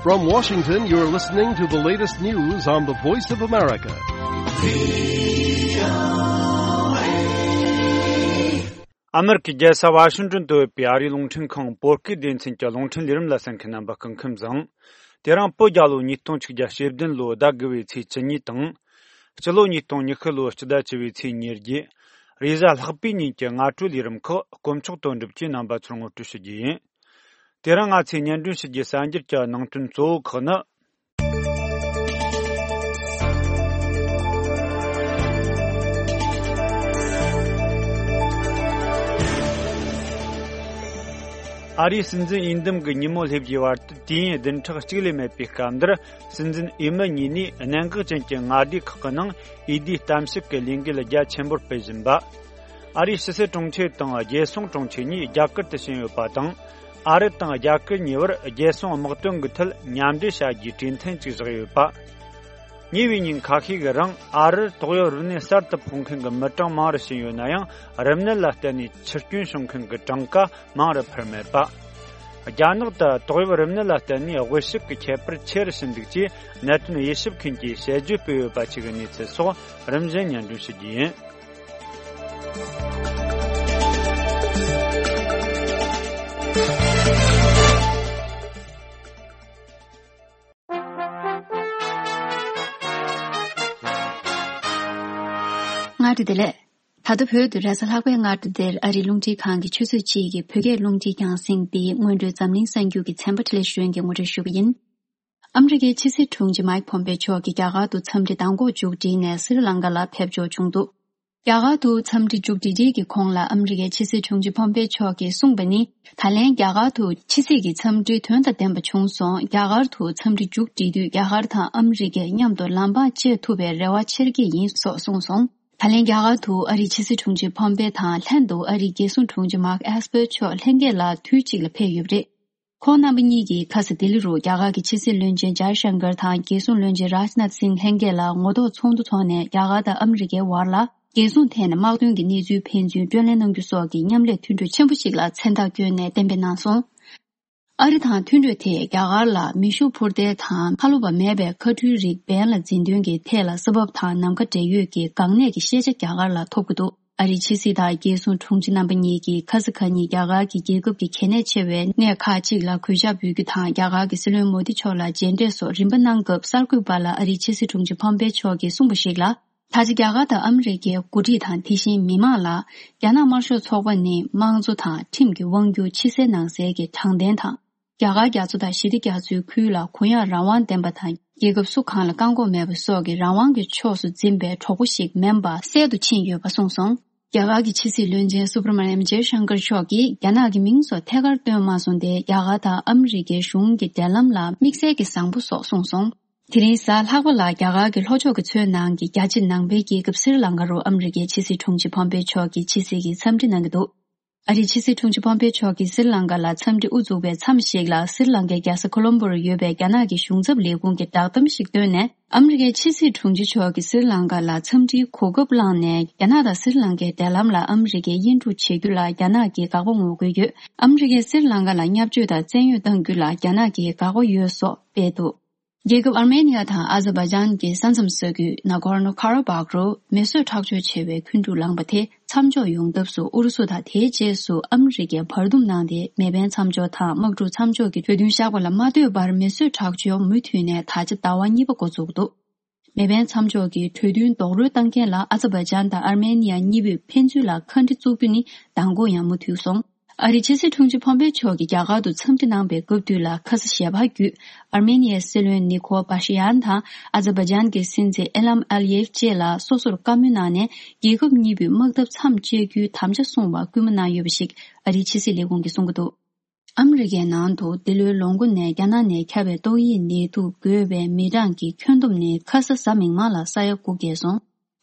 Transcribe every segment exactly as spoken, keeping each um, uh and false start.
From Washington, you're listening to the latest news on the Voice of America. ཨ་མེ་རི་ཁའི་རྒྱལ་ས་ཝ་ཤིང་ཏོན་དུ་ཡོད་པའི་ཨ་རིའི་རླུང་འཕྲིན་ཁང་བོད་སྐད་སྡེ་ཚན་གྱི་རླུང་འཕྲིན་ལས་རིམ་ལ་གསན་མཁན་རྣམ་པ་སྐུ་ཁམས་བཟང་། དེ་རིང་བོད་རྒྱལ་ལོ་ཉིས་སྟོང་ཆིག་བརྒྱ་ཞེ་བདུན་ལོའི་ཟླ་དགུ་བའི་ཚེས་བཅུ་གཉིས་དང་། སྤྱི་ལོ་ཉིས་སྟོང་ཉི་ཤུ་ལོའི་སྤྱི་ཟླ་བཅུ་བའི་ཚེས་ཉེར་བརྒྱད། རེས་གཟའ་ལྷག་པའི་ཉིན་གྱི་སྔ་དྲོའི་ལས་རིམ་ཁག་དཀོན་མཆོག་དོན་གྲུབ་ཀྱིས་རྣམ་པ་ཚོར་ངོ་སྤྲོད་ཞུ་རྒྱུ་ཡིན། དེ་རིང་ང་ཚོས་སྙན་སྒྲོན་ཞུ་རྒྱུའི་གསར་འགྱུར་གྱི་ནང་དོན་གཙོ་བོ་ཁག་ནི། ཨ་རིའི་སྲིད་འཛིན་འོས་འདེམས་ཀྱི་ཉིན་མོ་སླེབས་རྒྱུའི་བར་དུ་དུས་ཡུན་བདུན་ཕྲག་གཅིག་ལས་མེད་པའི་སྐབས་འདིར། སྲིད་འཛིན་འོས་མི་གཉིས་ནས་གནད་འགག་ཅན་གྱི་མངའ་སྡེ་ཁག་གི་ནང་འོས་བསྡུའི་གཏམ་བཤད་ཀྱི་ལས་འགུལ་རྒྱ་ཆེན་པོར་སྤེལ་བཞིན་པ། ཨ་རིའི་ཕྱི་སྲིད་དྲུང་ཆེ་དང་རྒྱལ་སྲུང་དྲུང་ཆེ་གཉིས་རྒྱ་གར་དུ་ཕྱིན་ཡོད་པ་དང་། ཨ་རི་དང་རྒྱ་གར་གཉིས་བར་རྒྱལ་སྲུང་དམག་དོན་གྱི་ཐད་མཉམ་འབྲེལ་བྱ་རྒྱུའི་གྲོས་མཐུན་ཅིག་བཞག་ཡོད་པ། ཉེ་བའི་ཉིན་ཁ་ཤས་ཀྱི་རིང་ཨ་རིར་ཏོག་དབྱིབས་རིམས་ནད་གསར་དུ་ཕོག་མཁན་གྱི་མི་གྲངས་མང་རུ་ཕྱིན་ཡོད་ན་ཡང་། རིམས་ནད་ལ་བརྟེན་ནས་འཆི་སྐྱོན་བྱུང་མཁན་གྱི་གྲངས་ཀ་མང་རུ་འཕར་མེད་པ། རྒྱ་ནག་ཏུ་ཏོག་དབྱིབས་རིམས་ནད་ལ་བརྟེན་ནས་དབུལ་ཕྱུག་གི་ཁྱད་པར་ཆེ་རུ་ཕྱིན་འདུག་ཅེས་གནད་དོན་དབྱེ་ཞིབ་མཁན་གྱིས་དཔྱད་བརྗོད་སྤེལ་ཡོད་པ་བཅས་ཀྱི་གནས་ཚུལ་སོགས་རིམ་བཞིན་སྙན་སྒྲོན་ཞུ་རྒྱུ་ཡིན། སྔ་དྲོ་བདེ་ལེགས། ད་ལྟ་བོད་དུ་རེས་གཟའ་ལྷག་པའི་སྔ་དྲོ་འདིར་ཨ་རིའི་རླུང་འཕྲིན་ཁང་གི་ཆུ་ཚོད་གཅིག་གི་བོད་སྐད་རླུང་འཕྲིན་རྒྱང་སྲིང་འདི་སྔོན་འགྲོའི་འཛམ་གླིང་གསར་འགྱུར་གྱི་ཚན་པ་འཕྲིན་ལས་ཞུ་མཁན་གྱིས་ངོ་སྤྲོད་ཞུ་གི་ཡིན། ཨ་མི་རི་ཀའི་ཕྱི་སྲིད་དྲུང་ཆེ་མའིག་ཕོམ་པེ་མཆོག་གིས་རྒྱ་གར་དུ་འཚམས་འདྲི་མདང་དགོང་མཇུག་སྒྲིལ་ནས་སི་རི་ལང་ཀ་ལ་ཕེབས་འབྱོར་བྱུང་འདུག་རྒྱ་གར་དུ་འཚམས་འདྲི་མཇུག་སྒྲིལ་རིས་ཀྱི་གོང་ལ་ཨ་མི་རི་ཀའི་ཕྱི་སྲིད་དྲུང་ཆེ་ཕོམ་པེ་མཆོག་གིས་གསུངས་པ་ནི། ད་ལན་རྒྱ་གར་དུ་ཕྱི་སྲིད་ཀྱི་འཚམས་འདྲི་དོན་དང་ལྡན་པ་བྱུང་སོང་། རྒྱ་གར་དུ་འཚམས་འདྲི་མཇུག་སྒྲིལ་དུས་རྒྱ་གར་དང་ཨ་མི་རི་ཀས་མཉམ་དུ་ལམ་བར་བཅད་ཐུབ་པའི་རེ་བ་ཆེར་སྐྱེས་ཡིན་སོགས་གསུངས་སོང་། ད་ལན་རྒྱ་གར་དུ་ཨ་རིའི་ཕྱི་སྲིད་དྲུང་ཆེ་ཕོམ་པེ་དང་ལྷན་དུ་ཨ་རིའི་རྒྱལ་སྲུང་དྲུང་ཆེ་མཱག་ཨེས་པར་མཆོག་ལྷན་རྒྱས་ལ་དུས་གཅིག་ལ་ཕེབས་ཡོད་པ་རེད། ཁོང་རྣམ་པ་གཉིས་ཀྱིས་ཁ་སང་ལྡི་ལི་རུ་རྒྱ་གར་གྱི་ཕྱི་སྲིད་བློན་ཆེན་ཇའི་ཤང་ཀར་དང་རྒྱལ་སྲུང་བློན་ཆེན་རཱཇ་ནཱཐ་སིང་ལྷན་རྒྱས་ལ་ངོ་ཐོག་ཚོགས་འདུ་འཚོགས་ནས་རྒྱ་གར་དང་ཨ་མི་རི་ཀའི་བར་ལ་རྒྱལ་སྲུང་ཐད་ནས་དམག་དོན་གྱི་གནས་ཚུལ་ཕན་ཚུན་བགྲོ་གླེང་གནང་རྒྱུ་སོགས་ཀྱི་མཉམ་ལས་མཐུན་གྲོས་ཆེན་པོ་ཞིག་ལ་མཚན་རྟགས་བསྐྱོན་ནས་གཏན་འབེབས་གནང་སོང་། ཨ་རི་དང་མཐུན་གྲོས་དེས་རྒྱ་གར་ལ་མེ་ཤུགས་འཕུར་མདེལ་དང་ཁ་ལོ་པ་མེད་པའི་མཁའ་འགྲུལ་རིགས་འབེན་ལ་འཛིན་དོན་གྱི་ཐད་ལ་ས་བབ་དང་ནམ་མཁའ་འབྲེལ་ཡོད་ཀྱི་འགག་གནད་ཀྱི་ཤེས་བྱ་རྒྱ་གར་ལ་ཐོབ་ཀྱི་འདུག་ཨ་རིའི་ཕྱི་སྲིད་དང་རྒྱལ་སྲུང་དྲུང་ཆེ་རྣམ་པ་གཉིས་ཀྱིས་ཁ་ས་ཁ་ཉིན་རྒྱ་གར་གྱི་རྒྱལ་ཁབ་ཀྱི་གལ་གནད་ཆེ་བའི་གནས་ཁག་ཅིག་ལ་གུས་ཞབས་འབུལ་རྒྱུ་དང་། རྒྱ་གར་གྱི་སྲིད་བློན་མོ་དི་མཆོག་ལ་མཇལ་འཕྲད་སོགས་རིམ་པ་གནང་སྐབས། གསར་འགོད་པ་ལ་ཨ་རིའི་ཕྱི་སྲིད་དྲུང་ཆེ་ཕོམ་པེ་མཆོག་གིས་གསུངས་པ་ཞིག་ལ། ད་ཆ་རྒྱ་གར་དང་ཨ་མི་རི་ཀའི་འགོ་ཁྲིད་དང་དེ་བཞིན་མི་མང་ལ། རྒྱ་ནག་དམར་ཤོག་ཚོགས་པ་ནི་དམངས་གཙོ་དང་ཁྲིམས་ཀྱི་དབང་སྒྱུར་ཕྱི་གསལ་ནང་གསལ་གྱི་དྲང་བདེན་དང་། རྒྱ་གར་རྒྱ་མཚོ་དང་ཞི་བདེ་རྒྱ་མཚོའི་ཁུལ་ལ་གུ་ཡངས་རང་དབང་ལྡན་པ་དང་། རྒྱལ་ཁབ་སུ་གང་ལ་བཀག་འགོག་མེད་པ་སོགས་ཀྱི་རང་དབང་གི་ཕྱོགས་སུ་འཛིན་པའི་གྲོགས་པོ་ཞིག་མིན་པ་གསལ་དུ་ཕྱིན་ཡོད་པ་གསུངས་སོང་། རྒྱ་གར་གྱི་ཕྱི་སྲིད་བློན་ཆེན་སུབ་ར་མ་ནམ་ཇེ་ཤང་ཀར་མཆོག་གིས་རྒྱ་ནག་གི་མིང་སོགས་ཐད་ཀར་བཏོན་མ་སོང་སྟེ། རྒྱ་གར་དང་ཨ་མི་རི་ཀའི་གཞུང་གི་འབྲེལ་ལམ་ལ་དམིགས་བསལ་གྱི་བཟང་པོ་སོགས་གསུངས་སོང་། དེ་རིང་གཟའ་ལྷག་པ་ལ་རྒྱ་གར་གྱི་ལྷོ་ཕྱོགས་ཀྱི་མཚོའི་ནང་གི་རྒྱ་ཆེ་ནང་པའི་རྒྱལ་ཁབ་སི་རི་ལང་ཀ་རུ་ཨ་མི་རི་ཀའི་ཕྱི་སྲིད་དྲུང་ཆེ་ཕོམ་པེ་མཆོག་གིས་ཕྱི་སྲིད་ཀྱི་འཚམས་འདྲི་གནང་གི་འདུག་ཨ་རིའི་ཕྱི་སྲིད་དྲུང་ཆེ་ཕོམ་པེ་མཆོག་གིས་སི་རི་ལང་ཀ་ལ་འཚམས་འདྲི་དབུ་འཛུགས་པའི་མཚམས་ཤིག་ལ། སི་རི་ལང་ཀའི་རྒྱལ་ས་ཁོ་ལོམ་པོ་རུ་ཡོད་པའི་རྒྱ་ནག་གི་གཞུང་ཚབ་ལས་ཁུངས་ཀྱི་བསྒྲགས་གཏམ་ཞིག་བཏོན་ནས། ཨ་མི་རི་ཀའི་ཕྱི་སྲིད་དྲུང་ཆེ་མཆོག་གིས་སི་རི་ལང་ཀ་ལ་འཚམས་འདྲིའི་གོ་སྐབས་བླངས་ནས། རྒྱ་ནག་དང་སི་རི་ལང་ཀའི་འབྲེལ་ལམ་ལ་ཨ་མི་རི་ཀས་དབྱེན་དཀྲུག་བྱེད་རྒྱུ་ལ་རྒྱ་ནག་གིས་དགག་པ་ངོ་རྒོལ་ཡོད། ཨ་མི་རི་ཀས་སི་རི་ལང་ཀ་ལ་བརྙས་བཅོས་དང་བཙན་གཡོལ་གཏང་རྒྱུ་ལ་རྒྱ་ནག་གིས་དགག་པ་ཡོད་སོགས་སྤེལ་འདུག་རྒྱལ་ཁབ་ཨར་མེ་ནི་ཡ་དང་ཨ་ཛར་བྷ་ཇན་གྱི་ས་མཚམས་ས་ཁུལ་ན་གོར་ནོ་ཁ་ར་བྷག་རུ་མེ་གསོད་ཁྲག་སྦྱོར་ཆེ་བའི་འཁོན་འཁྲུག་ལངས་པ་དེ་མཚམས་འཇོག་ཡོང་ཐབས་སུ། ཨུ་རུ་སུ་དང་དེའི་རྗེས་སུ་ཨ་མི་རི་ཀས་བར་འདུམ་གནང་སྟེ། མེ་འཕེན་མཚམས་འཇོག་དང་དམག་འཁྲུག་མཚམས་འཇོག་གི་གྲོས་མཐུན་བཞག་པ་ལ་མ་ལྟོས་པར། མེ་གསོད་ཁྲག་སྦྱོར་མུ་མཐུད་ནས་ད་ཆ་ཟླ་བ་གཉིས་པ་འགོ་བཙུགས་འདུག་མེ་འཕེན་མཚམས་འཇོག་གི་གྲོས་མཐུན་རྡོག་རོལ་བཏང་མཁན་ལ་ཨ་ཛར་བྷ་ཇན་དང་ཨར་མེ་ནི་ཡ་གཉིས་པོས་ཕན་ཚུན་ལ་ཁ་འདྲི་བཙུགས་རྒྱུ་ནི་མདང་དགོང་ཡང་མུ་མཐུད་སོང་། ཨ་རིའི་ཕྱི་སྲིད་དྲུང་ཆེ་ཕོམ་པེ་མཆོག་གིས་རྒྱ་གར་དུ་འཚམས་འདྲི་གནང་པའི་སྐབས་དུས་ལ། ཁ་ས་ཞལ་པར་བརྒྱུད། ཨར་མེ་ནི་ཡའི་སྲིད་བློན་ནི་ཁོ་པ་ཤི་ཡན་དང་ཨ་ཛར་བྷ་ཇན་གྱི་སྲིད་འཛིན་ཨི་ལམ་ཨ་ལི་ཡེབ་བཅས་ལ་སོ་སོར་བཀའ་མོལ་གནང་ནས། རྒྱལ་ཁབ་གཉིས་པོས་དམག་འཐབ་མཚམས་གཅོད་རྒྱུའི་དམ་བཅའ་བསྲུང་བར་སྐུལ་མ་གནང་ཡོད་པ་ཞིག་ཨ་རིའི་ཕྱི་སྲིད་ལས་ཁུངས་ཀྱིས་གསུང་གི་འདུག་ཨ་མི་རི་ཀའི་ནང་དུ་འདི་ལོའི་ལོ་འགོ་ནས་རྒྱ་ནག་ནས་ཁྱབ་པའི་ཏོག་དབྱིབས་ནད་དུག་འགོས་པའི་མི་གྲངས་ཀྱི་ཁྱོན་བསྡོམས་ནི་ཁ་ས་གཟའ་མིག་དམར་ལ་ས་ཡ་དགུ་བརྒལ་སོང་།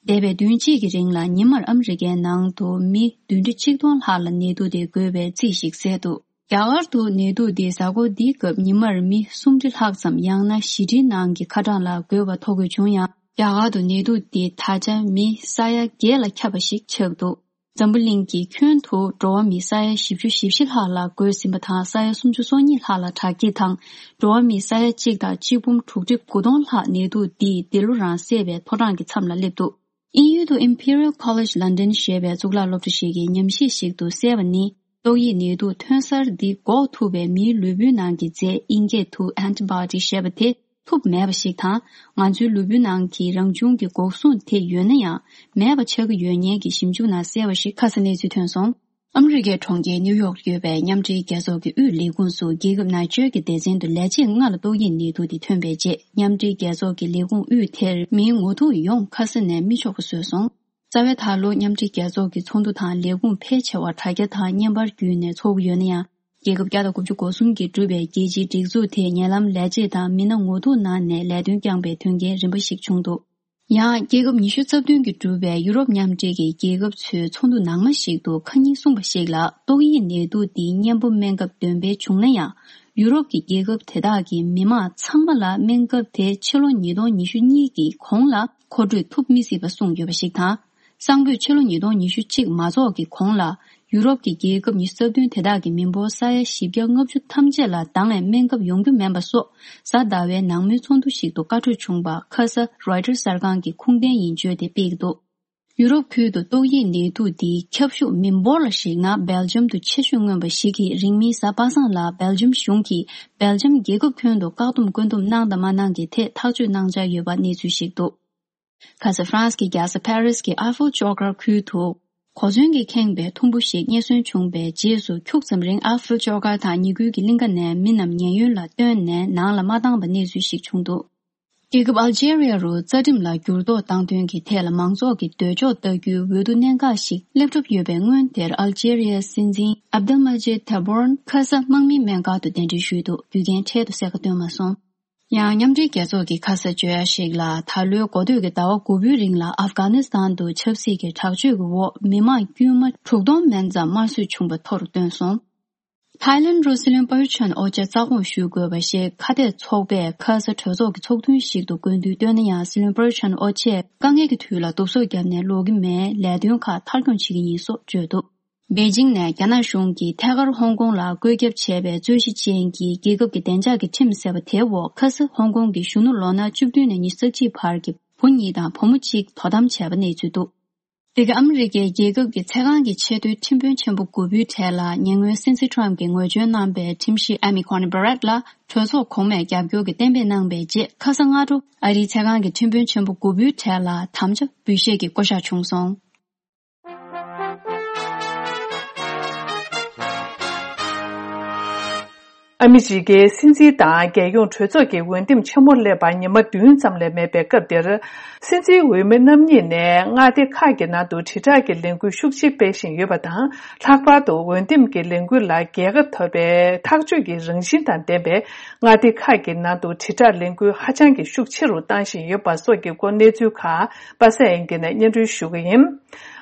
འདས་པའི་བདུན་གཅིག་གི་རིང་ལ་ཉི་མར་ཨ་མི་རི་ཀའི་ནང་དུ་མི་བདུན་ཁྲི་ཆིག་སྟོང་ལྷག་ལ་ནད་དུག་དེ་འགོས་པའི་རྩིས་ཤིག་གསལ་འདུག་རྒྱ་གར་དུ་ནད་དུག་འདི་གཟའ་འཁོར་འདིའི་སྐབས་ཉི་མར་མི་སུམ་ཁྲི་ལྷག་ཙམ་ཡང་ན་བཞི་ཁྲིའི་ནང་གི་ཁ་གྲངས་ལ་འགོས་པ་ཐོ་འགོད་བྱུང་ཡང་། རྒྱ་གར་དུ་ནད་དུག་འདི་ད་ཆ་མི་ས་ཡ་བརྒྱད་ལ་ཁྱབ་པ་ཞིག་ཆགས་འདུག་འཛམ་བུ་གླིང་གི་ཁྱོན་དུ་འགྲོ་བ་མི་ས་ཡ་བཞི་བཅུ་ཞེ་བཞི་ལྷག་ལ་འགོས་ཟིན་པ་དང་། ས་ཡ་སུམ་ཅུ་སོ་གཉིས་ལྷག་ལ་དྲག་སྐྱེད་དང་། འགྲོ་བ་མི་ས་ཡ་གཅིག་དང་གཅིག་འབུམ་དྲུག་ཁྲི་དགུ་སྟོང་ལྷག་ནད་དུག་འདིས་འདི་ལོ་རང་བསད་པའི་ཕོ་བྲང་གི་མཚམས་ལ་སླེབས་འདུག་དབྱིན་ཡུལ་དུ་Imperial College London ཞེས་པའི་གཙུག་ལག་སློབ་གྲྭ་ཞིག་གིས་ཉམས་ཞིབ་ཞིག་ཏུ་གསལ་བ་ནི། ཏོག་དབྱིབས་ནད་དུག་ཐོན་གསར་འདི་འགོག་ཐུབ་པའི་མིའི་ལུས་པོའི་ནང་གི་རྫས་དབྱིན་སྐད་དུ་antibody ཞེས་པ་དེ་ཐུབ་མེད་པ་ཞིག་དང་། ང་ཚོའི་ལུས་པོའི་ནང་གི་རང་བྱུང་གི་འགོག་སྲུང་དེ་ཡོད་ན་ཡང་མེད་པ་ཆགས་ཀྱི་ཡོད་ངེས་ཀྱི་ཞིབ་འཇུག་ནང་གསལ་བ་ཞིག་ཁ་ས་གནས་ཚུལ་ཐོན་སོང་། ཨ་མི་རི་ཀའི་གྲོང་ཁྱེར་ནིའུ་ཡོག་ཏུ་ཡོད་པའི་མཉམ་འབྲེལ་རྒྱལ་ཚོགས་ཀྱི་དབུས་ལས་ཁུངས་སུ་རྒྱལ་ཁབ་ན་ཆོལ་གྱི་སྡེ་ཚན་དུ་ལས་བྱེད་ལྔ་ལ་ཏོག་དབྱིབས་ནད་དུག་དེ་ཐོན་པའི་རྗེས། མཉམ་འབྲེལ་རྒྱལ་ཚོགས་ཀྱི་ལས་ཁུངས་དབུས་དེར་མིའི་ངོ་ཐུག་ཡོང་ཁ་ས་ནས་མི་ཆོག་པ་བཟོས་སོང་། རྩ་བའི་ད་ལོ་མཉམ་འབྲེལ་རྒྱལ་ཚོགས་ཀྱི་ཚོགས་འདུ་དང་ལས་ཁུངས་ཕལ་ཆེ་བ་དྲ་རྒྱ་དང་བརྙན་པར་བརྒྱུད་ནས་ཚོགས་ཀྱི་ཡོད་ན་ཡང་། རྒྱལ་ཁབ་བརྒྱ་དང་དགུ་བཅུ་གོ་གསུམ་གྱིས་གྲུབ་པའི་རྒྱལ་སྤྱིའི་སྒྲིག་འཛུགས་དེས་ཉེ་ལམ་ལས་བྱེད་དང་མི་སྣ་ངོ་ཐུག་གནང་ནས་ལས་དོན་བསྐྱངས་པའི་དོན་རྐྱེན་རིམ་པ་ཞིག་བྱུང་འདུག་ཡང་རྒྱལ་ཁབ་ཉི་ཤུ་རྩ་བདུན་གྱིས་གྲུབ་པའི་ཡུ་རོབ་མཉམ་འབྲེལ་གྱི་རྒྱལ་ཁབ་ཚོའི་ཚོགས་འདུ་ནང་མ་ཞིག་ཏུ་ཁ་ཉིན་གསུངས་པ་ཞིག་ལ། ཏོག་དབྱིབས་ནད་དུག་འདིའི་གཉེན་པོ་སྨན་ཁབ་འདོན་སྤེལ་བྱུང་ན་ཡང་། ཡུ་རོབ་ཀྱི་རྒྱལ་ཁབ་དེ་དག་གི་མི་མང་ཚང་མ་ལ་སྨན་ཁབ་དེ་ཕྱི་ལོ་ཉིས་སྟོང་ཉི་ཤུ་གཉིས་ཀྱི་གོང་ལ་མཁོ་སྤྲོད་ཐུབ་མི་སྲིད་པ་གསུངས་ཡོད་པ་ཞིག་དང་། གསང་ཕོད་ཕྱི་ལོ་ཉིས་སྟོང་ཉི་ཤུ་གཅིག་མ་རྫོགས་ཀྱི་གོང་ལ། ཡུ་རོབ་ཀྱི་རྒྱལ་ཁབ་ཉི་ཤུ་རྩ་བདུན་དེ་དག་གི་མི་འབོར་ས་ཡ་བཞི་བརྒྱ་ལྔ་བཅུ་ཐམས་ཅད་ལ་འདང་བའི་སྨན་ཁབ་ཡོང་རྒྱུ་མིན་པ་སོགས། གཟའ་ཟླ་བའི་ནང་མོལ་ཚོགས་འདུ་ཞིག་ཏུ་བཀའ་འཁྲོལ་བྱུང་བ་ཁ་ས་Reuters གསར་ཁང་གིས་ཁུངས་ལྡན་ཡིན་བརྗོད་དེ་སྤེལ་འདུག་ཡུ་རོབ་ཁུལ་དུ་ཏོག་དབྱིབས་ནད་དུག་འདིའི་ཁྱབ་ཤུགས་མི་འབོར་ལ་གཞིགས་ན་སྦེལ་ཇམ་དུ་ཆེ་ཤོས་མངོན་པ་ཞིག་གིས། རིང་མིན་གཟའ་པ་སངས་ལ་སྦེལ་ཇམ་གཞུང་གིས་སྦེལ་ཇམ་རྒྱལ་ཁབ་ཁྱོན་དུ་བཀག་སྡོམ་བཀོད་འདོམས་གནང་དང་མ་གནང་གི་ཐད་ཐག་གཅོད་གནང་འཆར་ཡོད་པ་གནས་ཚུལ་ཞིག་འདུག་ཁ་ས་ཧྥ་རན་སི་གི་རྒྱལ་ས་ཕ་རི་སི་གི་ཨ་ཧྥིལ་ཅོག་ཁར་ཁུལ་དུ་གོ་མཚོན་གྱིས་ཁེངས་པའི་ཐུམ་བུ་ཞིག་རྙེད་སོན་བྱུང་བའི་རྗེས་སུ། འཁྱུག་ཙམ་རིང་ཨ་ཧྥིལ་ཅོག་ཁར་དང་ཉེ་ཁུལ་གྱི་གླིང་ག་ནས་མི་རྣམས་ཉེན་གཡོལ་ལ་བཏོན་ནས་ནང་ལ་མ་བཏང་བའི་གནས་ཚུལ་ཞིག་བྱུང་འདུག་རྒྱལ་ཁབ་ཨལ་ཇེ་རི་ཡ་རུ་རྩ་ཁྲིམས་ལ་འགྱུར་ལྡོག་བཏང་དོན་གྱི་ཐད་ལ་མང་ཚོགས་ཀྱིས་འདོད་ཕྱོགས་ལྟ་རྒྱུའི་འོས་བསྡུ་གནད་འགག་ཞིག་སླེབས་གྲབས་ཡོད་པའི་སྔོན་དེར། ཨལ་ཇེ་རི་ཡའི་སྲིད་འཛིན་ཨབ་དེལ་མ་ཇེད་ཐེ་བོར་ཁ་ས་དམག་མིའི་སྨན་ཁང་དུ་གདན་འདྲེན་ཞུས་འདུག་རྒྱུ་རྐྱེན་འཕྲལ་དུ་གསལ་ཁ་བཏོན་མ་སོང་། ཡང་མཉམ་འབྲེལ་རྒྱལ་ཚོགས་ཀྱི་ཁ་ས་བརྗོད་ཡ་ཞིག་ལ། ད་ལོའི་འགོ་སྟོད་ཀྱི་ཟླ་བ་དགུ་པའི་རིང་ལ་ཨབ་གྷ་ནི་སི་ཐན་དུ་ཆབ་སྲིད་ཀྱི་དྲག་སྤྱོད་ཀྱི་འོག་མི་མང་དཀྱུས་མ་དྲུག་སྟོང་མན་ཙམ་དམར་གསོད་བྱུང་བ་ཐོ་རུ་བཏོན་སོང་། ཐའི་ལེན་རུ་སྲིད་བློན་པ་ཡུ་ཆན་ཨོ་ཅེ་རྩ་དགོངས་ཞུ་དགོས་པ་ཞིག་ཁ་གཏད་ཚོགས་པས་ཁ་ས་གྲོས་ཚོགས་ཀྱི་ཚོགས་ཐུན་ཞིག་ཏུ་དགོས་འདུན་བཏོན་ན་ཡང་། སྲིད་བློན་པ་ཡུ་ཆན་ཨོ་ཅེས་དཀའ་ངལ་གྱི་དུས་ལ་བསྡུ་གསོག་བརྒྱབ་ནས་ལོག་གི་མེད། ལས་དོན་ཁག་མཐའ་འཁྱོངས་བྱེད་ཀྱི་ཡིན་སོགས་བརྗོད་འདུག་པེ་ཅིང་ནས་རྒྱ་ནག་གཞུང་གིས་ཐད་ཀར་ཧོང་ཀོང་ལ་བཀོད་ཁྱབ་བྱས་པའི་རྩོད་གཞི་ཅན་གྱི་རྒྱལ་ཁབ་ཀྱི་བདེ་འཇགས་ཀྱི་ཁྲིམས་ཟེར་བ་དེའི་འོག་ཁ་ས་ཧོང་ཀོང་གི་གཞོན་ནུ་ལོ་ན་བཅུ་བདུན་ནས་ཉི་ཤུ་རྩ་གཅིག་བར་གྱི་བུ་གཉིས་དང་བུ་མོ་གཅིག་དོ་དམ་བྱས་པ་གནས་ཚུལ་འདུག་དེ་ག་ཨ་མི་རི་ཀའི་རྒྱལ་ཁབ་ཀྱི་ཚད་བཀག་གི་ཆེས་མཐོའི་ཁྲིམས་དཔོན་ཆེན་པོ་དགུ་པོའི་གྲས་ལ་ཉེ་སྔོན་སྲིད་འཛིན་ཁྲོམ་གྱིས་ངོས་འཛིན་གནང་པའི་ཁྲིམས་ཞིབ་ཨ་མི་ཀོ་ནི་བྷ་རེད་ལ་གྲོས་ཚོགས་གོང་མས་རྒྱབ་སྐྱོར་གྱི་གཏན་འབེབས་གནང་པའི་རྗེས། ཁ་ས་སྔ་དྲོ་ཨ་རིའི་ཚད་བཀག་གི་ཁྲིམས་དཔོན་ཆེན་པོ་དགུ་པོའི་གྲས་ལ་དམ་བཅའ་འབུལ་བཞེས་ཀྱི་བསྐོ་བཞག་བྱུང་སོང་། ཨ་མི་རི་ཀའི་སྲིད་འཛིན་དང་རྒྱལ་ཡོངས་གྲོས་ཚོགས་ཀྱི་འོས་འདེམས་ཆེན་མོ་སླེབས་པར་ཉི་མ་བདུན་ཙམ་ལས་མེད་པའི་སྐབས་འདིར། སྲིད་འཛིན་འོས་མི་རྣམ་གཉིས་ནས་མངའ་སྡེ་ཁག་གི་ནང་དུ་དྲིལ་བསྒྲགས་ཀྱི་ལས་འགུལ་ཤུགས་ཆེ་སྤེལ་བཞིན་ཡོད་པ་དང་། ལྷག་པར་དུ་འོས་འདེམས་ཀྱི་ལས་འགུལ་ལ་རྒྱལ་ཁ་ཐོབ་པའི་ཐག་གཅོད་ཀྱི་རང་བཞིན་དང་ལྡན་པའི་མངའ་སྡེ་ཁག་གི་ནང་དུ་དྲིལ་བསྒྲགས་ལས་འགུལ་ཧ་ཅང་གི་ཤུགས་ཆེ་རུ་བཏང་བཞིན་ཡོད་པ་སོགས་ཀྱི་སྐོར་གནས་ཚུལ་ཁག་པ་སངས་དབྱངས་སྐྱིད་ནས་སྙན་སྒྲོན་ཞུ་གི་ཡིན།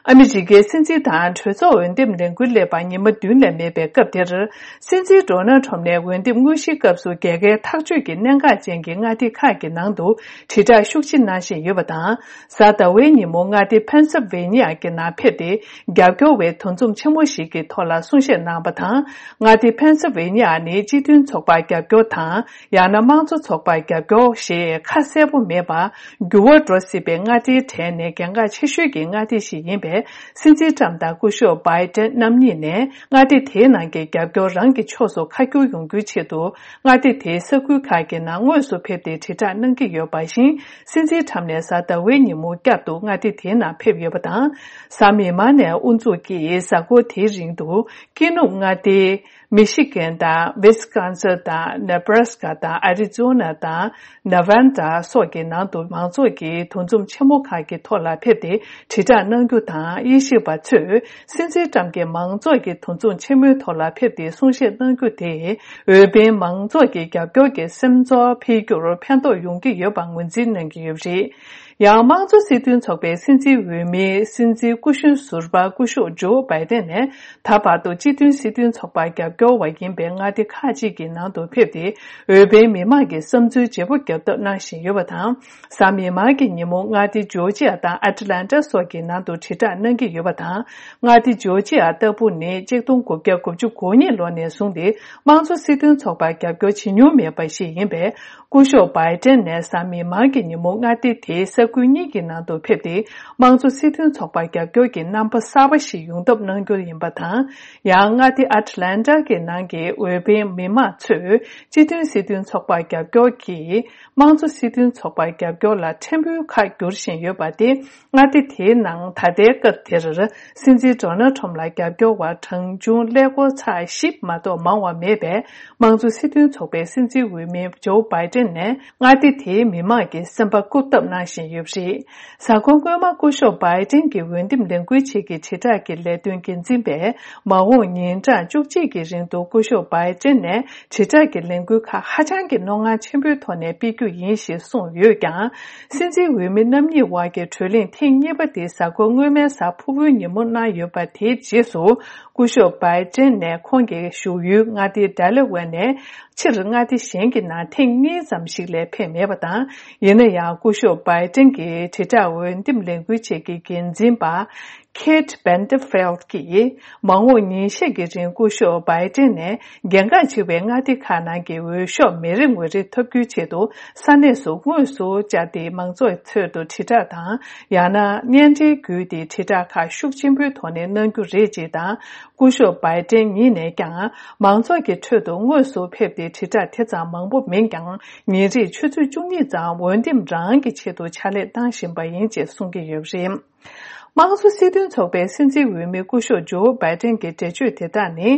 ཨ་མི་རི་ཀའི་སྲིད་འཛིན་དང་གྲོས་ཚོགས་འོས་འདེམས་ལས་འགུལ་སླེབས་པར་ཉི་མ་བདུན་ལས་མེད་པའི་སྐབས་དེར། སྲིད་འཛིན་ཌོ་ནལ་ཊམ་ནས་འོས་འདེམས་དངོས་གཞིའི་སྐབས་སུ་རྒྱལ་ཁའི་ཐག་གཅོད་ཀྱི་གནད་འགག་ཅན་གྱི་མངའ་སྡེ་ཁག་གི་ནང་དུ་དྲིལ་བསྒྲགས་ཤུགས་ཆེ་གནང་བཞིན་ཡོད་པ་དང་། གཟའ་ཟླ་བའི་ཉིན་མོ་མངའ་སྡེ་ཕེན་སིལ་ཝེ་ནི་ཡ་གི་ནང་ཕེབས་ཏེ། རྒྱབ་སྐྱོར་བའི་འདུ་འཛོམས་ཆེན་མོ་ཞིག་གི་ཐོག་ལ་གསུང་བཤད་གནང་བ་དང་། མངའ་སྡེ་ཕེན་སིལ་ཝེ་ནི་ཡ་ནི་སྤྱི་མཐུན་ཚོགས་པར་རྒྱབ་སྐྱོར་དང་། ཡང་ན་དམངས་གཙོ་ཚོགས་པར་རྒྱབ་སྐྱོར་ཞེས་ཁ་གསལ་པོ་མེད་པར། འགྱུར་བ་འགྲོ་སྲིད་པའི་མངའ་སྡེའི་གྲས་ནས་གལ་འགངས་ཆེ་ཤོས་ཀྱི་མངའ་སྡེ་ཞིག་ཡིན་པས། སྲིད་འཛིན་ཊམ་དང་སྐུ་ཞབས་བྷའི་ཏན་རྣམ་གཉིས་ནས་མངའ་སྡེ་དེའི་ནང་གི་རྒྱབ་སྐྱོར་རང་གི་ཕྱོགས་སུ་ཁ་བསྒྱུར་ཡོང་རྒྱུའི་ཆེད་དུ། མངའ་སྡེ་དེའི་ས་ཁུལ་ཁག་གི་ནང་དངོས་སུ་ཕེབས་ཏེ་དྲིལ་བསྒྲགས་གནང་གི་ཡོད་པ་བཞིན། སྲིད་འཛིན་ཊམ་ནས་གཟའ་ཟླ་བའི་ཉིན་མོ་བསྐྱར་དུ་མངའ་སྡེ་དེའི་ནང་ཕེབས་ཡོད་པ་དང་། གཟའ་མིག་དམར་ནས་དབུ་འཛུགས་ཀྱིས་གཟའ་འཁོར་དེའི་རིང་དུ། ཀི་ནུབ་མངའ་སྡེའི་མི་ཤི་གན་དང་ཝིས་ཀོན་སིན་དང་ནེ་བྷ་ར་སི་ཀ་དང་ཨ་རི་ཛོ་ན་དང་ནེ་ཝཱ་ཌ་སོགས་ཀྱི་ནང་དུ་མང་ཚོགས་ཀྱི་འདུ་འཛོམས་ཆེན་མོ་ཁག་གི་ཐོག་ལ་ཕེབས་ཏེ་དྲིལ་བསྒྲགས་གནང་རྒྱུ་དང་། དབྱེ་ཞིབ་པ་ཚོས་སྲིད་འཛིན་ཊམ་གྱིས་མང་ཚོགས་ཀྱི་འདུ་འཛོམས་ཆེན་མོའི་ཐོག་ལ་ཕེབས་ཏེ་གསུང་བཤད་གནང་རྒྱུ་དེས་འོས་འཕེན་མང་ཚོགས་ཀྱི་རྒྱབ་སྐྱོར་གྱི་སེམས་ཚོར་འཕེལ་རྒྱུར་ཕན་ཐོགས་ཡོང་གི་ཡོད་པ་ངོས་འཛིན་གནང་གི་ཡོད་པ་རེད། ཡང་དམངས་གཙོ་སྲིད་དོན་ཚོགས་པའི་སྲིད་འཛིན་འོས་མི་སྲིད་འཛིན་སྐུ་གཞོན་ཟུར་པ་སྐུ་ཞབས་ཇོ་བྷའི་ཏན་ནས། ད་བར་དུ་སྤྱི་མཐུན་སྲིད་དོན་ཚོགས་པར་རྒྱབ་སྐྱོར་བ་ཡིན་པའི་མངའ་སྡེ་ཁག་ཅིག་གི་ནང་དུ་ཕེབས་ཏེ། འོས་འཕེན་མི་མང་གི་བསམ་ཚུལ་བརྗེ་པོ་རྒྱབ་ཐབས་གནང་བཞིན་ཡོད་པ་དང་། གཟའ་མིག་དམར་གྱི་ཉིན་མོ་མངའ་སྡེ་ཇོར་ཇི་ཡ་དང་ཨ་ཏི་ལན་ཏྲ་སོགས་ཀྱི་ནང་དུ་དྲིལ་བསྒྲགས་གནང་གི་ཡོད་པ་དང་། མངའ་སྡེ་ཇོར་ཇི་ཡ་ལྟ་བུ་ནི་ཆིག་སྟོང་དགུ་བརྒྱ་དགུ་བཅུ་གོ་གཉིས་ལོ་ནས་བཟུང་སྟེ་དམངས་གཙོ་སྲིད་དོན་ཚོགས་པར་རྒྱབ་སྐྱོར་བྱེད་མྱོང་མེད་པ་ཞིག་ཡིན་པས། སྐུ་ཞབས་བྷའི་ཏན་ནས་གཟའ་མིག་དམར་གྱི་ཉིན་མོ་མངའ་སྡེ་དེའི་ས་ཁུལ་གཉིས་ཀྱི་ནང་དུ་ཕེབས་ཏེ། དམངས་གཙོ་སྲིད་དོན་ཚོགས་པར་རྒྱབ་སྐྱོར་གྱི་རྣམ་པ་གསར་པ་ཞིག་ཡོང་ཐབས་གནང་རྒྱུ་ཡིན་པ་དང་། ཡང་མངའ་སྡེ་ཨ་ཏི་ལན་ཏ་གི་ནང་གི་འོས་འཕེན་མི་མང་ཚོས་སྤྱི་མཐུན་སྲིད་དོན་ཚོགས་པར་རྒྱབ་སྐྱོར་གྱིས། དམངས་གཙོ་སྲིད་དོན་ཚོགས་པར་རྒྱབ་སྐྱོར་ལ་ཕྲན་བུ་ཁ་བསྒྱུར་བཞིན་ཡོད་པ་སྟེ། མངའ་སྡེ་དེའི་ནང་ད་ལྟའི་སྐབས་དེར། སྲིད་འཛིན་ཌོ་ནལ་ཁྲོམ་ལ་རྒྱབ་སྐྱོར་བ་གྲངས་ཆུང་ཀླད་ཀོར་ཚེག་བཞི་མ་གཏོགས་མང་བ་མེད་པས། དམངས་གཙོ་སྲིད་དོན་ཚོགས་པའི་སྲིད་འཛིན་འོས་མི་ཇོ་བྷའི་ཏན་ནས་མངའ་སྡེ་དེའི་མི་མང་གི་སེམས་པ་བཀུག་ཐབས་གནང་བཞིན་ཡོད་པ་རེད། གཟའ་འཁོར་སྔོན་མ་སྐུ་ཞབས་བྷའི་ཏན་གྱི་འོས་འདེམས་ལས་འགུལ་ཆེད་ཀྱི་དྲིལ་བསྒྲགས་ཀྱི་ལས་དོན་འགན་འཛིན་པས། མ་འོངས་ཉིན་གྲངས་བཅུ་གཅིག་གི་རིང་དུ་སྐུ་ཞབས་བྷའི་ཏན་ནས་དྲིལ་བསྒྲགས་ཀྱི་ལས་འགུལ་ཁག་ཧ་ཅང་གི་རྣོ་ངར་ཆེན་པོའི་ཐོག་ནས་སྤེལ་རྒྱུ་ཡིན་ཞེས་གསུངས་ཡོད་ཀྱང་། སྲིད་འཛིན་འོས་མི་རྣམ་གཉིས་དབར་གྱི་གྲོས་གླེང་ཐེངས་གཉིས་པ་དེ་གཟའ་འཁོར་སྔོན་མའི་གཟའ་ཕུར་བུའི་ཉིན་མོ་གནང་ཡོད་པ། དེའི་རྗེས་སུ་སྐུ་ཞབས་བྷའི་ཏན་ནས་ཁོང་གི་བཞུགས་ཡུལ་མངའ་སྡེ་ཌེ་ལ་ཝེར་ནས་ཕྱིར་མངའ་སྡེ་གཞན་གྱི་ནང་ཐེངས་གཉིས་ཙམ་ཞིག་ལས་ཕེབས་མེད་པ་དང་། ཡིན་ན་ཡང་སྐུ་ཞབས་བྷའི་ཏན་གྱི་དྲིལ་བསྒྲགས་འོས་འདེམས་ལས་འགུལ་ཆེད་ཀྱི་འགན་འཛིན་པ། ཁེད་བྷན་ཏི་ཕེལ་གྱིས། མ་འོངས་ཉིན་ཤས་ཀྱི་རིང་སྐུ་ཞབས་བྷའི་ཏན་ནས་རྒྱལ་ཁབ་ཆེ་བའི་མངའ་སྡེ་ཁག་ནང་གི་འོས་ཤོག་མི་རེ་ངོ་རེ་ཐོབ་རྒྱུའི་ཆེད་དུ་ས་གནས་སུ་དངོས་སུ་བཅར་ཏེ་མང་ཚོགས་ཁྲོད་དུ་དྲིལ་བསྒྲགས་དང་། ཡང་ན་བརྙན་འཕྲིན་བརྒྱུད་དེ་དྲིལ་བསྒྲགས་ཁག་ཤུགས་ཆེན་པོའི་ཐོག་ནས་གནང་རྒྱུ་རེད་ཅེས་དང་། སྐུ་ཞབས་བྷའི་ཏན་ཉིད་ནས་ཀྱང་མང་ཚོགས་ཀྱི་ཁྲོད་དུ་དངོས་སུ་ཕེབས་ཏེ་དྲིལ་བསྒྲགས་དེ་ཙམ་མང་པོ་མིན་ཀྱང་། ཉིན་རེར་ཆུ་ཚོད་བཅུ་གཉིས་ཙམ་འོས་འདེམས་རང་གི་ཆེད་དུ་ཕྱག་ལས་གནང་བཞིན་པ་ཡིན་ཅེས་གསུང་གི་ཡོད་པ་རེད། དམངས་གཙོ་སྲིད་དོན་ཚོགས་པའི་སྲིད་འཛིན་འོས་མི་སྐུ་ཞབས་ཇོ་བྷའི་ཏན་གྱི་འགྲེལ་བརྗོད་དེ་དག་ནི།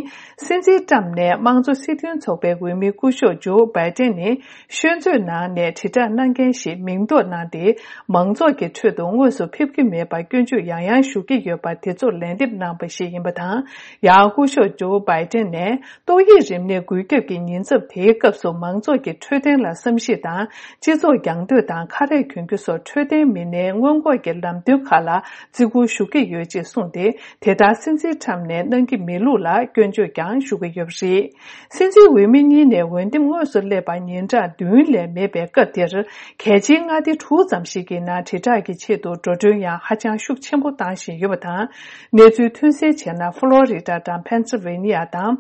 སྲིད་འཛིན་ཏྲམ་ནས་དམངས་གཙོ་སྲིད་དོན་ཚོགས་པའི་འོས་མི་སྐུ་ཞབས་ཇོ་བྷའི་ཏན་ནི་ཤོད་མཛོད་ནང་ནས་དྲིལ་བསྒྲགས་གནང་མཁན་ཞིག་མིང་འདོགས་གནང་སྟེ། མང་ཚོགས་ཀྱི་ཁྲོད་དུ་དངོས་སུ་ཕེབས་ཀྱི་མེད་པར་སྐྱོན་བརྗོད་ཡང་ཡང་ཞུ་གི་ཡོད་པ་དེ་ཚོར་ལན་འདེབས་གནང་པ་ཞིག་ཡིན་པ་དང་། ཡང་སྐུ་ཞབས་ཇོ་བྷའི་ཏན་ནས། ཏོག་དབྱིབས་རིམས་ནད་འགོས་ཁྱབ་ཀྱི་ཉེན་ཚབས་དེའི་སྐབས་སུ་མང་ཚོགས་ཀྱི་འཕྲོད་བསྟེན་ལ་བསམ་ཤེས་དང་། སྤྱི་ཚོགས་རྒྱང་སྡོད་དང་ཁ་རས་གྱོན་རྒྱུ་སོགས་འཕྲོད་བསྟེན་མི་སྣའི་སྔོན་འགོག་གི་ལམ་སྟོན་ཁག་ལ་བརྩི་བཀུར་ཞུ་གི་ཡོད་ཅེས་གསུངས་ཏེ། དེ་ལྟར་སྲིད་འཛིན་ཁྲམ་ནས་གནང་གི་མེད་ལུགས་ལ་སྐྱོན་བརྗོད་ཀྱང་ཞུ་གི་ཡོད་པ་རེད། སྲིད་འཛིན་འོས་མི་གཉིས་ནས་འོས་འདེམས་དངོས་སུ་སླེབས་པར་ཉིན་གྲངས་བདུན་ལས་མེད་པའི་སྐབས་དེར། གལ་ཆེའི་མངའ་སྡེ་དྲུག་ཙམ་ཞིག་གི་ནང་དྲིལ་བསྒྲགས་ཀྱི་ཆེད་དུ་འགྲོ་གྲོན་ཡང་ཧ་ཅང་ཤུགས་ཆེན་པོ་བཏང་བཞིན་ཡོད་པ་དང་། གནས་ཚུལ་ཐོན་གསལ་བྱས་ན། ཕ་ལོ་རི་ཌ་དང་ཕེན་སིལ་ཝེ་ནི་ཡ་དང་།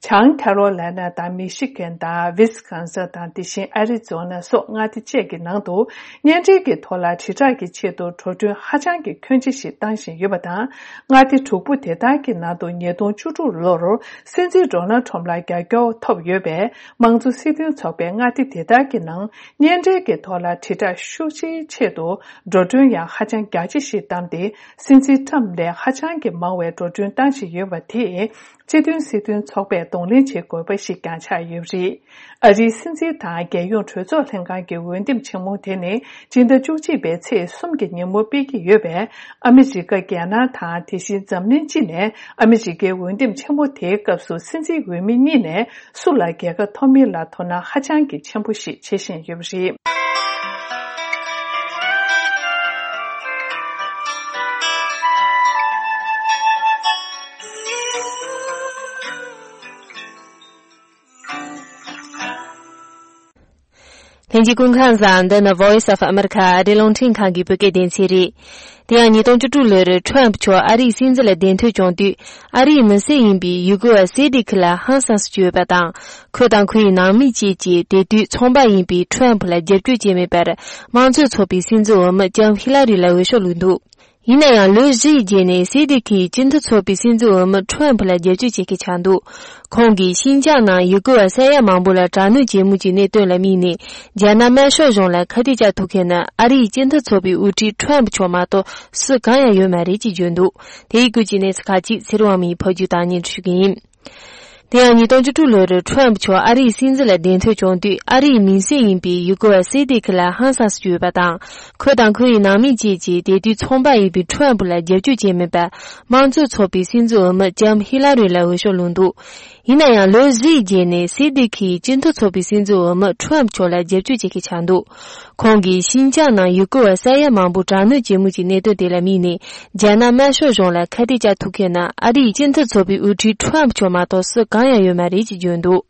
བྱང་ཁ་རོ་ལེ་ན་དང་མི་ཤི་གན་དང་ཝི་སི་ཀོན་སིན་དང་། དེ་བཞིན་ཨ་རི་ཛོ་ན་སོགས་མངའ་སྡེ་བཅས་ཀྱི་ནང་དུ་གཉེན་འབྲེལ་གྱི་ཐོག་ལ་དྲིལ་བསྒྲགས་ཀྱི་ཆེད་དུ་འགྲོ་གྲོན་ཧ་ཅང་གི་ཁྱོན་ཆེ་ཞིག་བཏང་བཞིན་ཡོད་པ་དང་། མངའ་སྡེ་དྲུག་པོ་དེ་དག་གི་ནང་དུ་ཉིས་སྟོང་བཅུ་དྲུག་ལོར་སྲིད་འཛིན་ཌོ་ནལ་ཁྲོམ་ལ་རྒྱབ་སྐྱོར་ཐོབ་ཡོད་པས། དམངས་གཙོ་སྲིད་དོན་ཚོགས་པས་མངའ་སྡེ་དེ་དག་གི་ནང་གཉེན་འབྲེལ་གྱི་ཐོག་ལ་དྲིལ་བསྒྲགས་ཤུགས་ཆེའི་ཆེད་དུ་འགྲོ་གྲོན་ཡང་ཧ་ཅང་རྒྱ་ཆེ་ཞིག་བཏང་སྟེ། སྲིད་འཛིན་ཁྲམ་ལས་ཧ་ཅང་གི་མང་བའི་འགྲོ་གྲོན་བཏང་བཞིན་ཡོད་པ་དེས། སྤྱི་མཐུན་སྲིད་དོན་ཚོགས་པས་གདོང་ལེན་བྱེད་དགོས་པ་ཞིག་ཀྱང་ཆགས་ཡོད་པ་རེད། ཨ་རིའི་སྲིད་འཛིན་དང་རྒྱལ་ཡོངས་གྲོས་ཚོགས་ལྷན་ཁང་གི་འོས་འདེམས་ཆེན་མོ་དེ་ནི་སྤྱི་ཟླ་བཅུ་གཅིག་པའི་ཚེས་གསུམ་གྱི་ཉིན་མོ་སྤེལ་གྱི་ཡོད་པས། ཨ་མི་རི་ཀ། རྒྱ་ནག་དང་། དེ་བཞིན་འཛམ་གླིང་སྤྱི་ནས་ཨ་མི་རི་ཀའི་འོས་འདེམས་ཆེན་མོ་དེའི་སྐབས་སུ་སྲིད་འཛིན་འོས་མི་གཉིས་ནས་སུ་ལ་རྒྱལ་ཁ་ཐོབ་མིན་ལ་དོ་སྣང་ཧ་ཅང་གི་ཆེན་པོ་ཞིག་བྱེད་བཞིན་ཡོད་པ་རེད། ལྷན་རྒྱས་སྐུ་ཁམས་བཟང་། འདི་ནི་Voice of America ཨ་རིའི་རླུང་འཕྲིན་ཁང་གི་བོད་སྐད་སྡེ་ཚན་རེད། དེ་ཡང་ཉིས་སྟོང་བཅུ་དྲུག་ལོར་ཁྲོམ་ཕུ་མཆོག་ཨ་རིའི་སྲིད་འཛིན་ལ་གདན་ཐོབ་བྱུང་དུས། ཨ་རིའི་མི་སེར་ཡིན་པའི་ཡུ་གུར་བ་སེ་ཏི་ཁི་ལ་ཧང་སངས་སུ་གྱུར་ཡོད་པ་དང་། ཁོ་དང་ཁོའི་ནང་མི་བཅས་ཀྱིས་དེ་དུས་ཚོང་པ་ཡིན་པའི་ཁྲོམ་ཕུ་ལ་རྒྱབ་སྐྱོར་བྱས་མེད་པར། དམངས་གཙོ་ཚོགས་པའི་སྲིད་འཛིན་འོས་མི་ལྕམ་ཧི་ལ་རི་ལ་འོས་ཤོག་བླུགས་འདུག་ཡིན་ན་ཡང་ལོ་བཞི་ཡི་རྗེས་ནས་སེ་ཏི་ཁིས་སྤྱི་མཐུན་ཚོགས་པའི་སྲིད་འཛིན་འོས་མི་ཁྲོམ་ཕུ་ལ་རྒྱབ་སྐྱོར་བྱེད་མཁན་ཆགས་འདུག་ཁོང་གིས་ཤིན་ཅང་ནང་ཡུ་གུར་བ་ས་ཡ་མང་པོ་ལ་དྲག་གནོན་བྱེད་མུས་ཀྱི་གནད་དོན་ལ་དམིགས་ནས། རྒྱ་ནག་དམར་ཤོག་གཞུང་ལ་ཁ་གཏད་བཅག་ཐུབ་མཁན་ནི་ཨ་རིའི་སྤྱི་མཐུན་ཚོགས་པའི་དབུ་ཁྲིད་ཁྲོམ་ཕུ་མཆོག་མ་གཏོགས་སུ་གང་ཡང་ཡོད་མ་རེད་ཅེས་བརྗོད་འདུག་དེ་ཡི་སྐོར་གྱི་གནས་ཚུལ་ཁག་ཅིག་ཚེ་རིང་དབང་མོས་ཕབ་སྒྱུར་དང་སྙན་སྒྲོན་ཞུ་གི་ཡིན། དེ་ཡང་ཉིས་སྟོང་བཅུ་དྲུག་ལོར་ཁྲོམ་མཆོག་ཨ་རིའི་སྲིད་འཛིན་ལ་གདན་ཐོན་བྱུང་དུས། ཨ་རིའི་མིང་སྲིང་ཡིན་པའི་ཡུ་གུར་བ་སི་ཏི་ཁི་ལ་ཧང་སངས་སུ་གྱུར་ཡོད་པ་དང་། ཁོ་དང་ཁོའི་ནང་མི་བཅས་ཀྱིས་དེ་དུས་ཚོང་པ་ཡིན་པའི་ཁྲོམ་ལ་རྒྱབ་སྐྱོར་བྱས་མེད་པར། དམངས་གཙོའི་ཚོགས་པའི་སྲིད་འཛིན་འོས་མི་ལྕམ་ཧི་ལ་རི་ལ་འོས་ཤོག་བླངས་འདུག་ཡིན་ན་ཡང་ལོ་བཞིའི་རྗེས་ནས་སི་ཏི་ཁིས་སྤྱི་མཐུན་ཚོགས་པའི་སྲིད་འཛིན་འོས་མི་ཁྲོམ་མཆོག་ལ་རྒྱབ་སྐྱོར་བྱེད་མཁན་ཆགས་འདུག་ཁོང་གིས་ཤིན་ཅང་ནང་ཡུ་གུར་བ་ས་ཡ་མང་པོ་དྲག་གནོན་བྱེད་མུས་ཀྱི་གནད་དོན་དེ་ལ་དམིགས་ནས། རྒྱ་ནག་དམར་ཤོག་གཞུང་ལ་ཁ་གཏད་བཅག་ཐུབ་མཁན་ནི་ཨ་རིའི་སྤྱི་མཐུན་ཚོགས་པའི་དབུ་ཁྲིད་ཁྲོམ་མཆོག་མ་གཏོགས་སུ་གང་ཡང་ཡོད་མ་རེད་ཅེས་བརྗོད་འདུག་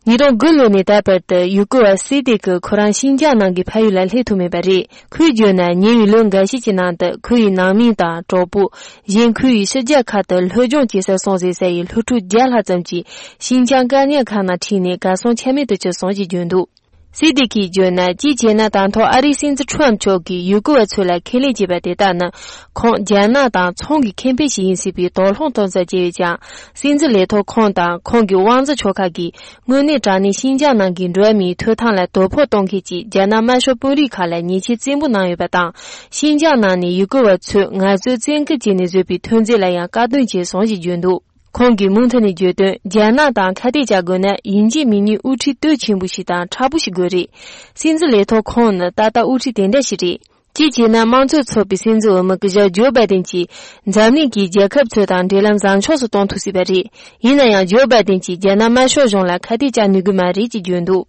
ཉིས་སྟོང་དགུ་ལོ་ནས་ད་བར་དུ་ཡུ་གུར་བ་སི་ཏི་ཁི་ཁོ་རང་ཤིན་ཅང་ནང་གི་ཕ་ཡུལ་ལ་སླེབས་ཐུབ་མེད་པ་རེད། ཁོས་བརྗོད་ན། ཉེ་བའི་ལོ་འགའ་ཤས་ཀྱི་ནང་དུ་ཁོ་ཡི་ནང་མི་དང་གྲོགས་པོ། གཞན་ཁོ་ཡི་ཕྱི་རྒྱལ་ཁག་ཏུ་སློབ་སྦྱོང་བྱེད་སར་སོང་ཟེར་ས་ཡི་སློབ་ཕྲུག་བརྒྱ་ལྷག་ཙམ་གྱིས་ཤིན་ཅང་བཀག་ཉར་ཁང་ནང་ཁྲིད་ནས་གར་སོང་ཆ་མེད་དུ་གྱུར་སོང་ཞེས་བརྗོད་འདུག་སི་ཏི་ཁིས་བརྗོད་ན། གཅིག་བྱས་ན་ད་དུང་ཨ་རིའི་སྲིད་འཛིན་ཁྲོམ་མཆོག་གིས་ཡུ་གུར་བ་ཚོ་ལ་ཁས་ལེན་བྱས་པ་དེ་དག་ནི་ཁོང་རྒྱ་ནག་དང་ཚོང་གི་ཁེ་ཕན་ཞིག་ཡིན་སྲིད་པའི་དོགས་སློང་གཏོང་ས་བྱས་ཡོད་ཀྱང་། སྲིད་འཛིན་ལས་ཐོག་ཁོང་དང་ཁོང་གི་དབང་འཛིན་ཕྱོགས་ཁག་གིས་དངོས་གནས་དྲང་གནས་ཤིན་ཅང་ནང་གི་འགྲོ་བ་མིའི་ཐོབ་ཐང་ལ་དོ་ཕོག་གཏོང་མཁན་གྱི་རྒྱ་ནག་དམར་ཤོག་དཔོན་རིགས་ཁག་ལ་ཉེས་ཆད་བཙན་པོ་གནང་ཡོད་པ་དང་། ཤིན་ཅང་ནང་ནས་ཡུ་གུར་བ་ཚོས་ངལ་རྩོལ་བཙན་སྐུལ་བྱས་ནས་བཟོས་པའི་ཐོན་རྫས་ལ་ཡང་བཀག་སྡོམ་བྱས་སོང་ཞེས་བརྗོད་འདུག་ཁོང་གིས་མུ་མཐུད་ནས་བརྗོད་དོན། རྒྱ་ནག་དང་ཁ་གཏད་བཅག་དགོས་ན་ཡིན་གཅིག་མིན་གཉིས་དབུ་ཁྲིད་དོན་ཆེན་པོ་ཞིག་དང་མཁྲེགས་པོ་ཞིག་དགོས་རེད། སྲིད་འཛིན་ལས་ཐོག་ཁོང་ནི་ཏག་ཏག་དབུ་ཁྲིད་དེ་འདྲ་ཞིག་རེད། གཅིག་བྱས་ན་དམངས་གཙོའི་ཚོགས་པའི་སྲིད་འཛིན་འོས་མི་སྐུ་ཞབས་ཇོ་བྷའི་ཏིན་གྱིས་འཛམ་གླིང་གི་རྒྱལ་ཁབ་ཚོ་དང་འབྲེལ་ལམ་བཟང་ཕྱོགས་སུ་གཏོང་ཐུབ་སྲིད་པ་རེད། ཡིན་ན་ཡང་ཇོ་བྷའི་ཏིན་གྱིས་རྒྱ་ནག་དམར་ཤོག་གཞུང་ལ་ཁ་གཏད་བཅག་ནུས་ཀྱི་མ་རེད་ཅེས་བརྗོད་འདུག་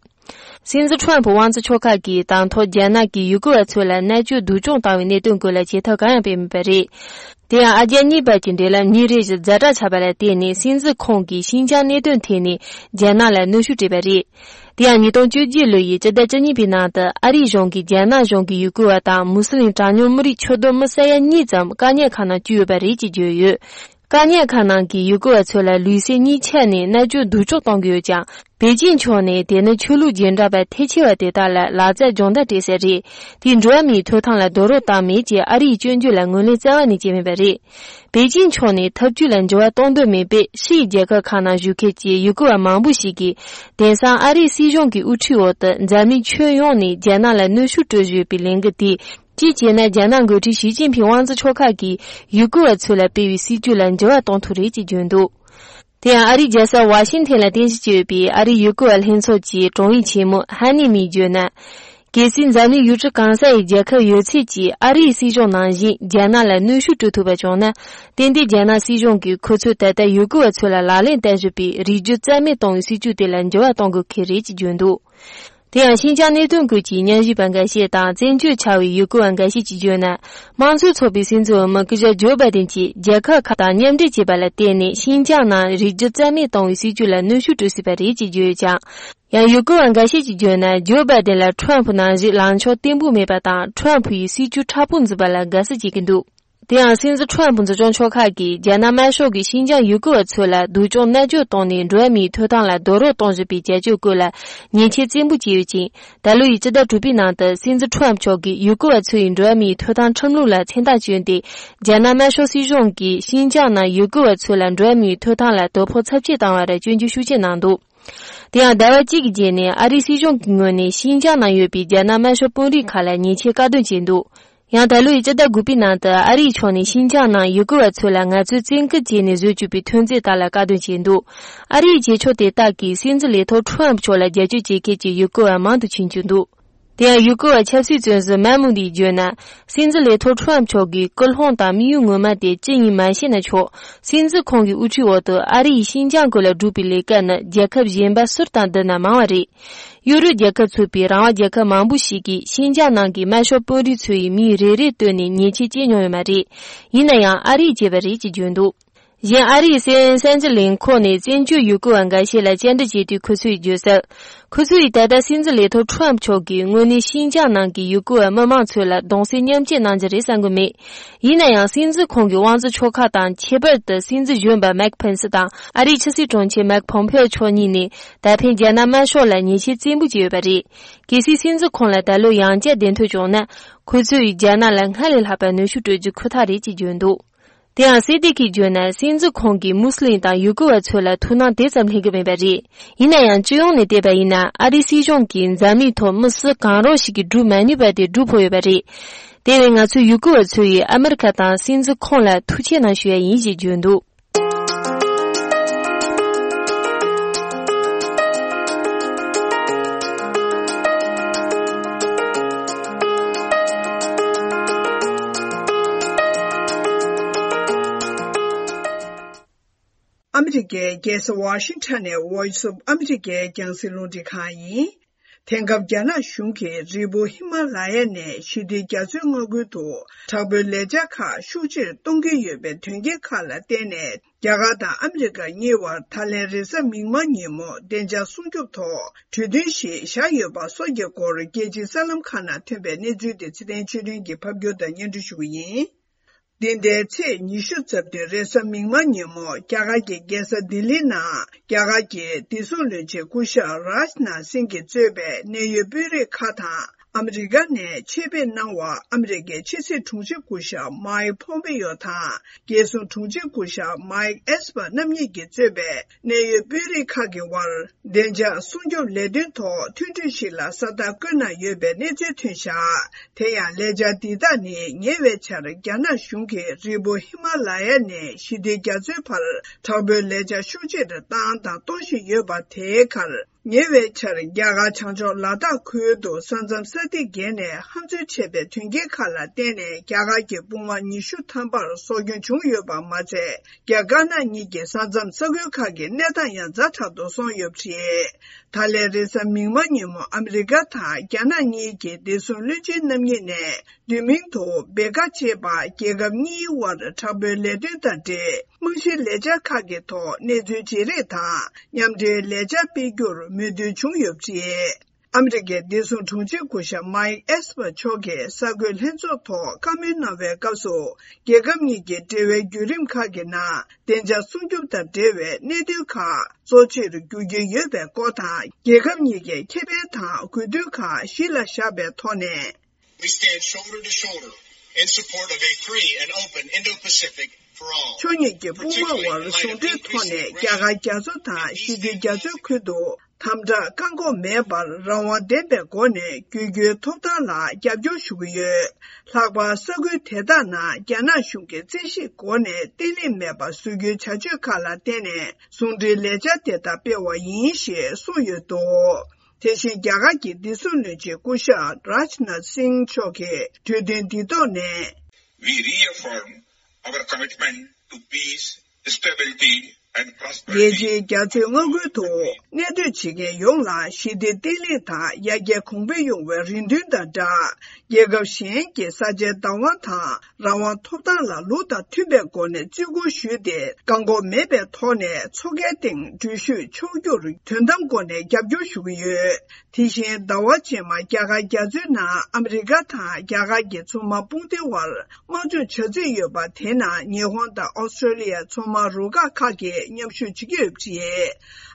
སྲིད་འཛིན་ཁྲོམ་ཕུ་དབང་འཛིན་ཕྱོགས་ཁག་གིས་དང་ཐོག་རྒྱ་ནག་གིས་ཡུ་གུར་བ་ཚོ་ལ་མནར་གཅོད་སྡུག་སྦྱོང་བཏང་བའི་གནད་དོན་སྐོར་ལ་བྱེད་ཐབས་གང་ཡང་སྤེལ་མེད་པ་རེད། དེ་ཡང་ཨ་རྒྱ་གཉིས་བར་གྱི་འབྲེལ་ལམ་ཉིན་རེ་བཞིན་ཛ་དྲག་ཆགས་པ་ལ་བརྟེན་ནས། སྲིད་འཛིན་ཁོང་གིས་ཤིན་ཅང་གནད་དོན་ཐད་ནས་རྒྱ་ནག་ལ་གནོན་ཤུགས་སྤྲད་པ་རེད། དེ་ཡང་ཉིས་སྟོང་བཅོ་བརྒྱད་ལོ་ཡི་སྤྱི་ཟླ་བཅུ་གཉིས་པའི་ནང་དུ་ཨ་རིའི་གཞུང་གིས་རྒྱ་ནག་གཞུང་གི་ཡུ་གུར་བ་དང་མུ་སི་ལིམ་གྲངས་ཉུང་མི་རིགས་ཁྱོན་བསྡོམས་མི་ས་ཡ་གཉིས་ཙམ་བཀག་ཉར་ཁང་ནང་བཅུག་ཡོད་པ་རེད་ཅེས་བརྗོད་ཡོད། བཀག་ཉར་ཁང་ནང་གི་ཡུ་གུར་བ་ཚོ་ལ་ལུས་སེམས་གཉིས་ཆ་ནས་མནར་གཅོད་སྡུག་སྦྱོང་གཏོང་གི་ཡོད་ཀྱང་། པེ་ཅིན་ཕྱོགས་ནས་དེ་ནི་ཆོས་ལུགས་རྗེས་འབྲང་པ་ཐལ་ཆེ་བ་དེ་དག་ལ་ལག་རྩལ་སྦྱོང་བརྡར་སྤྲད་ས་རེད། དེས་འགྲོ་བ་མིའི་ཐོབ་ཐང་ལ་རྡོག་རོལ་བཏང་མེད་ཅེས་ཨ་རིའི་སྐྱོན་བརྗོད་ལ་ངོས་ལེན་རྩ་བ་ནས་བྱས་མེད་པ་རེད། པེ་ཅིན་ཕྱོགས་ནས་ཐབས་ཇུས་ལ་འགྱུར་བ་གཏོང་འདོད་མེད་པས། ཕྱིའི་རྒྱལ་ཁབ་ཁག་ནང་བཞུགས་མཁན་གྱི་ཡུ་གུར་བ་མང་པོ་ཞིག་གིས། དེང་སང་ཨ་རིའི་སྲིད་གཞུང་གི་དབུ་ཁྲིད་འོག་ཏུ་འཛམ་གླིང་ཁྱོན་ཡོངས་ནས་རྒྱ་ནག་ལ་གནོན་ཤུགས་སྤྲོད་བཞིན་ཡོད་པའི་ལས་འགུལ་དེས། གཅིག་བྱས་ན། རྒྱ་ནག་འགོ་ཁྲིད་ཞི་ཅིན་ཕིང་དབང་འཛིན་ཕྱོགས་ཁག་གིས་ཡུ་གུར་བ་ཚོ་ལ་སྤེལ་བའི་སྲིད་ཇུས་ལ་འགྱུར་བ་གཏོང་ཐུབ་རེད་ཅེས་བརྗོད་འདུག་དེ་ཡང་ཨ་རིའི་རྒྱལ་ས་ཝ་ཤིང་ཐན་ལ་རྟེན་གཞི་བྱས་ཡོད་པའི་ཨ་རིའི་ཡུ་གུར་བ་ལྷན་ཚོགས་ཀྱི་དྲུང་ཡིག་ཆེན་མོ་ཧ་ནི་མིས་བརྗོད་ན། གལ་སྲིད་འཛམ་གླིང་ཡུལ་གྲུ་གང་ས་ཡི་རྒྱལ་ཁབ་ཡོད་ཚད་ཀྱིས་ཨ་རིའི་སྲིད་གཞུང་ནང་བཞིན་རྒྱ་ནག་ལ་གནོན་ཤུགས་སྤྲོད་ཐུབ་པ་བྱུང་ན། ཏན་ཏན་རྒྱ་ནག་སྲིད་གཞུང་གིས་ཁོ་ཚོས་ད་ལྟ་ཡུ་གུར་བ་ཚོ་ལ་ལག་ལེན་བསྟར་བཞིན་པའི་རིགས་རྒྱུད་རྩ་མེད་གཏོང་བའི་སྲིད་ཇུས་དེ་ལ་འགྱུར་བ་གཏོང་དགོས་ཀྱི་རེད་ཅེས་བརྗོད་འདུག་དེ་ཡང་ཤིན་ཅང་གནད་དོན་སྐོར་གྱི་ཉམས་ཞིབ་པ་འགའ་ཤས་དང་བཙན་བྱོལ་ཆགས་པའི་ཡུ་གུར་བ་འགའ་ཤས་ཀྱིས་བརྗོད་ན། དམངས་གཙོའི་ཚོགས་པའི་སྲིད་འཛིན་འོས་མི་སྐུ་ཞབས་ཇོ་བྷའི་ཏིན་གྱིས་རྒྱལ་ཁབ་ཁག་དང་མཉམ་འབྲེལ་བྱས་པ་ལ་བརྟེན་ནས་ཤིན་ཅང་ནང་རིགས་རྒྱུད་རྩ་མེད་གཏོང་བའི་སྲིད་ཇུས་ལ་གནོན་ཤུགས་སྤྲོད་སྲིད་པ་རེད་ཅེས་བརྗོད་ཡོད་ཀྱང་། ཡང་ཡུ་གུར་བ་འགའ་ཤས་ཀྱིས་བརྗོད་ན། ཇོ་བྷའི་ཏིན་ལ་ཁྲོམ་ཕུ་ནང་བཞིན་ལངས་ཕྱོགས་བརྟན་པོ་མེད་པ་དང་། ཁྲོམ་ཕུ་ཡིས་སྲིད་ཇུས་མཁྲེགས་པོ་འཛིན་པ་ལ་དགའ་བསུ་བྱེད་ཀྱི་འདུག་དེ་ཡང་སྲིད་འཛིན་ཁྲོམ་ཕུ་འཛིན་སྐྱོང་ཕྱོགས་ཁག་གིས་རྒྱ་ནག་དམར་ཤོག་གིས་ཤིན་ཅང་ཡུ་གུར་བ་ཚོ་ལ་སྡུག་སྦྱོང་མནར་གཅོད་བཏང་ནས་འགྲོ་བ་མིའི་ཐོབ་ཐང་ལ་རྡོག་རོལ་གཏོང་བཞིན་པའི་བྱ་སྤྱོད་སྐོར་ལ་ཉེས་ཆད་བཙན་པོ་བཅད་ཡོད་ཅིང་། ད་ལོ་ཡི་སྤྱི་ཟླ་དྲུག་པའི་ནང་དུ་སྲིད་འཛིན་ཁྲོམ་མཆོག་གིས་ཡུ་གུར་བ་ཚོ་ཡི་འགྲོ་བ་མིའི་ཐོབ་ཐང་ཁྲིམས་ལུགས་ལ་མཚན་རྟགས་བསྐྱོན་ཏེ། རྒྱ་ནག་དམར་ཤོག་སྲིད་གཞུང་གིས་ཤིན་ཅང་ནང་ཡུ་གུར་བ་ཚོ་ལ་འགྲོ་བ་མིའི་ཐོབ་ཐང་ལ་དོ་ཕོག་ཚབས་ཆེ་བཏང་བར་སྐྱོན་བརྗོད་ཤུགས་ཆེ་གནང་འདུག་དེ་ཡང་ཟླ་བ་གཅིག་གི་རྗེས་ནས་ཨ་རིའི་སྲིད་གཞུང་གི་ངོས་ནས་ཤིན་ཅང་ནང་ཡོད་པའི་རྒྱ་ནག་དམར་ཤོག་དཔོན་རིགས་ཁག་ལ་ཉེས་ཆད་བཀག་སྡོམ་བྱས་འདུག་ཡང་ད་ལོའི་ཕྱི་ཟླ་དགུ་པའི་ནང་དུ་ཨ་རིའི་ཕྱོགས་ནས་ཤིན་ཅང་ནང་ཡུ་གུར་བ་ཚོ་ལ་ངལ་རྩོལ་བཙན་སྐུལ་བྱས་ནས་བཟོས་བཅུག་པའི་ཐོན་རྫས་དག་ལ་བཀག་སྡོམ་བྱས་འདུག་ཨ་རིའི་རྗེས་ཕྱོགས་དེ་དག་གིས་སྲིད་འཛིན་ལས་ཐོག་ཁྲོམ་ཕུ་མཆོག་ལ་རྒྱབ་སྐྱོར་བྱེད་མཁན་གྱི་ཡུ་གུར་བ་མང་དུ་ཕྱིན་བཅུག་འདུག་དེ་ཡང་ཡུ་གུར་བ་ཆབ་སྲིད་བཙོན་ཟུར་མཱ་མུ་དིས་བརྗོད་ན། སྲིད་འཛིན་ལས་ཐོག་ཁྲོམ་ཕུ་མཆོག་གི་སྐུལ་སློང་དང་དམིགས་ཡུལ་ངོ་མ་དེ་ཅི་ཡིན་མ་ཤེས་ན་ཆོག་སྲིད་འཛིན་ཁོང་གི་དབུ་ཁྲིད་འོག་ཏུ་ཨ་རི་ཡིས་ཤིན་ཅང་སྐོར་ལ་བསྒྲུབས་པའི་ལས་ཀ་ནི་རྒྱལ་ཁབ་གཞན་པ་སུར་དང་བསྡུར་ན་མང་བ་རེད། ཡུ་རོབ་རྒྱལ་ཁབ་ཚུད་པའི་རང་དབང་རྒྱལ་ཁབ་མང་པོ་ཞིག་གིས་ཤིན་ཅང་ནང་གི་དམར་ཤོག་དཔོན་རིགས་ཚོ་ཡི་མིང་རེ་རེ་བཏོན་ནས་ཉེས་ཆད་བཅད་མྱོང་ཡོད་མ་རེད། ཡིན་ན་ཡང་ཨ་རིས་བྱས་པ་རེད་ཅེས་བརྗོད་འདུག་གཞན་ཨ་རིའི་སི་ཨེན་ཨེན་གསར་འགྱུར་ལས་ཁུངས་ནས་བཙན་བྱོལ་ཡུ་གུར་བ་འགའ་ཤས་ལ་བཅར་འདྲི་བྱས་དུས་ཁོ་ཚོས་བརྗོད་གསལ། ཁོ་ཚོས་ད་ལྟ་སྲིད་འཛིན་ལས་ཐོག་ཁྲོམ་མཆོག་གིས་དངོས་གནས་ཤིན་ཅང་ནང་གི་ཡུ་གུར་བ་མི་མང་ཚོ་ལ་གདུང་སེམས་མཉམ་སྐྱེད་གནང་རྒྱུ་རེད་བསམ་གྱི་མེད། ཡིན་ན་ཡང་སྲིད་འཛིན་ཁོང་གི་དབང་འཛིན་ཕྱོགས་ཁག་དང་། ཁྱད་པར་དུ་སྲིད་འཛིན་གཞོན་པ་མེག་ཕེན་སི་དང་ཨ་རིའི་ཕྱི་སྲིད་དྲུང་ཆེ་མེག་ཕོམ་ཕེའོ་མཆོག་གཉིས་ནས་ད་ཕན་རྒྱ་ནག་དམར་ཤོག་ལ་ཉེས་ཆད་བཙན་པོ་བཅད་ཡོད་པ་རེད། གལ་སྲིད་སྲིད་འཛིན་ཁོང་ལ་ད་ལོ་ཡང་བསྐྱར་གདན་ཐོན་བྱུང་ན། ཁོ་ཚོས་རྒྱ་ནག་ལ་སྔར་ལས་ལྷག་པའི་གནོན་ཤུགས་སྤྲོད་རྒྱུ་ཁོ་ཐག་རེད་ཅེས་བརྗོད་འདུག་དེ་ཡང་སེ་ཏི་ཁིས་བརྗོད་ན། སྲིད་འཛིན་ཁོང་གིས་མུ་སི་ལིམ་དང་ཡུ་གུར་བ་ཚོ་ལ་ཐུགས་སྣང་དེ་ཙམ་ལྷན་གྱི་མེད་པ་རེད། ཡིན་ན་ཡང་སྤྱི་ཡོངས་ནས་བལྟས་པ་ཡིན་ན། ཨ་རིའི་སྲིད་གཞུང་གིས་འཛམ་གླིང་ཐོག་མི་སུ་གང་རུང་ཞིག་གིས་སྒྲུབ་མ་ནུས་པ་དེ་སྒྲུབ་ཕོད་ཡོད་པ་རེད། དེ་བས་ང་ཚོས་ཡུ་གུར་བ་ཚོ་ཡིས་ཨ་མི་རི་ཁ་དང་སྲིད་འཛིན་ཁོང་ལ་ཐུགས་ཆེ་གནང་ཞུ་ཡ་ཡིན་ཞེས་བརྗོད་འདུག་ཨ་མི་རི་ཀའི་རྒྱལ་ས་ཝ་ཤིང་ཊོན་ནས་Voice of America རྒྱང་སྲིང་རླུང་འཕྲིན་ཁང་ཡིན། དེང་སྐབས་རྒྱ་ནག་གཞུང་གིས་རི་བོ་ཧི་མ་ལ་ཡ་ནས་ཞི་བདེ་རྒྱ་མཚོའི་མངའ་ཁུལ་དུ་དྲག་པོའི་ལས་འཆར་ཁག་ཤུགས་ཆེར་གཏོང་གི་ཡོད་པའི་དོན་རྐྱེན་ཁག་ལ་བརྟེན་ནས། རྒྱ་གར་དང་ཨ་མི་རི་ཀ་གཉིས་བར་ད་ལན་རེས་གཟའ་མིག་དམར་ཉིན་མོ་བདེ་འཇགས་སྲུང་སྐྱོབ་ཐོག་གྲོས་མཐུན་ཞིག་བཞག་ཡོད་པ་སོགས་ཀྱི་སྐོར། རྒྱལ་སྤྱིའི་གསར་ལམ་ཁག་ནང་ཐོན་པའི་གནས་ཚུལ་དེ་ཚེ་བརྟན་ཆོས་སྒྲོན་གྱིས་ཕབ་སྒྱུར་དང་སྙན་སྒྲོན་ཞུ་གི་ཡིན། འདི་ཟླའི་ཚེས་ཉི་ཤུ་རྩ་བདུན་རེས་གཟའ་མིག་དམར་ཉིན་མོ། རྒྱ་གར་གྱི་རྒྱལ་ས་ལྡི་ལི་ནང་རྒྱ་གར་གྱི་བདེ་སྲུང་བློན་ཆེན་སྐུ་ཞབས་རཱཇ་ནཱཐ་སིང་གིས་གཙོས་པའི་གནད་ཡོད་དཔོན་རིགས་ཁག་དང་། ཨ་མི་རི་ཀ་ནས་ཆེད་ཕེབས་གནང་བ་ཨ་མི་རི་ཀའི་ཕྱི་སྲིད་དྲུང་ཆེ་སྐུ་ཞབས་མཱིག་ཕོམ་པེ་ཡོ་དང་། རྒྱལ་སྲུང་དྲུང་ཆེ་སྐུ་ཞབས་མཱིག་ཨེས་པར་རྣམ་གཉིས་ཀྱིས་གཙོས་པའི་གནད་ཡོད་དཔོན་རིགས་ཁག་གི་དབར། བདེ་འཇགས་སྲུང་སྐྱོབ་ལས་དོན་ཐོག་མཐུན་གྲོས་ཤིག་ལ་ས་རྟགས་བཀོད་གནང་ཡོད་པའི་གནས་ཚུལ་ཐོན་བཞག་དེ་ཡང་ལས་འཆར་འདི་དག་ནི་ཉེ་བའི་ཆར་རྒྱ་ནག་གཞུང་གིས་རི་བོ་ཧི་མ་ལ་ཡ་ནས་ཞི་བདེ་རྒྱ་མཚོའི་བར་དྲག་པོའི་ལས་འཆར་ཤུགས་ཆེར་བཏང་དང་གཏོང་བཞིན་ཡོད་པ་དེའི་ཁར། ཉེ་བའི་ཆར་རྒྱ་གར་བྱང་ཕྱོགས་ལ་དྭགས་ཁུལ་དུ་ས་མཚམས་ས་ཐིག་བརྒལ་ནས་ཧམ་འཛུལ་བྱས་པའི་དོན་རྐྱེན་ཁག་ལ་བརྟེན་ནས་རྒྱ་གར་གྱི་དཔུང་དམག་ཉི་ཤུ་ཐམ་པར་སྲོག་སྐྱོན་བྱུང་ཡོད་པ་མ་ཚད། རྒྱ་དཀར་ནག་གཉིས་ཀྱི་ས་མཚམས་ས་ཁུལ་ཁག་གི་གནས་སྟངས་ཡང་ཛ་དྲག་ཏུ་སོང་ཡོད་པ་རེད། ད་ལན་རེས་གཟའ་མིག་དམར་ཉིན་མོ་ཨ་མི་རི་ཀ་དང་རྒྱ་ནག་གཉིས་ཀྱི་བདེ་སྲུང་བློན་ཆེན་རྣམ་གཉིས་ནས། བསྡུས་མིང་དུ་བེ་ཀ་ཅེས་པ། རྒྱལ་ཁབ་གཉིས་དབར་དྲག་པོའི་ལས་དོན་དང་འབྲེལ། རྨང་གཞིའི་ལས་འཆར་ཁག་གི་ཐོག་གནས་ཚུལ་བརྗེ་རེས་དང་མཉམ་འབྲེལ་ལས་འཆར་སྤེལ་རྒྱུར་མོས་མཐུན་བྱུང་ཡོད་པ་རེད། ཨ་མི་རི་ཀའི་བདེ་སྲུང་དྲུང་ཆེ་སྐུ་ཞབས་མཱིག་ཨེས་པར་མཆོག་གིས་གསར་འགོད་ལྷན་ཚོགས་ཐོག་བཀའ་མོལ་གནང་བའི་སྐབས་སུ། རྒྱལ་ཁབ་གཉིས་ཀྱི་འབྲེལ་བའི་བརྒྱུད་རིམ་ཁག་གི་ནང་བདེ་འཇགས་སྲུང་སྐྱོབ་དང་འབྲེལ་བའི་གནད་དོན་ཁག་གཙོ་ཆེར་འགྱུར་གྱི་ཡོད་པའི་སྐོར་དང་། རྒྱལ་ཁབ་གཉིས་ཀའི་ཁེ་ཕན་དང་དགོས་འདུན་ཁག་གཞི་ལ་བཞག་པའི་ཐོག་ནས། We stand shoulder to shoulder in support of a free and open Indo-Pacific for all. ཕྱོགས་གཉིས་ཀྱི་དཔུང་དམག་དབར་ཟུང་འབྲེལ་ཐོག་ནས་རྒྱ་གར་རྒྱ་མཚོ་དང་ཞི་བདེ་རྒྱ་མཚོའི་ཁུལ་དུ་དམ་དྲག་བཀག་འགོག་མེད་པར་རང་དབང་ལྡན་པའི་སྒོ་ནས་བསྒྱུར་རྒྱུའི་ཐོབ་ཐང་ལ་རྒྱབ་སྐྱོར་ཞུ་གི་ཡོད། ལྷག་པར་ས་ཁུལ་དེ་དག་ནང་རྒྱ་ནག་གཞུང་གིས་རྩོད་གཞིའི་སྒོ་ནས་བརྟན་ལྷིང་མེད་པར་བཟོ་རྒྱུའི་བྱ་སྤྱོད་ཁག་ལ་བརྟེན་ནས་ཟུང་འབྲེལ་ལས་འཆར་དེ་དག་སྤེལ་བ་ཡིན་ཞེས་གསུངས་ཡོད་འདུག་དེ་བཞིན་རྒྱ་གར་གྱི་བདེ་སྲུང་བློན་ཆེན་སྐུ་ཞབས་རཱཇ་ནཱཐ་སིང་མཆོག་གིས་གྲོས་མཐུན་འདི་ཐོག་ནས། We reaffirm our commitment to peace, stability and prosperity. རྒྱལ་སྤྱིའི་རྒྱ་མཚོའི་མངའ་ཁུལ་དུ་གནས་སྡོད་བྱེད་མཁན་ཡོངས་ལ་ཞི་བདེ་བརྟན་ལྷིང་དང་ཡར་རྒྱས་གོང་འཕེལ་ཡོང་བའི་རེ་འདུན་དང་སྦྲགས། རྒྱལ་ཁབ་གཞན་གྱི་ས་ཆའི་བདག་དབང་དང་རང་དབང་ཐོབ་ཐང་ལ་ལུགས་དང་མཐུན་པའི་སྒོ་ནས་བརྩི་བཀུར་ཞུས་ཏེ། བཀག་འགོག་མེད་པའི་ཐོག་ནས་མཚོ་ཁའི་སྟེང་འགྲུལ་བཞུད་ཆོག་རྒྱུར་དོན་དམ་སྒོ་ནས་རྒྱབ་སྐྱོར་ཞུ་གི་ཡོད། དེ་བཞིན་ཟླ་བ་རྗེས་མ་རྒྱ་གར་རྒྱ་མཚོའི་ནང་ཨ་མི་རི་ཀ་དང་རྒྱ་གར་གྱི་མཚོ་དམག་དཔུང་སྡེ་དབར་དམག་སྦྱོང་བྱ་རྩིས་ཡོད་པ། དེ་ནང་ཉི་ཧོང་དང་ཨོ་སི་ཀྲོ་ལི་ཡ་མཚོ་དམག་རུ་ཁག་ཁག་གིས་མཉམ་ཞུགས་བྱེད་ཀྱི་ཡོད་པ་རེད།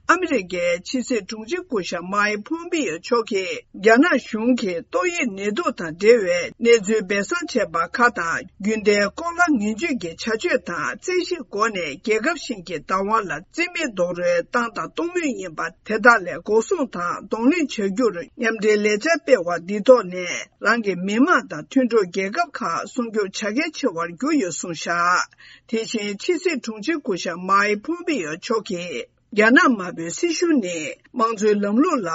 ཨ་མི་རི་ཀའི་ཕྱི་སྲིད་དྲུང་ཆེ་སྐུ་ཞབས་མཱིག་ཕོམ་པེ་ཡོ་མཆོག་གིས་རྒྱ་ནག་གཞུང་གིས་ཏོག་དབྱིབས་ནད་དུག་དང་འབྲེལ་བའི་གནས་ཚུལ་སྦས་གསང་བྱས་པ་ཁག་དང་། རྒྱུན་ལྡན་ལྐོག་ལག་ངན་ཇུས་ཀྱི་བྱ་སྤྱོད་དང་རྩོད་གཞིའི་སྒོ་ནས་རྒྱལ་ཁབ་གཞན་གྱི་བདག་དབང་ལ་རྩིས་མེད་རྡོག་རོལ་བཏང་དང་གཏོང་མུས་ཡིན་པ། དེ་དག་ལས་འགོག་སྲུང་དང་གདོང་ལེན་བྱ་རྒྱུར་མཉམ་འབྲེལ་ལས་འཆར་སྤེལ་བ་འདི་ཐོག་ནས། རང་གི་མི་དམངས་དང་མཐུན་གྲོགས་རྒྱལ་ཁབ་ཁག་སྲུང་སྐྱོབ་བྱ་གལ་ཆེ་བར་གྱུར་ཡོད་གསུངས་བཞག་དེ་བཞིན་ཕྱི་སྲིད་དྲུང་ཆེ་སྐུ་ཞབས་མཱིག་ཕོམ་པེ་ཡོ་མཆོག་གིས། རྒྱ་ནག་དམར་པོའི་སྲིད་གཞུང་ནི་དམངས་གཙོའི་ལམ་ལུགས་ལ་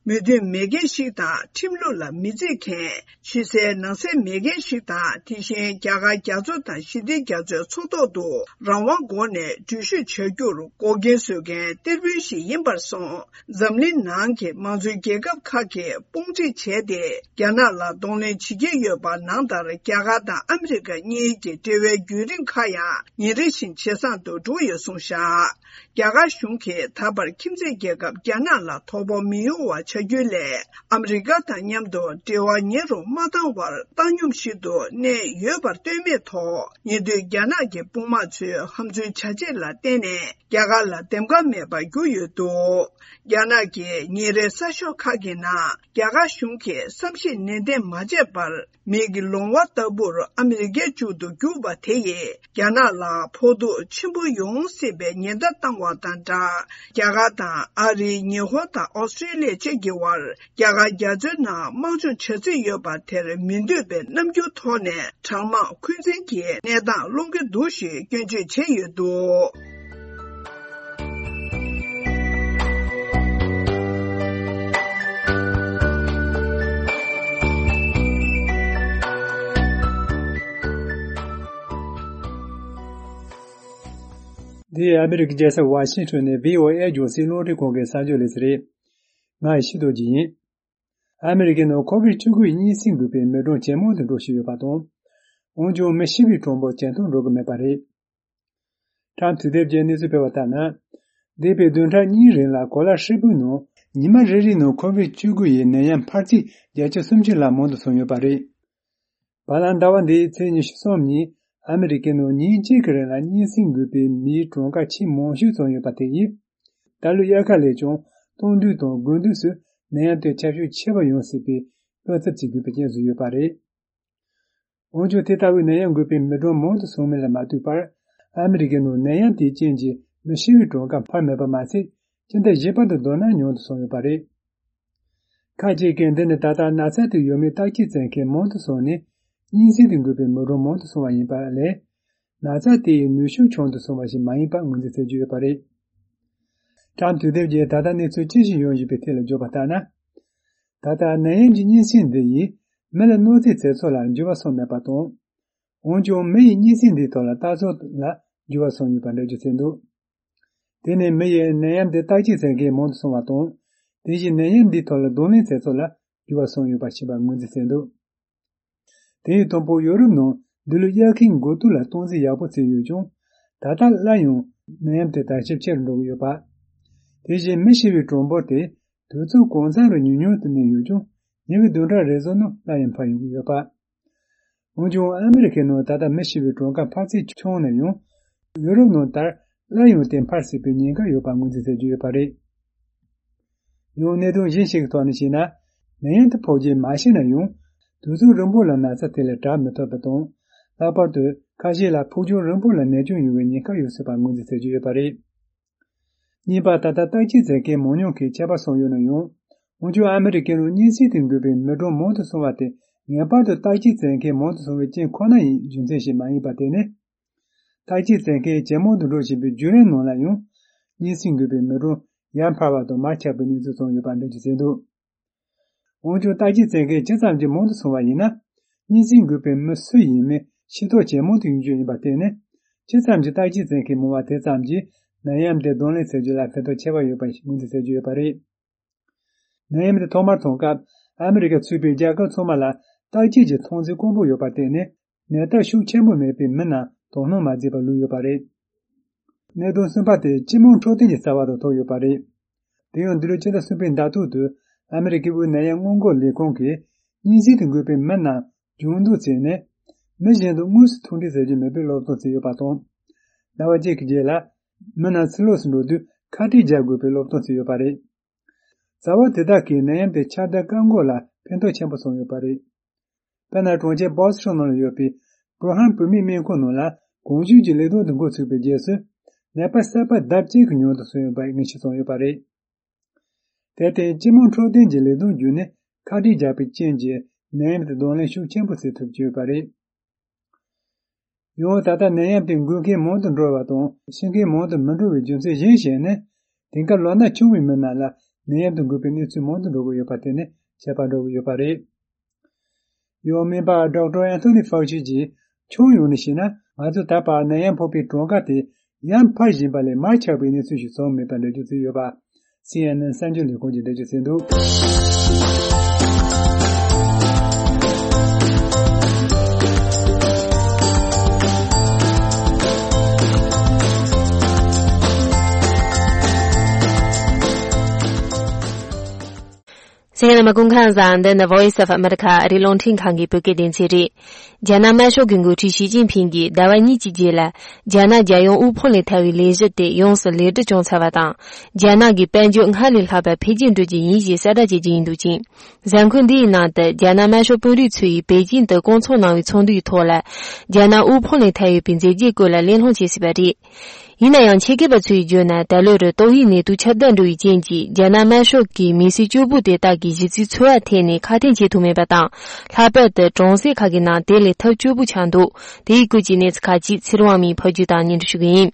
མོས་མཐུན་མེད་མཁན་ཞིག་དང་། ཁྲིམས་ལུགས་ལ་མི་བརྩི་མཁན། ཕྱི་གསལ་ནང་གསལ་མེད་མཁན་ཞིག་དང་། དེ་བཞིན་རྒྱ་གར་རྒྱ་མཚོ་དང་ཞི་བདེ་རྒྱ་མཚོའི་མཚོ་ཐོག་ཏུ་རང་དབང་སྒོ་ནས་འགྲུལ་བཞུད་བྱ་རྒྱུར་འགོག་རྐྱེན་བཟོ་མཁན་གཏེར་དཔོན་ཞིག་ཡིན་པར་སོང་། འཛམ་གླིང་ནང་གི་མང་གཙོའི་རྒྱལ་ཁབ་ཁག་གིས་དཔུང་སྒྲིག་བྱས་ཏེ། རྒྱ་ནག་ལ་གདོང་ལེན་བྱེད་ཀྱི་ཡོད་པ་ནང་ལྟར། རྒྱ་གར་དང་ཨ་མི་རི་ཀ་གཉིས་ཀྱི་འབྲེལ་བའི་བརྒྱུད་རིམ་ཁག་ཡང་ཉིན་རེ་བཞིན་ཇེ་བཟང་དུ་འགྲོ་ཡོད་གསུངས་བཞག་རྒྱ་གར་གཞུང་གིས་ད་བར་ཁྱིམ་མཚེས་རྒྱལ་ཁབ་རྒྱ་ནག་ལ་དོ་ཕོག་མི་ཡོང་བ་བྱ་རྒྱུའི་སླད། ཨ་མི་རི་ཀ་དང་མཉམ་དུ་འབྲེལ་བ་ཉེ་རུ་མ་བཏང་བར་བཏང་སྙོམས་ཤིག་ཏུ་གནས་ཡོད་པར་ལྟོས་མེད་ཐོག་ཉེ་དུས་རྒྱ་ནག་གི་དཔུང་དམག་ཚོའི་ཧམ་འཛུལ་བྱ་བྱེད་ལ་བརྟེན་ནས། རྒྱ་གར་ལ་འདེམས་ཀ་མེད་པར་གྱུར་ཡོད་འདུག་རྒྱ་ནག་གི་ཉིན་རེའི་གསར་ཤོག་ཁག་གི་ནང་། རྒྱ་གར་གཞུང་གིས་བསམ་ཤེས་ནན་ཏན་མ་བྱས་པར། མིག་གི་ལོང་བ་ལྟ་བུར་ཨ་མི་རི་ཀའི་མཇུག་ཏུ་རྒྱུག་པ་དེ་ཡིས། རྒྱ་ནག་ལ་ཕོག་ཐུག་ཆེན་པོ་ཡོང་སྲིད་པའི་ཉེན་བརྡ་བཏང་བ་དང་སྦྲགས། རྒྱ་གར་དང་ཨ་རི། ཉི་ཧོང་དང་ཨོ་སི་ཀྲི་ལི་ཡ་བཅས་ཀྱི་དབར། རྒྱ་གར་རྒྱ་མཚོའི་ནང་དམག་སྦྱོང་བྱ་རྩིས་ཡོད་པ་དེར་མི་འདོད་པའི་རྣམ་འགྱུར་ཐོག་ནས། གྲང་དམག་འཁོན་འཛིན་གྱི་གནས་སྟངས་སློང་གི་འདུག་ཞེས་སྐྱོན་བརྗོད་བྱས་ཡོད་འདུག་འདི་ཨ་མི་རི་ཀའི་རྒྱལ་ས་ཝ་ཤིང་ཊོན་ནས་བྷི་ཨོ་ཨེ་རྒྱང་སྲིང་རླུང་འཕྲིན་ཁང་གི་གསར་འགྱུར་ལས་ཚན་རེད། ང་ཡི་ཤི་རྡོ་རྗེ་ཡིན། ཨ་མི་རི་ཀའི་ནང་ཁོ་བིད་བཅུ་དགུ་ཡི་གཉན་སྲིན་འགོས་པའི་མི་གྲངས་ཇེ་མང་དུ་འགྲོ་བཞིན་ཡོད་པ་དང་། འོན་ཀྱང་མི་ཤི་བའི་གྲངས་འབོར་ཇེ་མཐོར་འགྲོ་གི་མེད་པ་རེད། ཊམ་དུས་དེབ་ཀྱིས་གནས་ཚུལ་སྤེལ་བ་ལྟར་ན། འདས་པའི་བདུན་ཕྲག་གཉིས་རིང་ལ་གོ་ལ་ཧྲིལ་པོའི་ནང་ཉི་མ་རེ་རེའི་ནང་ཁོ་བིད་བཅུ་དགུ་ཡི་ནད་ཡམས་འཕར་ཚད་བརྒྱ་ཆ་སུམ་ཅུ་ལ་མང་དུ་སོང་ཡོད་པ་རེད། བར་ལམ་ཟླ་བ་འདིའི་ཚེས་ཉི་ཤུ་གསུམ་ཉིན་ཨ་མི་རི་ཀའི་ནང་ཉིན་གཅིག་གི་རིང་ལ་གཉན་སྲིན་འགོས་པའི་མིའི་གྲངས་ཀ་ཆེས་མང་ཤོས་ཙམ་ཡོད་པ་དེ་ཡིས། ད་ལོའི་དབྱར་ཁ་ལས་ཀྱང་སྟོན་དུས་དང་དགུན་དུས་སུ་ནད་ཡམས་དེ་ཁྱབ་ཤུགས་ཆེ་བ་ཡོང་སྲིད་པའི་བློ་འཚབ་བྱེད་དགོས་པའི་རྐྱེན་བཟོས་ཡོད་པ་རེད། འོན་ཀྱང་དེ་ལྟ་བུའི་ནད་ཡམས་འགོས་པའི་མི་གྲངས་མང་དུ་སོང་མིན་ལ་མ་ལྟོས་པར། ཨ་མི་རི་ཀའི་ནང་ནད་ཡམས་དེའི་རྐྱེན་གྱིས་མི་ཤི་བའི་གྲངས་ཀ་འཕར་མེད་པ་མ་ཟད། སྤྱི་ཟླ་བཞི་པ་དང་བསྡུར་ན་ཉུང་དུ་སོང་ཡོད་པ་རེད། ཁ་ཅིག་གིས་འདི་ནི་ད་ལྟ་ན་ཚ་དེ་ཡོད་མེད་བརྟག་དཔྱད་བྱེད་མཁན་མང་དུ་སོང་ནས། གཉན་སྲིན་དེ་འགོས་པའི་མི་གྲངས་མང་དུ་སོང་བ་ཡིན་པ་ལས། ན་ཚ་དེ་ཡི་ནུས་ཤུགས་ཆུང་དུ་སོང་བ་ཞིག་མ་ཡིན་པ་ངོས་འཛིན་བྱེད་ཀྱི་ཡོད་པ་རེད། ཊམ་དུས་དེབ་ཀྱིས་ད་ལྟ་གནས་ཚུལ་ཅི་ཞིག་ཡོང་བཞིན་པའི་ཐད་ལ་བརྗོད་པ་ལྟར་ན། ད་ལྟ་ནད་ཡམས་ཀྱི་གཉན་སྲིན་འདི་ཡིས་མི་ལ་གནོད་འཚེ་བྱེད་ཕྱོགས་ལ་འགྱུར་བ་སོང་མེད་པ་དང་། འོན་ཀྱང་མི་ཡིས་གཉན་སྲིན་འདིའི་ཐོག་ལ་ལྟ་ཚུལ་ལ་འགྱུར་བ་སོང་ཡོད་པ་འགྲེལ་བརྗོད་བྱས་འདུག་དེ་ནི་མི་ཡིས་ནད་ཡམས་འདི་བརྟག་དཔྱད་བྱེད་མཁན་མང་དུ་སོང་བ་དང་། དེ་བཞིན་ནད་ཡམས་འདིའི་ཐོག་ལ་གདོང་ལེན་བྱེད་ཕྱོགས་ལ་འགྱུར་བ་སོང་ཡོད་པ་ཞིག་པ་ངོས་འཛིན་བྱས་འདུག་དེ་ཡི་དང་པོ་ཡོ་རོབ་ནང་འདི་ལོའི་དབྱར་ཁའི་འགོ་སྟོད་ལ་སྟངས་འཛིན་ཡག་པོ་བྱས་ཡོད་ཀྱང་། ད་ལྟ་སླར་ཡང་ནད་ཡམས་དེ་དར་ཁྱབ་ཆེ་རུ་འགྲོ་གི་ཡོད་པ། དེ་བཞིན་མི་ཤི་བའི་གྲངས་འབོར་དེ་དུས་ཚོད་གང་ཙམ་རུ་ཉུང་ཉུང་དུ་གནས་ཡོད་ཀྱང་། ཉེ་བའི་བདུན་ཕྲག་རེ་ཟུང་ནང་སླར་ཡང་འཕར་ཡོང་གི་ཡོད་པ། འོན་ཀྱང་ཨ་མི་རི་ཀའི་ནང་ད་ལྟ་མི་ཤི་བའི་གྲངས་ཀ་འཕར་ཚད་ཆུང་ན་ཡང་། ཡོ་རོབ་ནང་ལྟར་སླར་ཡང་དེ་འཕར་སྲིད་པའི་ཉེན་ཁ་ཡོད་པ་ངོས་འཛིན་བྱེད་ཀྱི་ཡོད་པ་རེད། ཡང་གནད་དོན་གཞན་ཞིག་གི་ཐོག་ནས་བཤད་ན། ནད་ཡམས་དེ་ཕོག་རྗེས་མ་ཤི་ན་ཡང་། དུས་ཚོད་རིང་པོ་ལ་ན་ཚ་དེ་ལས་དྲག་མི་ཐུབ་པ་དང་། ལྷག་པར་དུ་ཁ་ཤས་ལ་ཕུགས་རྒྱང་རིང་པོ་ལ་ནད་སྐྱོན་ཡོང་བའི་ཉེན་ཁ་ཡོད་སྲིད་པ་ངོས་འཛིན་བྱེད་ཀྱི་ཡོད་པ་རེད། གཉིས་པ། ད་ལྟ་བརྟག་དཔྱད་བྱེད་མཁན་མང་ཉུང་གིས་ཁྱད་པར་སོང་ཡོད་ན་ཡང་། འོན་ཀྱང་ཨ་མི་རི་ཀའི་ནང་གཉན་སྲིན་དེ་འགོས་པའི་མི་གྲངས་མང་དུ་སོང་བ་དེ་ངེས་པར་དུ་བརྟག་དཔྱད་བྱེད་མཁན་མང་དུ་སོང་བའི་རྐྱེན་ཁོ་ན་ཡི་རྒྱུ་མཚན་ཞིག་མ་ཡིན་པ་དེ་ནི། བརྟག་དཔྱད་བྱེད་མཁན་ཇེ་མང་དུ་འགྲོ་བཞིན་པའི་བརྒྱུད་རིམ་ནང་ལ་ཡང་། གཉན་སྲིན་འགོས་པའི་མི་གྲངས་ཡར་འཕར་བ་དང་མར་ཆག་པའི་གནས་ཚུལ་ཙམ་ཡོད་པ་འགྲེལ་བརྗོད་བྱས་འདུག་འོན་ཀྱང་བརྟག་དཔྱད་བྱེད་མཁན་ཇི་ཙམ་གྱིས་མང་དུ་སོང་བ་ཡིན་ན། གཉན་སྲིན་འགོས་པའི་མི་སུ་ཡིན་མིན་ཤེས་རྟོགས་ཇེ་མང་དུ་ཡོང་རྒྱུ་ཡིན་པ་དེ་ནི། ཇི་ཙམ་གྱིས་བརྟག་དཔྱད་བྱེད་མཁན་མང་བ་དེ་ཙམ་གྱིས་ནད་ཡམས་དེ་གདོང་ལེན་བྱེད་རྒྱུ་ལ་ཕན་ཐོགས་ཆེ་བ་ཡོད་པ་ཞིག་ངོས་འཛིན་བྱེད་རྒྱུ་ཡོད་པ་རེད། ནད་ཡམས་དེ་ཐོག་མར་ཐོན་སྐབས་ཨ་མི་རི་ཀ་ཚུད་པའི་རྒྱལ་ཁབ་ཚང་མ་ལ་བརྟག་དཔྱད་ཀྱི་ཐོན་རྫས་དཀོན་པོ་ཡོད་པ་དེ་ནི། ནད་རྟགས་ཤུགས་ཆེན་པོ་མེད་པའི་མི་རྣམས་དོ་སྣང་མ་མཛད་པར་ལུས་ཡོད་པ་རེད། གནད་དོན་གསུམ་པ་དེ་སྤྱི་དམངས་འཕྲོད་བསྟེན་གྱི་རྩ་བ་དང་ཐུག་ཡོད་པ་རེད། དེ་ཡང་འདི་ལོའི་ཕྱི་ཟླ་གསུམ་པའི་ཟླ་ཐོག་ཏུ་ཨ་མི་རི་ཀའི་དབུས་ནད་ཡམས་སྔོན་འགོག་ལས་ཁུངས་ཀྱིས་གཉན་སྲིན་དུ་འགོས་པའི་མི་རྣམས་སྦྱོང་བརྡར་བྱས་ནས། མི་གཞན་དང་དངོས་སུ་ཐུག་འཕྲད་བྱ་རྒྱུ་མེད་པའི་སློབ་སྟོན་བྱས་ཡོད་པ་དང་། ཟླ་བ་གཅིག་གི་རྗེས་ལ་མི་རྣམས་ཕྱི་ལོགས་སུ་འགྲོ་དུས་ཁ་ཏིག་རྒྱག་དགོས་པའི་སློབ་སྟོན་བྱས་ཡོད་པ་རེད། བྱ་བ་དེ་དག་གིས་ནད་ཡམས་དེ་ཁྱབ་གདལ་བཀག་འགོག་ལ་ཕན་ཐོགས་ཆེན་པོ་བྱུང་ཡོད་པ་རེད། དཔེར་ན། གྲོང་ཁྱེར་བྷོ་སི་ཊོན་ནང་ལ་ཡོད་པའི་བྷུ་ར་ཧན་བུད་མེད་སྨན་ཁང་ནང་ལ་གོང་ཞུས་ཀྱི་ལས་དོན་དུ་འགོ་ཚུགས་པའི་རྗེས་སུ། ནད་པ་གསར་པ་ལྡབ་གཅིག་གིས་ཉུང་དུ་སོང་ཡོད་པ་ངེས་ཤེས་བྱུང་ཡོད་པ་རེད། དེར་བརྟེན་སྤྱི་དམངས་འཕྲོད་བསྟེན་གྱི་ལས་དོན་བརྒྱུད་ནས་ཁ་ཏིག་རྒྱག་པའི་རྐྱེན་གྱིས་ནད་ཡམས་དེ་གདོང་ལེན་ཤུགས་ཆེན་པོ་བྱེད་ཐུབ་ཀྱི་ཡོད་པ་རེད། ཡང་ད་ལྟ་ནད་ཡམས་དེ་འགོས་མཁན་མང་དུ་འགྲོ་བ་དང་ཤི་མཁན་མང་དུ་མི་འགྲོ་བའི་རྒྱུ་མཚན་གཞན་ཞིག་ནི། དེང་སྐབས་ལོ་ན་ཆུང་བའི་མི་རྣམས་ལ་ནད་ཡམས་དེ་འགོས་པའི་གནས་ཚུལ་མང་དུ་འགྲོ་གི་ཡོད་པ་དེ་ནི་ཁྱད་པར་འགྲོ་གི་ཡོད་པ་རེད། ཡང་སྨན་པ་ཌོག་ཊར་ཨན་ཐོ་ནི་ཕའུ་ཆི་གྱིས་ཁྱོན་ཡོངས་ནས་བཤད་ན། ང་ཚོས་ད་བར་ནད་ཡམས་ཕོག་པའི་གྲངས་ཀ་དེ་ཡར་འཕར་བཞིན་པ་ལས་མར་ཆག་པའི་གནས་ཚུལ་ཞིག་བྱུང་མེད་པ་འགྲེལ་བརྗོད་བྱས་ཡོད་པ། སི་ཨེན་ཨེན་གསར་འགྱུར་ལས་ཁང་གིས་འགྲེལ་བརྗོད་བྱས་འདུག་གསན་མཁན་རྣམ་པ་སྐུ་ཁམས་བཟང་། འདི་ནི་Voice of America ཨ་རིའི་རླུང་འཕྲིན་ཁང་གི་བོད་སྐད་སྡེ་ཚན་རེད། རྒྱ་ནག་དམར་ཤོག་གི་འགོ་ཁྲིད་ཞི་ཅིན་ཕིང་གིས་ཟླ་བ་གཉིས་ཀྱི་རྗེས་ལ། རྒྱ་ནག་རྒྱལ་ཡོངས་དབུལ་ཕོངས་ལས་ཐར་བའི་ལས་གཞི་དེ་ཡོངས་སུ་ལེགས་གྲུབ་བྱུང་ཚར་བ་དང་། རྒྱ་ནག་གི་དཔལ་འབྱོར་སྔར་ལས་ལྷག་པར་འཕེལ་རྒྱས་འགྲོ་རྒྱུ་ཡིན་ཞེས་གསལ་བསྒྲགས་བྱེད་རྒྱུ་ཡིན་འདུག་ཅིང་། གཟའ་འཁོར་འདིའི་ནང་དུ་རྒྱ་ནག་དམར་ཤོག་དཔོན་རིགས་ཚོ་ཡིས་པེ་ཅིང་དུ་བསྐོང་ཚོགས་གནང་བའི་ཚོགས་འདུའི་ཐོག་ལ། རྒྱ་ནག་དབུལ་ཕོངས་ལས་ཐར་ཡོད་པའི་མཛད་རྗེས་སྐོར་ལ་གླེང་སློང་བྱེད་སྲིད་པ་རེད། ཡིན་ན་ཡང་ཆེད་མཁས་པ་ཚོས་བརྗོད་ན། ད་ལོ་རུ་ཏོག་དབྱིབས་ནད་དུག་ཁྱབ་གདལ་འགྲོ་བའི་རྐྱེན་གྱིས། རྒྱ་ནག་དམར་ཤོག་གིས་མི་སེར་སྐྱོ་པོ་དེ་དག་གི་གཞི་རྩའི་འཚོ་བ་ཐད་ནས་ཁ་གཏད་བྱེད་ཐུབ་མེད་པ་དང་། ལྷག་པར་དུ་གྲོང་གསེབ་ཁག་གི་ནང་དེ་ལས་ཐབས་སྐྱོ་པོ་ཆགས་འདུག་དེའི་སྐོར་གྱི་གནས་ཚུལ་ཁག་ཅིག་ཚེ་རིང་དབང་མོས་ཕབ་སྒྱུར་དང་སྙན་སྒྲོན་ཞུ་གི་ཡིན།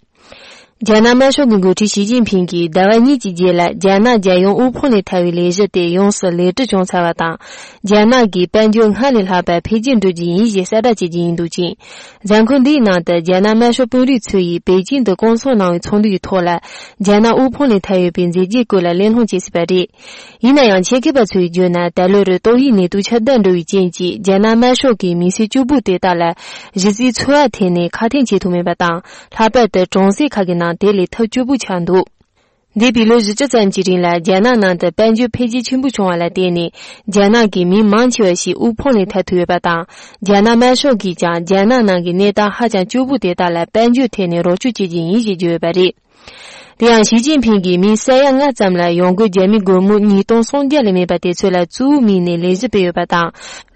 རྒྱ་ནག་དམར་ཤོག་གི་འགོ་ཁྲིད་ཞི་ཅིན་ཕིང་གིས་ཟླ་བ་གཉིས་ཀྱི་རྗེས་ལ་རྒྱ་ནག་རྒྱལ་ཡོངས་དབུལ་ཕོངས་ལས་ཐར་བའི་ལས་གཞི་དེ་ཡོངས་སུ་ལེགས་གྲུབ་བྱུང་ཚར་བ་དང་། རྒྱ་ནག་གི་དཔལ་འབྱོར་སྔར་ལས་ལྷག་པར་འཕེལ་རྒྱས་འགྲོ་རྒྱུ་ཡིན་ཞེས་གསལ་བསྒྲགས་བྱེད་ཀྱི་ཡིན་འདུག་ཅིང་། མཛད་སྒོ་འདིའི་ནང་དུ་རྒྱ་ནག་དམར་ཤོག་དཔོན་རིགས་ཚོ་ཡིས་པེ་ཅིང་དུ་བསྐོང་ཚོགས་གནང་བའི་ཚོགས་འདུ་ཡི་ཐོག་ལ། རྒྱ་ནག་དབུལ་ཕོངས་ལས་ཐར་ཡོད་པའི་མཛད་རྗེས་སྐོར་ལ་གླེང་སློང་བྱས་ཟིན་པ་རེད། ཡིན་ན་ཡང་ཆེད་མཁས་པ་ཚོས་བརྗོད་ན། ད་ལོར་ཏོག་དབྱིབས་ནད་དུག་ཁྱབ་གདལ་འགྲོ་བའི་རྐྱེན་གྱིས་རྒྱ་ནག་དམར་ཤོག་གིས་མི་སེར་གཅིག་པུ་དེ་དག་ལ་གཞི་རྩའི་འཚོ་བ་ཐད་ནས་ཁ་གཏད་བྱེད་ཐུབ་མེད་པ་དང་། ལྷག་པར་དུ་གྲོང་གསེབ་ཁག་གི་ནང་དེ་ལས་ཐབས་སྐྱོ་པོ་ཆགས་འདུག་འདས་པའི་ལོ་བཞི་བཅུ་ཙམ་གྱི་རིང་ལ་རྒྱ་ནག་ནང་དུ་དཔལ་འབྱོར་འཕེལ་རྒྱས་ཆེན་པོ་བྱུང་བ་ལ་བརྟེན་ནས། རྒྱ་ནག་གི་མི་མང་ཆེ་བ་ཞིག་དབུལ་ཕོངས་ལས་ཐར་ཐུབ་ཡོད་པ་དང་། རྒྱ་ནག་དམར་ཤོག་གིས་ཀྱང་རྒྱ་ནག་ནང་གི་གནས་སྟངས་ཧ་ཅང་སྐྱོ་པོ་དེ་དག་ལ་དཔལ་འབྱོར་ཐད་ནས་རོགས་སྐྱོར་བྱེད་ཀྱི་ཡིན་ཞེས་བརྗོད་ཡོད་པ་རེད། དེ་ཡང་ཞི་ཅིན་ཕིང་གིས་མི་ས་ཡ་ལྔ་ཙམ་ལ་ཡོང་སྒོ་རྒྱ་མི་སྒོར་མོ་ཉིས་སྟོང་སུམ་བརྒྱ་ལས་མེད་པ་དེ་ཚོ་ལ་གཙོ་བོའི་མིང་ནས་ལས་གཞི་སྤེལ་ཡོད་པ་དང་།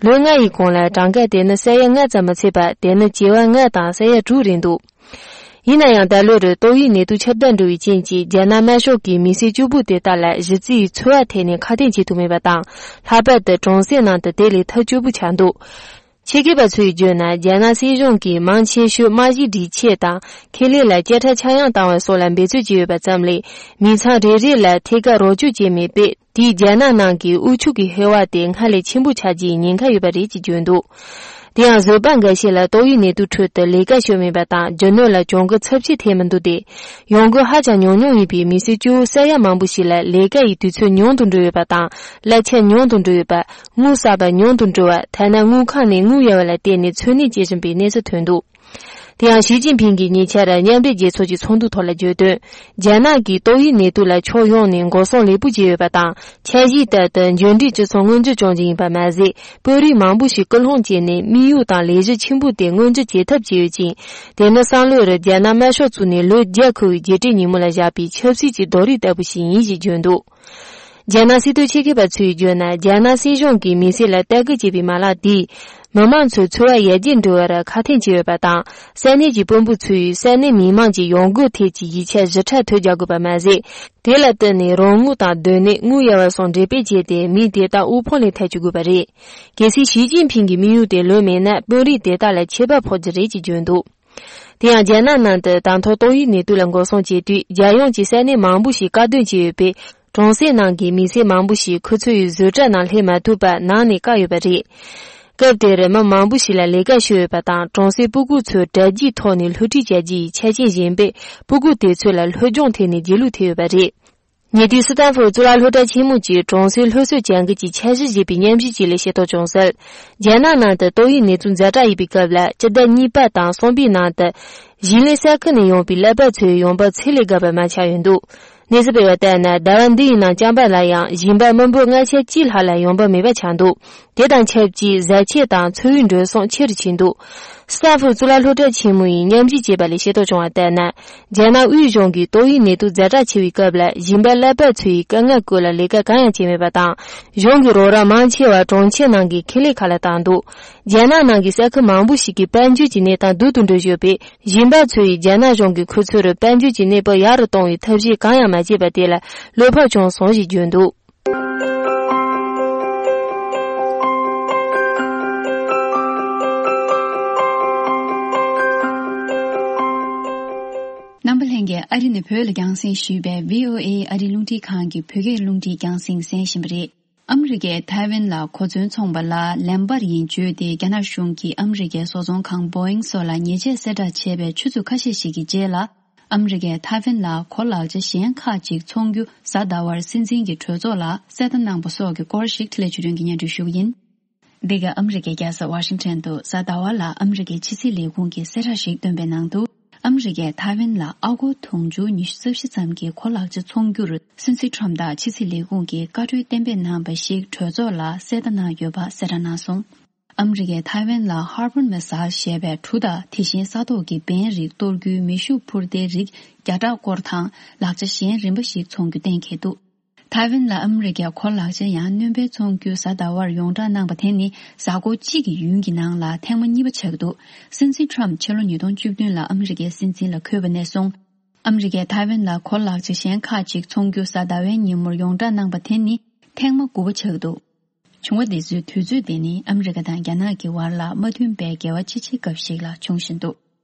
ལོ་ལྔ་ཡི་གོང་ལ་གྲངས་ཀ་དེ་ནི་ས་ཡ་ལྔ་ཙམ་མ་ཚད་པར། དེ་ནི་བྱེ་བ་ལྔ་དང་ས་ཡ་དྲུག་རེད་འདུག་ཡིན་ན་ཡང་། ད་ལོར་ཏོག་དབྱིབས་ནད་དུག་ཁྱབ་གདལ་འགྲོ་བའི་རྐྱེན་གྱིས་རྒྱ་ནག་དམར་ཤོག་གིས་མི་སེར་གཅིག་པུ་དེ་དག་ལ་གཞི་རྩའི་འཚོ་བ་ཐད་ནས་ཁ་གཏད་བྱེད་ཐུབ་མེད་པ་དང་། ལྷག་པར་དུ་གྲོང་གསེབ་ནང་དུ་དེ་ལས་ཐབས་སྐྱོ་པོ་ཆགས་འདུག་ཆེད་མཁས་པ་ཚོས་བརྗོད་ན། རྒྱ་ནག་སྲིད་གཞུང་གིས་མང་ཆེ་ཤོས་རྨང་གཞིའི་སྒྲིག་ཆས་དང་། ཁེ་ལས་ལ་སྐྱེད་གྲབས་ཆག་ཡང་བཏང་བ་སོགས་ལ་འབད་རྩོལ་བྱས་ཡོད་པ་ཙམ་ལས། མི་ཚང་རེ་རེ་ལ་ཐད་ཀར་རོགས་སྐྱོར་བྱས་མེད་པས། དེས་རྒྱ་ནག་ནང་གི་དབུལ་ཕྱུག་གི་ཧེ་བག་དེ་སྔར་ལས་ཆེན་པོ་ཆགས་རྒྱུའི་ཉེན་ཁ་ཡོད་པ་རེད་ཅེས་བརྗོད་འདུག་དེ་ཡང་བཟོ་པ་འགའ་ཤས་ལ་ཏོག་དབྱིབས་ནད་དུག་ཁྲོད་དུ་ལས་ཀ་ཤོར་མེད་པ་དང་། རྒྱུ་ནོར་ལ་གྱོང་གུན་ཚབས་ཆེ་ཐེབས་མི་འདུག་སྟེ། ཡོང་སྒོ་ཧ་ཅང་ཉུང་ཉུང་ཡིན་པའི་མི་སེར་གཙོ་བོ་ས་ཡ་མང་པོ་ཞིག་ལ་ལས་ཀ་ཡི་དུས་ཚོད་ཉུང་དུ་འགྲོ་ཡོད་པ་དང་། གླ་ཆ་ཉུང་དུ་འགྲོ་ཡོད་པ། དངུལ་བསགས་པ་ཉུང་དུ་འགྲོ་བ། ཐ་ན་དངུལ་ཁང་ནས་དངུལ་གཡར་བ་ལ་བརྟེན་ནས་འཚོ་གནས་བྱེད་བཞིན་པའི་གནས་ཚུལ་ཐོན་འདུག་དེ་ཡང་ཞི་ཅིན་ཕིང་གིས་ཉེ་ཆར་མཉམ་འབྲེལ་རྒྱལ་ཚོགས་ཀྱི་ཚོགས་འདུ་ཐོག་ལ་བརྗོད་དོན། རྒྱ་ནག་གིས་ཏོག་དབྱིབས་ནད་དུག་ལ་ཕྱོགས་ཡོངས་ནས་འགོག་སྲུང་ལེགས་པོ་བྱས་ཡོད་པ་དང་། འཆར་གཞིའི་ལྟར་དུ་འབྱོར་འབྲིང་སྤྱི་ཚོགས་མངོན་འགྱུར་བྱུང་རྒྱུ་ཡིན་པ་མ་ཟད། དཔོན་རིགས་མང་པོ་ཞིག་སྐུལ་སློང་བྱས་ནས་དམིགས་ཡུལ་དང་ལས་གཞི་ཆེན་པོ་དེ་མངོན་འགྱུར་བྱེད་ཐབས་བྱས་ཡོད་ཅིང་། དེ་ནི་སང་ལོར་རྒྱ་ནག་དམར་ཤོག་བཙུགས་ནས་ལོ་བརྒྱ་འཁོར་བའི་རྒྱལ་སྤྱིའི་ཉིན་མོ་ལ་བཞག་པའི་ཆབ་སྲིད་ཀྱི་རྡོ་རིང་ལྟ་བུ་ཞིག་ཡིན་ཞེས་བརྗོད་འདུག་རྒྱ་ནག་སྲིད་དོན་ཆེད་མཁས་པ་ཚོས་བརྗོད་ན། རྒྱ་ནག་སྲིད་གཞུང་གིས་མི་སེར་ལ་ལྟ་སྐུལ་བྱེད་པའི་མ་ལག་འདིས། མི་མང་ཚོའི་འཚོ་བ་ཡར་རྒྱས་འགྲོ་བར་ཁག་ཐེག་བྱས་ཡོད་པ་དང་། ས་གནས་ཀྱི་དཔོན་པོ་ཚོས་ས་གནས་མི་མང་གི་ཡོང་སྒོ་ཐད་ཀྱི་ཡིག་ཆ་ཞིབ་ཕྲ་ཐོ་རྒྱག་དགོས་པ་མ་ཟད། དེ་ལ་བརྟེན་ནས་རོགས་དངུལ་དང་སྡོད་གནས། དངུལ་གཡར་བ་སོགས་འགྲེམས་སྤེལ་བྱས་ཏེ། མི་དེ་དག་དབུལ་ཕོངས་ལས་ཐར་བཅུག་དགོས་པ་རེད། གལ་སྲིད་ཞི་ཅིན་ཕིང་གི་དམིགས་ཡུལ་དེ་ལོན་མེད་ན། དཔོན་རིགས་དེ་དག་ལ་ཆད་པ་ཕོག་རྒྱུ་རེད་ཅེས་བརྗོད་འདུག་དེ་ཡང་རྒྱ་ནག་ནང་དུ་ད་ཐོག་ཏོག་དབྱིབས་ནད་དུག་ལ་འགོག་སྲུང་བྱེད་དུས། རྒྱལ་ཡོངས་ཀྱི་ས་གནས་མང་པོ་ཞིག་བཀག་སྡོམ་བྱས་ཡོད་པས། གྲོང་གསེབ་ནང་གི་མི་སེར་མང་པོ་ཞིག་ཁོ་ཚོའི་བཟོ་གྲྭ་ནང་སླེབས་མ་ཐུབ་པར་ནང་ནས་བཀག་ཡོད་པ་རེད། སྐབས་དེར་མི་མང་པོ་ཞིག་ལ་ལས་ཀ་ཤོར་ཡོད་པ་དང་། གྲོང་གསེབ་སྤུ་གུ་ཚོ་དྲ་རྒྱའི་ཐོག་ནས་སློབ་ཁྲིད་བྱ་རྒྱུ་ཡི་ཆ་རྐྱེན་ཞན་པས། སྤུ་གུ་དེ་ཚོ་ལ་སློབ་སྦྱོང་ཐད་ནས་རྗེས་ལུས་ཐེབས་ཡོད་པ་རེད། ཉེ་དུས་སི་ཏན་ཧྥོར་གཙུག་ལག་སློབ་གྲྭ་ཆེན་མོ་གྱི་གྲོང་གསེབ་སློབ་གསོའི་བྱ་འགུལ་གྱི་འཆར་གཞི་ཞེས་པའི་སྙན་ཞུ་ཅིག་ལས་ཤེས་རྟོགས་བྱུང་གསལ། རྒྱ་ནག་ནང་དུ་ཏོག་དབྱིབས་ནད་དུག་ཛ་དྲག་ཡིན་པའི་སྐབས་ལ། སྤྱི་ཟླ་གཉིས་པ་དང་གསུམ་པའི་ནང་དུ། ཞིང་ལས་ས་ཁུལ་ནས་ཡོང་པའི་ཀླད་པ་ཚོའི་ཡོང་འབབ་ཚད་ལས་བརྒལ་བ་མར་ཆག་ཡོད་འདུག་གནས་ཚུལ་སྤེལ་བར་ལྟར་ན། ཟླ་བ་འདི་ཡི་ནང་ཅམ་པ་ལ་ཡང་ཞིང་པ་མི་འབོར་ལྔ་ཆ་གཅིག་ལྷག་ལ་ཡོང་འབབ་མེད་པ་ཆགས་འདུག་དེ་དང་ཆབས་ཅིག་བཟའ་ཆས་དང་འཚོ་བའི་འགྲོ་སོང་ཆེ་རུ་ཕྱིན་འདུག་སི་ཏན་ཧྥོར་གཙུག་ལག་སློབ་གྲྭ་ཆེན་མོ་ཡིས་སྙན་ཞུ་བྱས་པ་ལས་ཤེས་རྟོགས་བྱུང་བར་ལྟར་ན། རྒྱ་ནག་དབུས་གཞུང་གིས་ཏོག་དབྱིབས་ནད་དུག་ཛ་དྲག་ཆེ་བའི་སྐབས་ལ། ཞིང་པ་ཀླད་པ་ཚོ་ཡི་དཀའ་ངལ་སྐོར་ལ་ལས་ཀ་གང་ཡང་བྱས་མེད་པ་དང་། གཞུང་གིས་རོགས་རམ་མང་ཆེ་བ་གྲོང་ཁྱེར་ནང་གི་ཁེ་ལས་ཁག་ལ་བཏང་འདུག་རྒྱ་ནག་ནང་གི་ས་ཁུལ་མང་པོ་ཞིག་གི་དཔལ་འབྱོར་གྱི་གནས་སྟངས་སྡུག་ཏུ་འགྲོ་བཞིན་ཡོད་པས། ཞིང་པ་ཚོ་ཡིས་རྒྱ་ནག་གཞུང་གིས་ཁོ་ཚོར་དཔལ་འབྱོར་གྱི་གནས་བབ་ཡག་རུ་གཏོང་བའི་ཐབས་ཤེས་གང་ཡང་མ་བྱས་པ་དེ་ལ་བློ་ཕམ་བྱུང་སོང་ཞེས་བརྗོད་འདུག་རྣམ་པ་ལྷན་རྒྱས། ཨ་རི་ནས་བོད་ལ་རྒྱང་སྲིང་ཞུས་པའི་བྷི་ཨོ་ཨེ་ཨ་རི་རླུང་འཕྲིན་ཁང་གི་བོད་སྐད་རླུང་འཕྲིན་རྒྱང་སྲིང་གསན་བཞིན་པ་རེད། ཨ་མི་རི་ཀས་ཐའེ་ཝན་ལ་གོ་མཚོན་འཚོང་པ་ལ་ལན་སྤར་ཡིན་བརྗོད་དེ། རྒྱ་ནག་གཞུང་གིས་ཨ་མི་རི་ཀའི་བཟོ་ཚོང་ཁང་བོ་ཨིང་སོགས་ལ་ཉེས་ཆད་གསལ་བསྒྲགས་བྱས་པའི་ཆུ་ཚོད་ཁ་ཤས་ཤིག་གི་རྗེས་ལ། ཨ་མི་རི་ཀས་ཐའེ་ཝན་ལ་གོ་ལག་ཆ་གཞན་ཁག་ཅིག་འཚོང་རྒྱུ་གཟའ་ཟླ་བར་སྲིད་འཛིན་གྱི་གྲོས་ཚོགས་ལ་གསལ་བརྡ་གནང་པ་སོགས་ཀྱི་སྐོར་ཞིག་འཕྲིན་ལས་ཆོས་སྒྲོན་གྱིས་སྙན་སྒྲོན་ཞུ་གི་ཡིན། འདི་ག་ཨ་མི་རི་ཀའི་རྒྱལ་ས་ཝ་ཤིང་ཊོན་དུ་གཟའ་ཟླ་བ་ལ་ཨ་མི་རི་ཀའི་ཕྱི་སྲིད་ལས་ཁུངས་ཀྱིས་གསལ་བསྒྲགས་ཤིག་བཏོན་པའི་ནང་དུ། ཨ་མི་རི་ཀས་ཐའེ་ཝན་ལ་ཨ་སྒོར་དུང་ཕྱུར་ཉི་ཤུ་རྩ་བཞི་ཙམ་གྱི་གོ་ལག་ཆ་འཚོང་རྒྱུར་སྲིད་འཛིན་ཁྲོམ་ཐང་ཕྱི་སྲིད་ལས་ཁུངས་ཀྱིས་བཀའ་འཁྲོལ་གཏན་འབེབས་གནང་བ་ཞིག་གྲོས་ཚོགས་ལ་གསལ་བརྡ་གནང་ཡོད་པ་གསལ་བསྒྲགས་གནང་སོང་། ཨ་མི་རི་ཀས་ཐའེ་ཝན་ལ་ཧར་བོར་མེ་སལ་ཞེས་པའི་གྲུ་དང་། དེ་བཞིན་ས་ཐོག་གི་འབེན་རིགས་གཏོར་རྒྱུའི་མེ་ཤུགས་འཕུར་མདེལ་རིགས་བརྒྱ་ཕྲག་སྐོར་དང་། ལག་ཆ་གཞན་རིམ་པ་ཞིག་འཚོང་རྒྱུ་གཏན་འཁེལ་འདུག་ཐའེ་ཝན་ལ་ཨ་མི་རི་ཀས་གོ་ལག་ཆ་ཡང་སྣོན་པ་འཚོང་རྒྱུ་གཟའ་ཟླ་བར་ཡོངས་བསྒྲགས་གནང་པ་དེ་ནི་གཟའ་འཁོར་གཅིག་གི་ཡུན་གྱི་ནང་ལ་ཐེངས་མ་གཉིས་པ་ཆགས་འདུག་སྲིད་འཛིན་ཁྲོམ་ཕྱི་ལོ་ཉིས་སྟོང་བཅུ་བདུན་ལ་ཨ་མི་རི་ཀའི་སྲིད་འཛིན་ལ་འཁོད་པ་ནས་བཟུང་། ཨ་མི་རི་ཀས་ཐའེ་ཝན་ལ་གོ་ལག་ཆ་གཞན་ཁག་ཅིག་འཚོང་རྒྱུ་གཟའ་ཟླ་བའི་ཉིན་མོར་ཡོངས་བསྒྲགས་གནང་པ་དེ་ནི་ཐེངས་མ་དགུ་པ་ཆགས་འདུག་བྱུང་བ་འདི་ཚོའི་དུས་ཚོད་དེ་ནི་ཨ་མི་རི་ཀ་དང་རྒྱ་ནག་གི་བར་ལ་མ་མཐུན་པའི་འགལ་བ་ཆེ་ཆེ་སྐབས་ཤིག་ལ་འབྱུང་བཞིན་འདུག་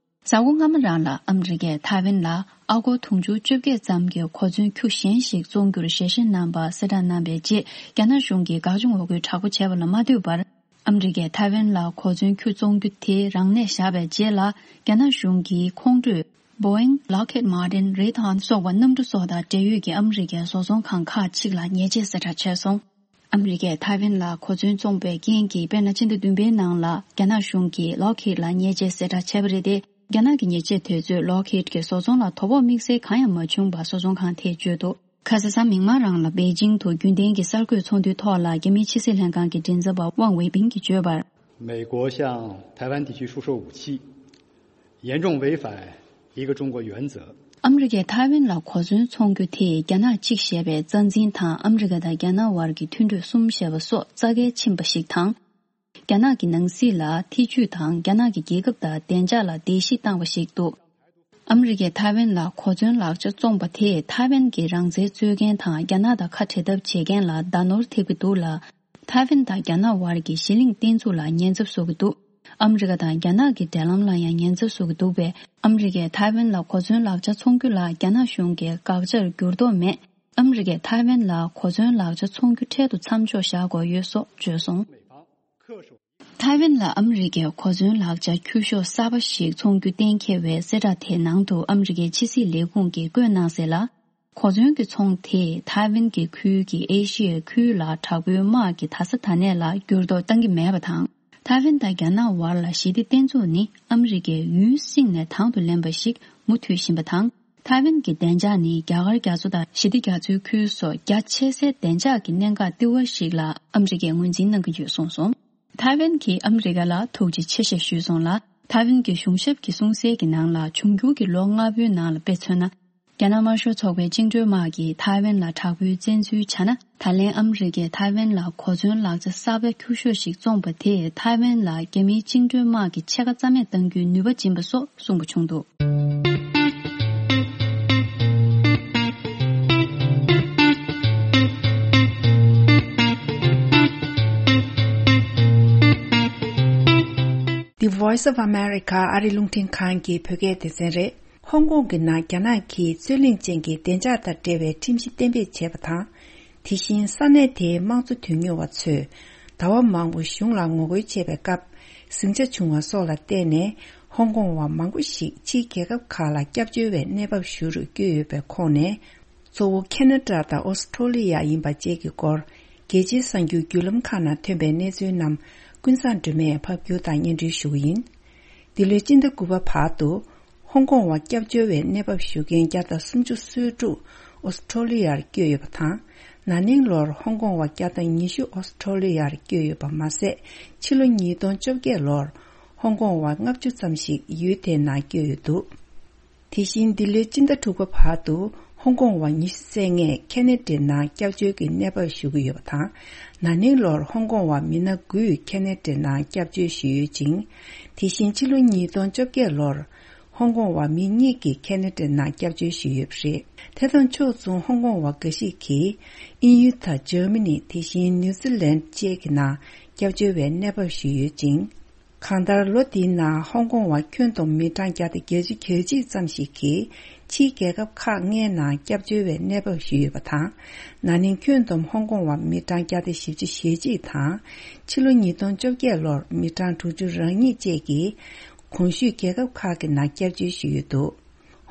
གཟའ་འཁོར་སྔ་མ་རང་ལ་ཨ་མི་རི་ཀས་ཐའེ་ཝན་ལ་ ཨ་སྒོར་དུང་ཕྱུར་བཅོ་བརྒྱད་ཙམ་གྱི་གོ་མཚོན་ཁྱུ་གཞན་ཞིག་བཙོང་རྒྱུར་ཞལ་བཞེས་གནང་པ་གསལ་བསྒྲགས་གནང་བའི་རྗེས། རྒྱ་ནག་གཞུང་གིས་དགག་བྱ་ངོ་རྒོལ་དྲག་པོ་བྱས་པ་ལ་མ་ལྟོས་པར། ཨ་མི་རི་ཀས་ཐའེ་ཝན་ལ་གོ་མཚོན་ཁྱུ་བཙོང་རྒྱུ་དེ་རང་ལས་བཞག་པའི་རྗེས་ལ། རྒྱ་ནག་གཞུང་གིས་ཁོང་ཁྲོས་Boeing, Lockheed Martin, Raytheon སོགས་པ་གནམ་གྲུ་བཟོ་དང་འབྲེལ་ཡོད་ཀྱི་ཨ་མི་རི་ཀའི་བཟོ་ཚོང་ཁང་ཁག་ཅིག་ལ་ཉེས་ཆད་གསལ་བསྒྲགས་བྱས་སོང་། ཨ་མི་རི་ཀས་ཐའེ་ཝན་ལ་གོ་མཚོན་བཙོངས་པའི་རྐྱེན་གྱིས། དཔེར་ན། ཕྱི་ཟླ་བདུན་པའི་ནང་ལ་རྒྱ་ནག་གཞུང་གིས་Lockheed ལ་ཉེས་ཆད་གསལ་བསྒྲགས་བྱས་པ་རེད་དེ། རྒྱ་ནག་གི་ཉེས་ཆད་དེ་ཚོས་Lockheed གྱི་བཟོ་ཚོང་ལ་དོ་ཕོག་དམིགས་བསལ་གང་ཡང་མ་བྱུང་བར་བཟོ་ཚོང་ཁང་དེས་བརྗོད་འདུག་ཁ་ས་གཟའ་མིག་དམར་རང་ལ་པེ་ཅིང་དུ་རྒྱུན་ལྡན་གྱི་གསར་འགོད་ཚོགས་འདུའི་ཐོག་ལ་རྒྱ་མིའི་ཕྱི་སྲིད་ལྷན་ཁང་གི་མགྲིན་ཚབ་པ་ཝང་ཝེ་ཕིང་གིས་བརྗོད་པར། 美国向台湾地区出售武器，严重违反一个中国原则。 ཨ་མི་རི་ཀས་ཐའེ་ཝན་ལ་གོ་མཚོན་འཚོང་རྒྱུ་དེས་རྒྱ་ནག་གཅིག་ཞེས་པའི་རྩ་འཛིན་དང་ཨ་མི་རི་ཀ་དང་རྒྱ་ནག་དབར་གྱི་མཐུན་གྲོས་གསུམ་ཞེས་པ་སོགས་རྩ་འགལ་ཕྱིན་པ་ཞིག་དང་། རྒྱ་ནག་གི་ནང་སྲིད་ལ་ཐེ་ཇུས་དང་རྒྱ་ནག་གི་རྒྱལ་ཁབ་དང་བདེ་འཇགས་ལ་བརྡལ་བཤིག་བཏང་བ་ཞིག་འདུག་ཨ་མི་རི་ཀས་ཐའེ་ཝན་ལ་གོ་མཚོན་ལག་ཆ་བཙོངས་པ་དེས་ཐའེ་ཝན་གྱི་རང་བཙན་རྩོད་མཁན་དང་རྒྱ་ནག་དང་ཁ་བྲལ་ཐབས་བྱེད་མཁན་ལ་བརྡ་ནོར་ཐེབས་ཀྱི་འདུག་ལ། ཐའེ་ཝན་དང་རྒྱ་ནག་དབར་གྱི་གཞི་གླིང་བརྟན་ཚུགས་ལ་ཉེན་ཚབས་བཟོ་གི་འདུག་ཨ་མི་རི་ཀ་དང་རྒྱ་ནག་གི་འབྲེལ་ལམ་ལ་ཡང་ཉེན་ཚབས་བཟོ་གི་འདུག་པས། ཨ་མི་རི་ཀས་ཐའེ་ཝན་ལ་གོ་མཚོན་ལག་ཆ་འཚོང་རྒྱུ་ལ་རྒྱ་ནག་གཞུང་གིས་དགག་བྱར་འགྱུར་ལྡོག་མེད། ཨ་མི་རི་ཀས་ཐའེ་ཝན་ལ་གོ་མཚོན་ལག་ཆ་འཚོང་རྒྱུ་འཕྲལ་དུ་མཚམས་འཇོག་བཞག་དགོས་ཡོད་སོགས་བརྗོད་སོང་། ཐའེ་ཝན་ལ་ཨ་མི་རི་ཀས་གོ་མཚོན་ལག་ཆ་ཁྱུ་ཤོག་གསར་པ་ཞིག་འཚོང་རྒྱུ་གཏན་འཁེལ་བའི་གསལ་བསྒྲགས་དེའི་ནང་དུ། ཨ་མི་རི་ཀའི་ཕྱི་སྲིད་ལས་ཁུངས་ཀྱིས་བཀོད་གནང་གསལ་ལ། གོ་མཚོན་གྱི་ཚོང་དེས་ཐའེ་ཝན་གྱི་ཁུལ་གྱི་ཨེ་ཤི་ཡའི་ཁུལ་ལ་དྲག་པོའི་དམག་གི་ད་ས་ད་ནས་ལ་འགྱུར་ལྡོག་བཏང་གི་མེད་པ་དང་། ཐའེ་ཝན་དང་རྒྱ་ནག་དབར་ལ་ཞི་བདེ་བརྟན་ཚུགས་ནི་ཨ་མི་རི་ཀས་ཡུན་བསྲིངས་ནས་དང་དུ་ལེན་པ་ཞིག་མུ་མཐུད་བཞིན་པ་དང་། ཐའེ་ཝན་གྱི་བདེ་འཇགས་ནི་རྒྱ་གར་རྒྱ་མཚོ་དང་ཞི་བདེ་རྒྱ་མཚོའི་ཁུལ་སོགས་རྒྱ་ཆེ་སའི་བདེ་འཇགས་ཀྱི་གནད་འགག་ལྟེ་བ་ཞིག་ལ་ཨ་མི་རི་ཀས་ངོས་འཛིན་གནང་གི་ཡོད་གསུངས་སོང་། ཐའེ་ཝན་གྱིས་ཨ་མི་རི་ཀ་ལ་ཐུགས་རྗེ་ཆེ་ཞེས་ཞུས་སོང་ལ། ཐའེ་ཝན་གྱི་གཞུང་ཞབས་ཀྱི་གསུང་གསལ་གྱི་ནང་ལ། འབྱུང་འགྱུར་གྱི་ལོ་ལྔ་པོའི་ནང་ལ་དཔེ་མཚོན་ན། རྒྱ་ནག་དམར་ཤོག་ཚོགས་པའི་བཅིངས་འགྲོལ་དམག་གིས་ཐའེ་ཝན་ལ་དྲག་པོའི་བཙན་འཛུལ་བྱས་ན། ད་ལན་ཨ་མི་རི་ཀས་ཐའེ་ཝན་ལ་གོ་མཚོན་ལག་ཆ་གསར་པ་ཁྱུ་ཤོག་ཞིག་བཙོངས་པ་དེས་ཐའེ་ཝན་ལ་རྒྱ་མིའི་བཅིངས་འགྲོལ་དམག་གི་ཕྱེད་ཀ་རྩ་མེད་གཏང་རྒྱུའི་ནུས་པ་སྦྱིན་པ་སོགས་གསུངས་པ་བྱུང་འདུག The Voice of America ཨ་རི་རླུང་འཕྲིན་ཁང་གི་བོད་སྐད་སྡེ་ཚན་རེད། ཧོང་ཀོང་གི་ནང་རྒྱ་ནག་གིས་རྩོད་གླེང་ཅན་གྱི་བདེ་འཇགས་དང་འབྲེལ་བའི་ཁྲིམས་གཞི་གཏན་འབེབས་བྱས་པ་དང་། དེ་བཞིན་ས་གནས་དེའི་དམངས་གཙོ་དོན་གཉེར་བ་ཚོས་ཟླ་བ་མང་པོ་གཞུང་ལ་ངོ་རྒོལ་བྱས་པའི་སྐབས། ཟིང་ཆ་བྱུང་བ་སོགས་ལ་བརྟེན་ནས། ཧོང་ཀོང་བ་མང་པོ་ཞིག་ཕྱིའི་རྒྱལ་ཁབ་ཁག་ལ་སྐྱབས་བཅོལ་བའི་གནས་བབ་ཞུ་རུ་བསྐྱོད་ཡོད་པའི་ཁོངས་ནས། གཙོ་བོ་ཁེ་ན་ཌ་དང་ཨོ་སི་ཁྲོ་ལི་ཡ་ཡིན་པ་བཅས་ཀྱི་སྐོར། རྒྱལ་སྤྱིའི་གསར་འགྱུར་བརྒྱུད་ལམ་ཁག་ནང་ཐོན་པའི་གནས་ཚུལ་རྣམས། ཀུན་བཟང་སྒྲོལ་མས་ཕབ་སྒྱུར་དང་སྙན་སྒྲོན་ཞུ་གི་ཡིན། འདི་ལོའི་སྤྱི་ཟླ་དགུ་པ་བར་དུ། ཧོང་ཀོང་བ་སྐྱབས་བཅོལ་བའི་གནས་བབ་ཞུ་མཁན་བརྒྱ་དང་སུམ་ཅུ་སོ་དྲུག་ཨོ་སི་ཁྲོ་ལི་ཡར་བསྐྱོད་ཡོད་པ་དང་། ན་ནིང་ལོར་ཧོང་ཀོང་བ་བརྒྱ་དང་ཉི་ཤུ་ཨོ་སི་ཁྲོ་ལི་ཡར་བསྐྱོད་ཡོད་པ་མ་ཟད། ཕྱི་ལོ་ཉིས་སྟོང་བཅོ་བརྒྱད་ལོར་ཧོང་ཀོང་བ་ལྔ་བཅུ་ཙམ་ཞིག་ཡུལ་དེའི་ནང་བསྐྱོད་ཡོད་འདུག་དེ་བཞིན་འདི་ལོའི་སྤྱི་ཟླ་དྲུག་པ་བར་དུ་ཧོང་ཀོང་བ་ཉི་ཤུ་རྩ་ལྔས་ཁེ་ན་ཌའི་ནང་སྐྱབས་བཅོལ་གྱི་གནས་བབ་ཞུ་གི་ཡོད་པ་དང་། ན་ནིང་ལོར་ཧོང་ཀོང་བ་མི་སྣ་དགུས་ཁེ་ན་ཌའི་ནང་སྐྱབས་བཅོལ་ཞུས་ཡོད་ཅིང་། དེ་བཞིན་ཕྱི་ལོ་ཉིས་སྟོང་བཅོ་བརྒྱད་ལོར་ཧོང་ཀོང་བ་མི་གཉིས་ཀྱིས་ཁེ་ན་ཌའི་ནང་སྐྱབས་བཅོལ་ཞུས་ཡོད་པ་རེད། དེ་དང་ཕྱོགས་མཚུངས་ཧོང་ཀོང་བ་འགའ་ཞིག་གིས་དབྱིན་ཡུལ་དང་འཇར་མ་ནི། དེ་བཞིན་ནིའུ་ཛི་ལན་བཅས་ཀྱི་ནང་སྐྱབས་བཅོལ་བའི་གནས་བབ་ཞུས་ཡོད་ཅིང་། གང་ལྟར། ལོ་འདིའི་ནང་ཧོང་ཀོང་བ་ཁྱོན་བསྡོམས་མི་གྲངས་བརྒྱ་དང་བརྒྱད་ཅུ་གྱ་གཅིག་ཙམ་ཞིག་གིས་ཕྱིའི་རྒྱལ་ཁབ་ཁག་ལྔའི་ནང་སྐྱབས་བཅོལ་བའི་གནས་བབ་ཞུས་ཡོད་པ་དང་། ན་ནིང་ཁྱོན་བསྡོམས་ཧོང་ཀོང་བ་མི་གྲངས་བརྒྱ་དང་བཞི་བཅུ་ཞེ་གཅིག་དང་། ཕྱི་ལོ་ཉིས་སྟོང་བཅོ་བརྒྱད་ལོར་མི་གྲངས་དྲུག་ཅུ་རེ་གཉིས་བཅས་ཀྱིས་གོང་ཞུས་རྒྱལ་ཁབ་ཁག་གི་ནང་སྐྱབས་བཅོལ་ཞུས་ཡོད་འདུག་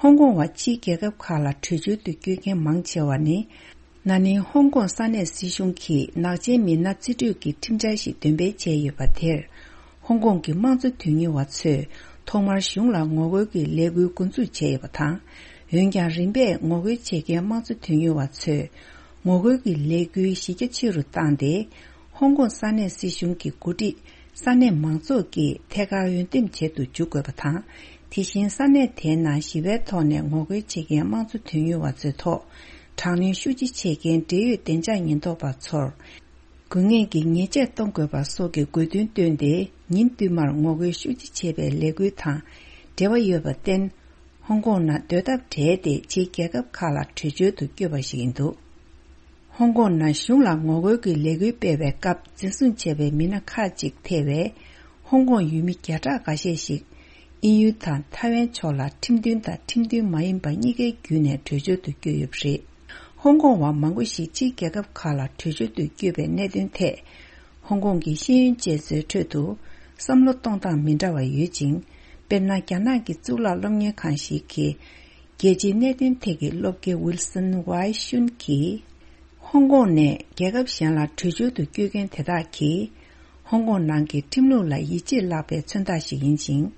ཧོང་ཀོང་བ་ཕྱིའི་རྒྱལ་ཁབ་ཁག་ལ་བྲོས་བྱོལ་དུ་བསྐྱོད་མཁན་མང་ཆེ་བ་ནི། ན་ནིང་ཧོང་ཀོང་ས་གནས་སྲིད་གཞུང་གིས་ནག་ཅན་མི་སྣ་རྩིས་སྤྲོད་ཀྱི་ཁྲིམས་འཆར་ཞིག་འདོན་སྤེལ་བྱས་ཡོད་པ་དེར། ཧོང་ཀོང་གི་དམངས་གཙོ་དོན་གཉེར་བ་ཚོས་ཐོག་མར་གཞུང་ལ་ངོ་རྒོལ་གྱི་ལས་འགུལ་འགོ་འཛུགས་བྱས་ཡོད་པ་དང་། འོན་ཀྱང་། རིམ་པས་ངོ་རྒོལ་བྱེད་མཁན་དམངས་གཙོ་དོན་གཉེར་བ་ཚོས་ངོ་རྒོལ་གྱི་ལས་འགུལ་གཞི་རྒྱ་ཆེ་རུ་བཏང་སྟེ། ཧོང་ཀོང་ས་གནས་སྲིད་གཞུང་གི་འགོ་ཁྲིད་ས་གནས་མང་ཚོགས་ཀྱིས་ཐད་ཀར་འོས་འདེམས་བྱེད་དུ་འཇུག་དགོས་པ་དང་། དེ་བཞིན་ས་གནས་དེའི་ནང་ཞི་བའི་ཐོག་ནས་ངོ་རྒོལ་བྱེད་མཁན་དམངས་གཙོ་དོན་གཉེར་བ་ཚོའི་ཐོག་དྲག་གནོན་ཤུགས་ཆེ་བྱེད་མཁན་འབྲེལ་ཡོད་བདེ་འཇགས་ཉེན་རྟོག་པ་ཚོར་དགོས་ངེས་ཀྱི་ཉེས་ཆད་གཏོང་དགོས་པ་སོགས་ཀྱི་དགོས་འདུན་བཏོན་ཏེ། ཉིན་བསྟུད་མར་ངོ་རྒོལ་ཤུགས་ཆེ་བྱེད་པའི་ལས་འགུལ་དང་འབྲེལ་བ་ཡོད་པར་བརྟེན། ཧོང་ཀོང་ནང་སྡོད་ཐབས་བྲལ་ཏེ། ཕྱིའི་རྒྱལ་ཁབ་ཁག་ལ་བྲོས་བྱོལ་དུ་བསྐྱོད་པ་ཞིག་ཡིན་འདུག་ཧོང་ཀོང་ནང་གཞུང་ལ་ངོ་རྒོལ་གྱི་ལས་འགུལ་སྤེལ་བའི་སྐབས་འཛིན་བཟུང་བྱས་པའི་མི་སྣ་ཁག་ཅིག་ཐེ་བའི་ཧོང་ཀོང་ཡུལ་མི་བརྒྱ་ཕྲག་འགའ་ཤས་ཤིག་ དབྱིན་ཡུལ་དང་ཐའེ་ཝན་ཕྱོགས་ལ་ཁྲིམས་མཐུན་དང་ཁྲིམས་མཐུན་མ་ཡིན་པ་གཉིས་ཀའི་བརྒྱུད་ནས་བྲོས་བྱོལ་དུ་བསྐྱོད་ཡོད་པ་རེད། ཧོང་ཀོང་བ་མང་པོ་ཞིག་ཕྱིའི་རྒྱལ་ཁབ་ཁག་ལ་བྲོས་བྱོལ་དུ་བསྐྱོད་པའི་གནད་དོན་ཐད། ཧོང་ཀོང་གི་ཤེས་ཡོན་ཅན་ཚོའི་ཁྲོད་དུ་བསམ་བློ་གཏོང་སྟངས་མི་འདྲ་བ་ཡོད་ཅིང་། དཔེར་ན། རྒྱ་ནག་གི་གཙུག་ལག་སློབ་གཉེར་ཁང་ཞིག་གི་རྒྱལ་སྤྱིའི་གནད་དོན་ཐད་ཀྱི་སློབ་དགེ་ཝིལ་སོན་ཝའེ་ཤུན་གྱིས། ཧོང་ཀོང་ནས་རྒྱལ་ཁབ་གཞན་ལ་བྲོས་བྱོལ་དུ་བསྐྱོད་མཁན་དེ་དག་གིས། ཧོང་ཀོང་ནང་གི་ཁྲིམས་ལུགས་ལ་ཡིད་ཆེས་བརླག་པའི་མཚོན་རྟགས་ཤིག་ཡིན་ཞིང་།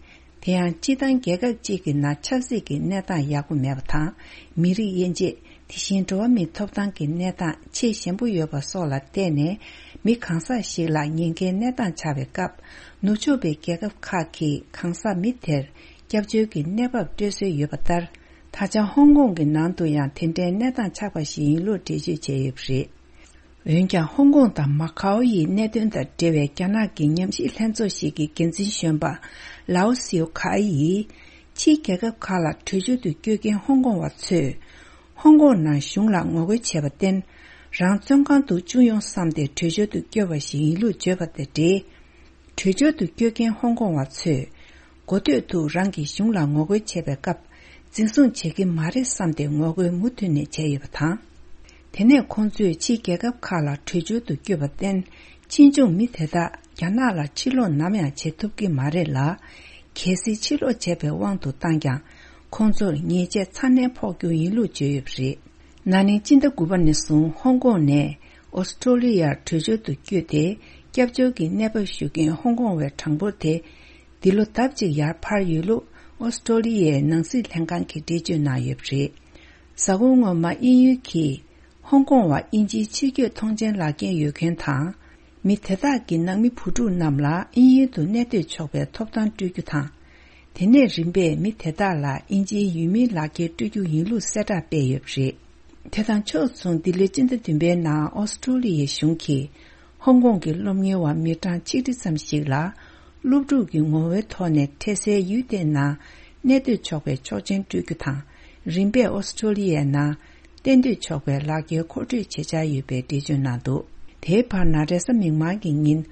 དེ་ཡང་སྤྱི་བཏང་རྒྱལ་ཁབ་ཅིག་གི་ནང་ཆབ་སྲིད་ཀྱི་གནས་སྟངས་ཡག་པོ་མེད་པ་དང་། མི་རིགས་དབྱེ་འབྱེད། དེ་བཞིན་འགྲོ་བ་མིའི་ཐོབ་ཐང་གི་གནས་སྟངས་ཆེས་ཞན་པོ་ཡོད་པ་སོགས་ལ་བརྟེན་ནས། མི་གང་ཟག་ཞིག་ལ་ཉེན་ཁའི་གནས་སྟངས་ཆགས་པའི་སྐབས། ནུབ་ཕྱོགས་པའི་རྒྱལ་ཁབ་ཁག་གིས་གང་ཟག་མི་དེར་སྐྱབས་བཅོལ་གྱི་གནས་བབ་སྤྲོད་སྲོལ་ཡོད་པ་ལྟར། ད་ཆ་ཧོང་ཀོང་གི་ནང་དུ་ཡང་དེ་འདྲའི་གནས་སྟངས་ཆགས་པ་ཞིག་ཡིན་ལུགས་འགྲེལ་བརྗོད་བྱས་ཡོད་པ་རེད། འོན་ཀྱང་། ཧོང་ཀོང་དང་མ་ཁའོ་ཡི་གནད་དོན་དང་འབྲེལ་བའི་རྒྱ་ནག་གི་ཉམས་ཞིབ་ལྷན་ཚོགས་ཤིག་གི་འགན་འཛིན་གཞོན་པ་ལའོ་སིའུ་ཁའེ་ཡིས། ཕྱིའི་རྒྱལ་ཁབ་ཁག་ལ་བྲོས་བྱོལ་དུ་བསྐྱོད་མཁན་ཧོང་ཀོང་བ་ཚོས། ཧོང་ཀོང་ནང་གཞུང་ལ་ངོ་རྒོལ་བྱས་པར་བརྟེན། རང་བཙོན་ཁང་དུ་བཅུག་ཡོང་བསམ་སྟེ་བྲོས་བྱོལ་དུ་བསྐྱོད་པ་ཞིག་ཡིན་ལུགས་བརྗོད་པ་དང་འབྲེལ། བྲོས་བྱོལ་དུ་བསྐྱོད་མཁན་ཧོང་ཀོང་བ་ཚོས། གོ་ཐོས་དུ་རང་གི་གཞུང་ལ་ངོ་རྒོལ་བྱེད་པའི་སྐབས། འཛིན་བཟུང་བྱེད་ཀྱི་མ་རེད་བསམ་སྟེ་ངོ་རྒོལ་མུ་མཐུད་ནས་བྱས་ཡོད་པ་དང་། དེ་ནས་ཁོང་ཚོས་ཕྱིའི་རྒྱལ་ཁབ་ཁག་ལ་བྲོས་བྱོལ་དུ་བསྐྱོད་པར་བརྟེན། ཕྱིས་འབྱུང་མི་དེ་དག་རྒྱ་ནག་ལ་ཕྱིར་ལོག་ནམ་ཡང་བྱེད་ཐུབ་ཀྱི་མ་རེད་ལ། གལ་སྲིད་ཕྱིར་ལོག་བྱས་པའི་དབང་དུ་བཏང་ཀྱང་། ཁོང་ཚོར་ཉེས་ཆད་ཚ་ནན་ཕོག་རྒྱུ་ཡིན་ལུགས་བརྗོད་ཡོད་པ་རེད། ན་ནིང་སྤྱི་ཟླ་དགུ་པ་ནས་བཟུང་ཧོང་ཀོང་ནས་ཨོ་སི་ཀྲོ་ལི་ཡར་བྲོས་བྱོལ་དུ་བསྐྱོད་དེ། སྐྱབས་བཅོལ་གྱི་གནས་བབ་ཞུ་མཁན་ཧོང་ཀོང་བའི་གྲངས་འབོར་དེ། འདི་ལོ་ལྡབ་གཅིག་ཡར་འཕར་ཡོད་ལུགས་ཨོ་སི་ཀྲོ་ལི་ཡའི་ནང་སྲིད་ལྷན་ཁང་གིས་འགྲེལ་བརྗོད་གནང་ཡོད་པ་རེད། གཟའ་འཁོར་སྔོན་མ་དབྱིན་ཡུལ་གྱིས་ཧོང་ཀོང་བ་དབྱིན་ཇིའི་ཕྱིར་སྐྱོད་ཐོངས་མཆན་ལག་འཁྱེར་ཡོད་མཁན་དང་། མི་དེ་དག་གི་ནང་མི་བུ་ཕྲུག་རྣམས་ལ་དབྱིན་ཡུལ་དུ་གནས་སྡོད་ཆོག་པའི་ཐོབ་ཐང་སྤྲོད་རྒྱུ་དང་། དེ་ནས་རིམ་པས་མི་དེ་དག་ལ་དབྱིན་ཇིའི་ཡུལ་མིའི་ལག་འཁྱེར་སྤྲོད་རྒྱུ་ཡིན་ལུགས་གསལ་བསྒྲགས་སྤེལ་ཡོད་པ་རེད། དེ་དང་ཕྱོགས་མཚུངས། འདི་ལོའི་སྤྱི་ཟླ་བདུན་པའི་ནང་ཨོ་སི་ཀྲོ་ལི་ཡའི་གཞུང་གིས་ཧོང་ཀོང་གི་སློབ་གཉེར་བ་མི་གྲངས་ཆིག་ཁྲི་ཙམ་ཞིག་ལ། སློབ་ཕྲུག་གི་ངོ་བོའི་ཐོག་ནས་འཕྲལ་སེལ་ཡུལ་དེའི་ནང་གནས་སྡོད་ཆོག་པའི་ཆོག་མཆན་སྤྲོད་རྒྱུ་དང་། རིམ་པས་ཨོ་སི་ཀྲོ་ལི་ཡའི་ནང་གཏན་སྡོད་ཆོག་པའི་ལག་འཁྱེར་མཁོ་སྤྲོད་བྱེད་འཆར་ཡོད་པའི་འགྲེལ་བརྗོད་གནང་འདུག་དེའི་བར་ན་རེས་གཟའ་མིག་དམར་གྱི་ཉིན།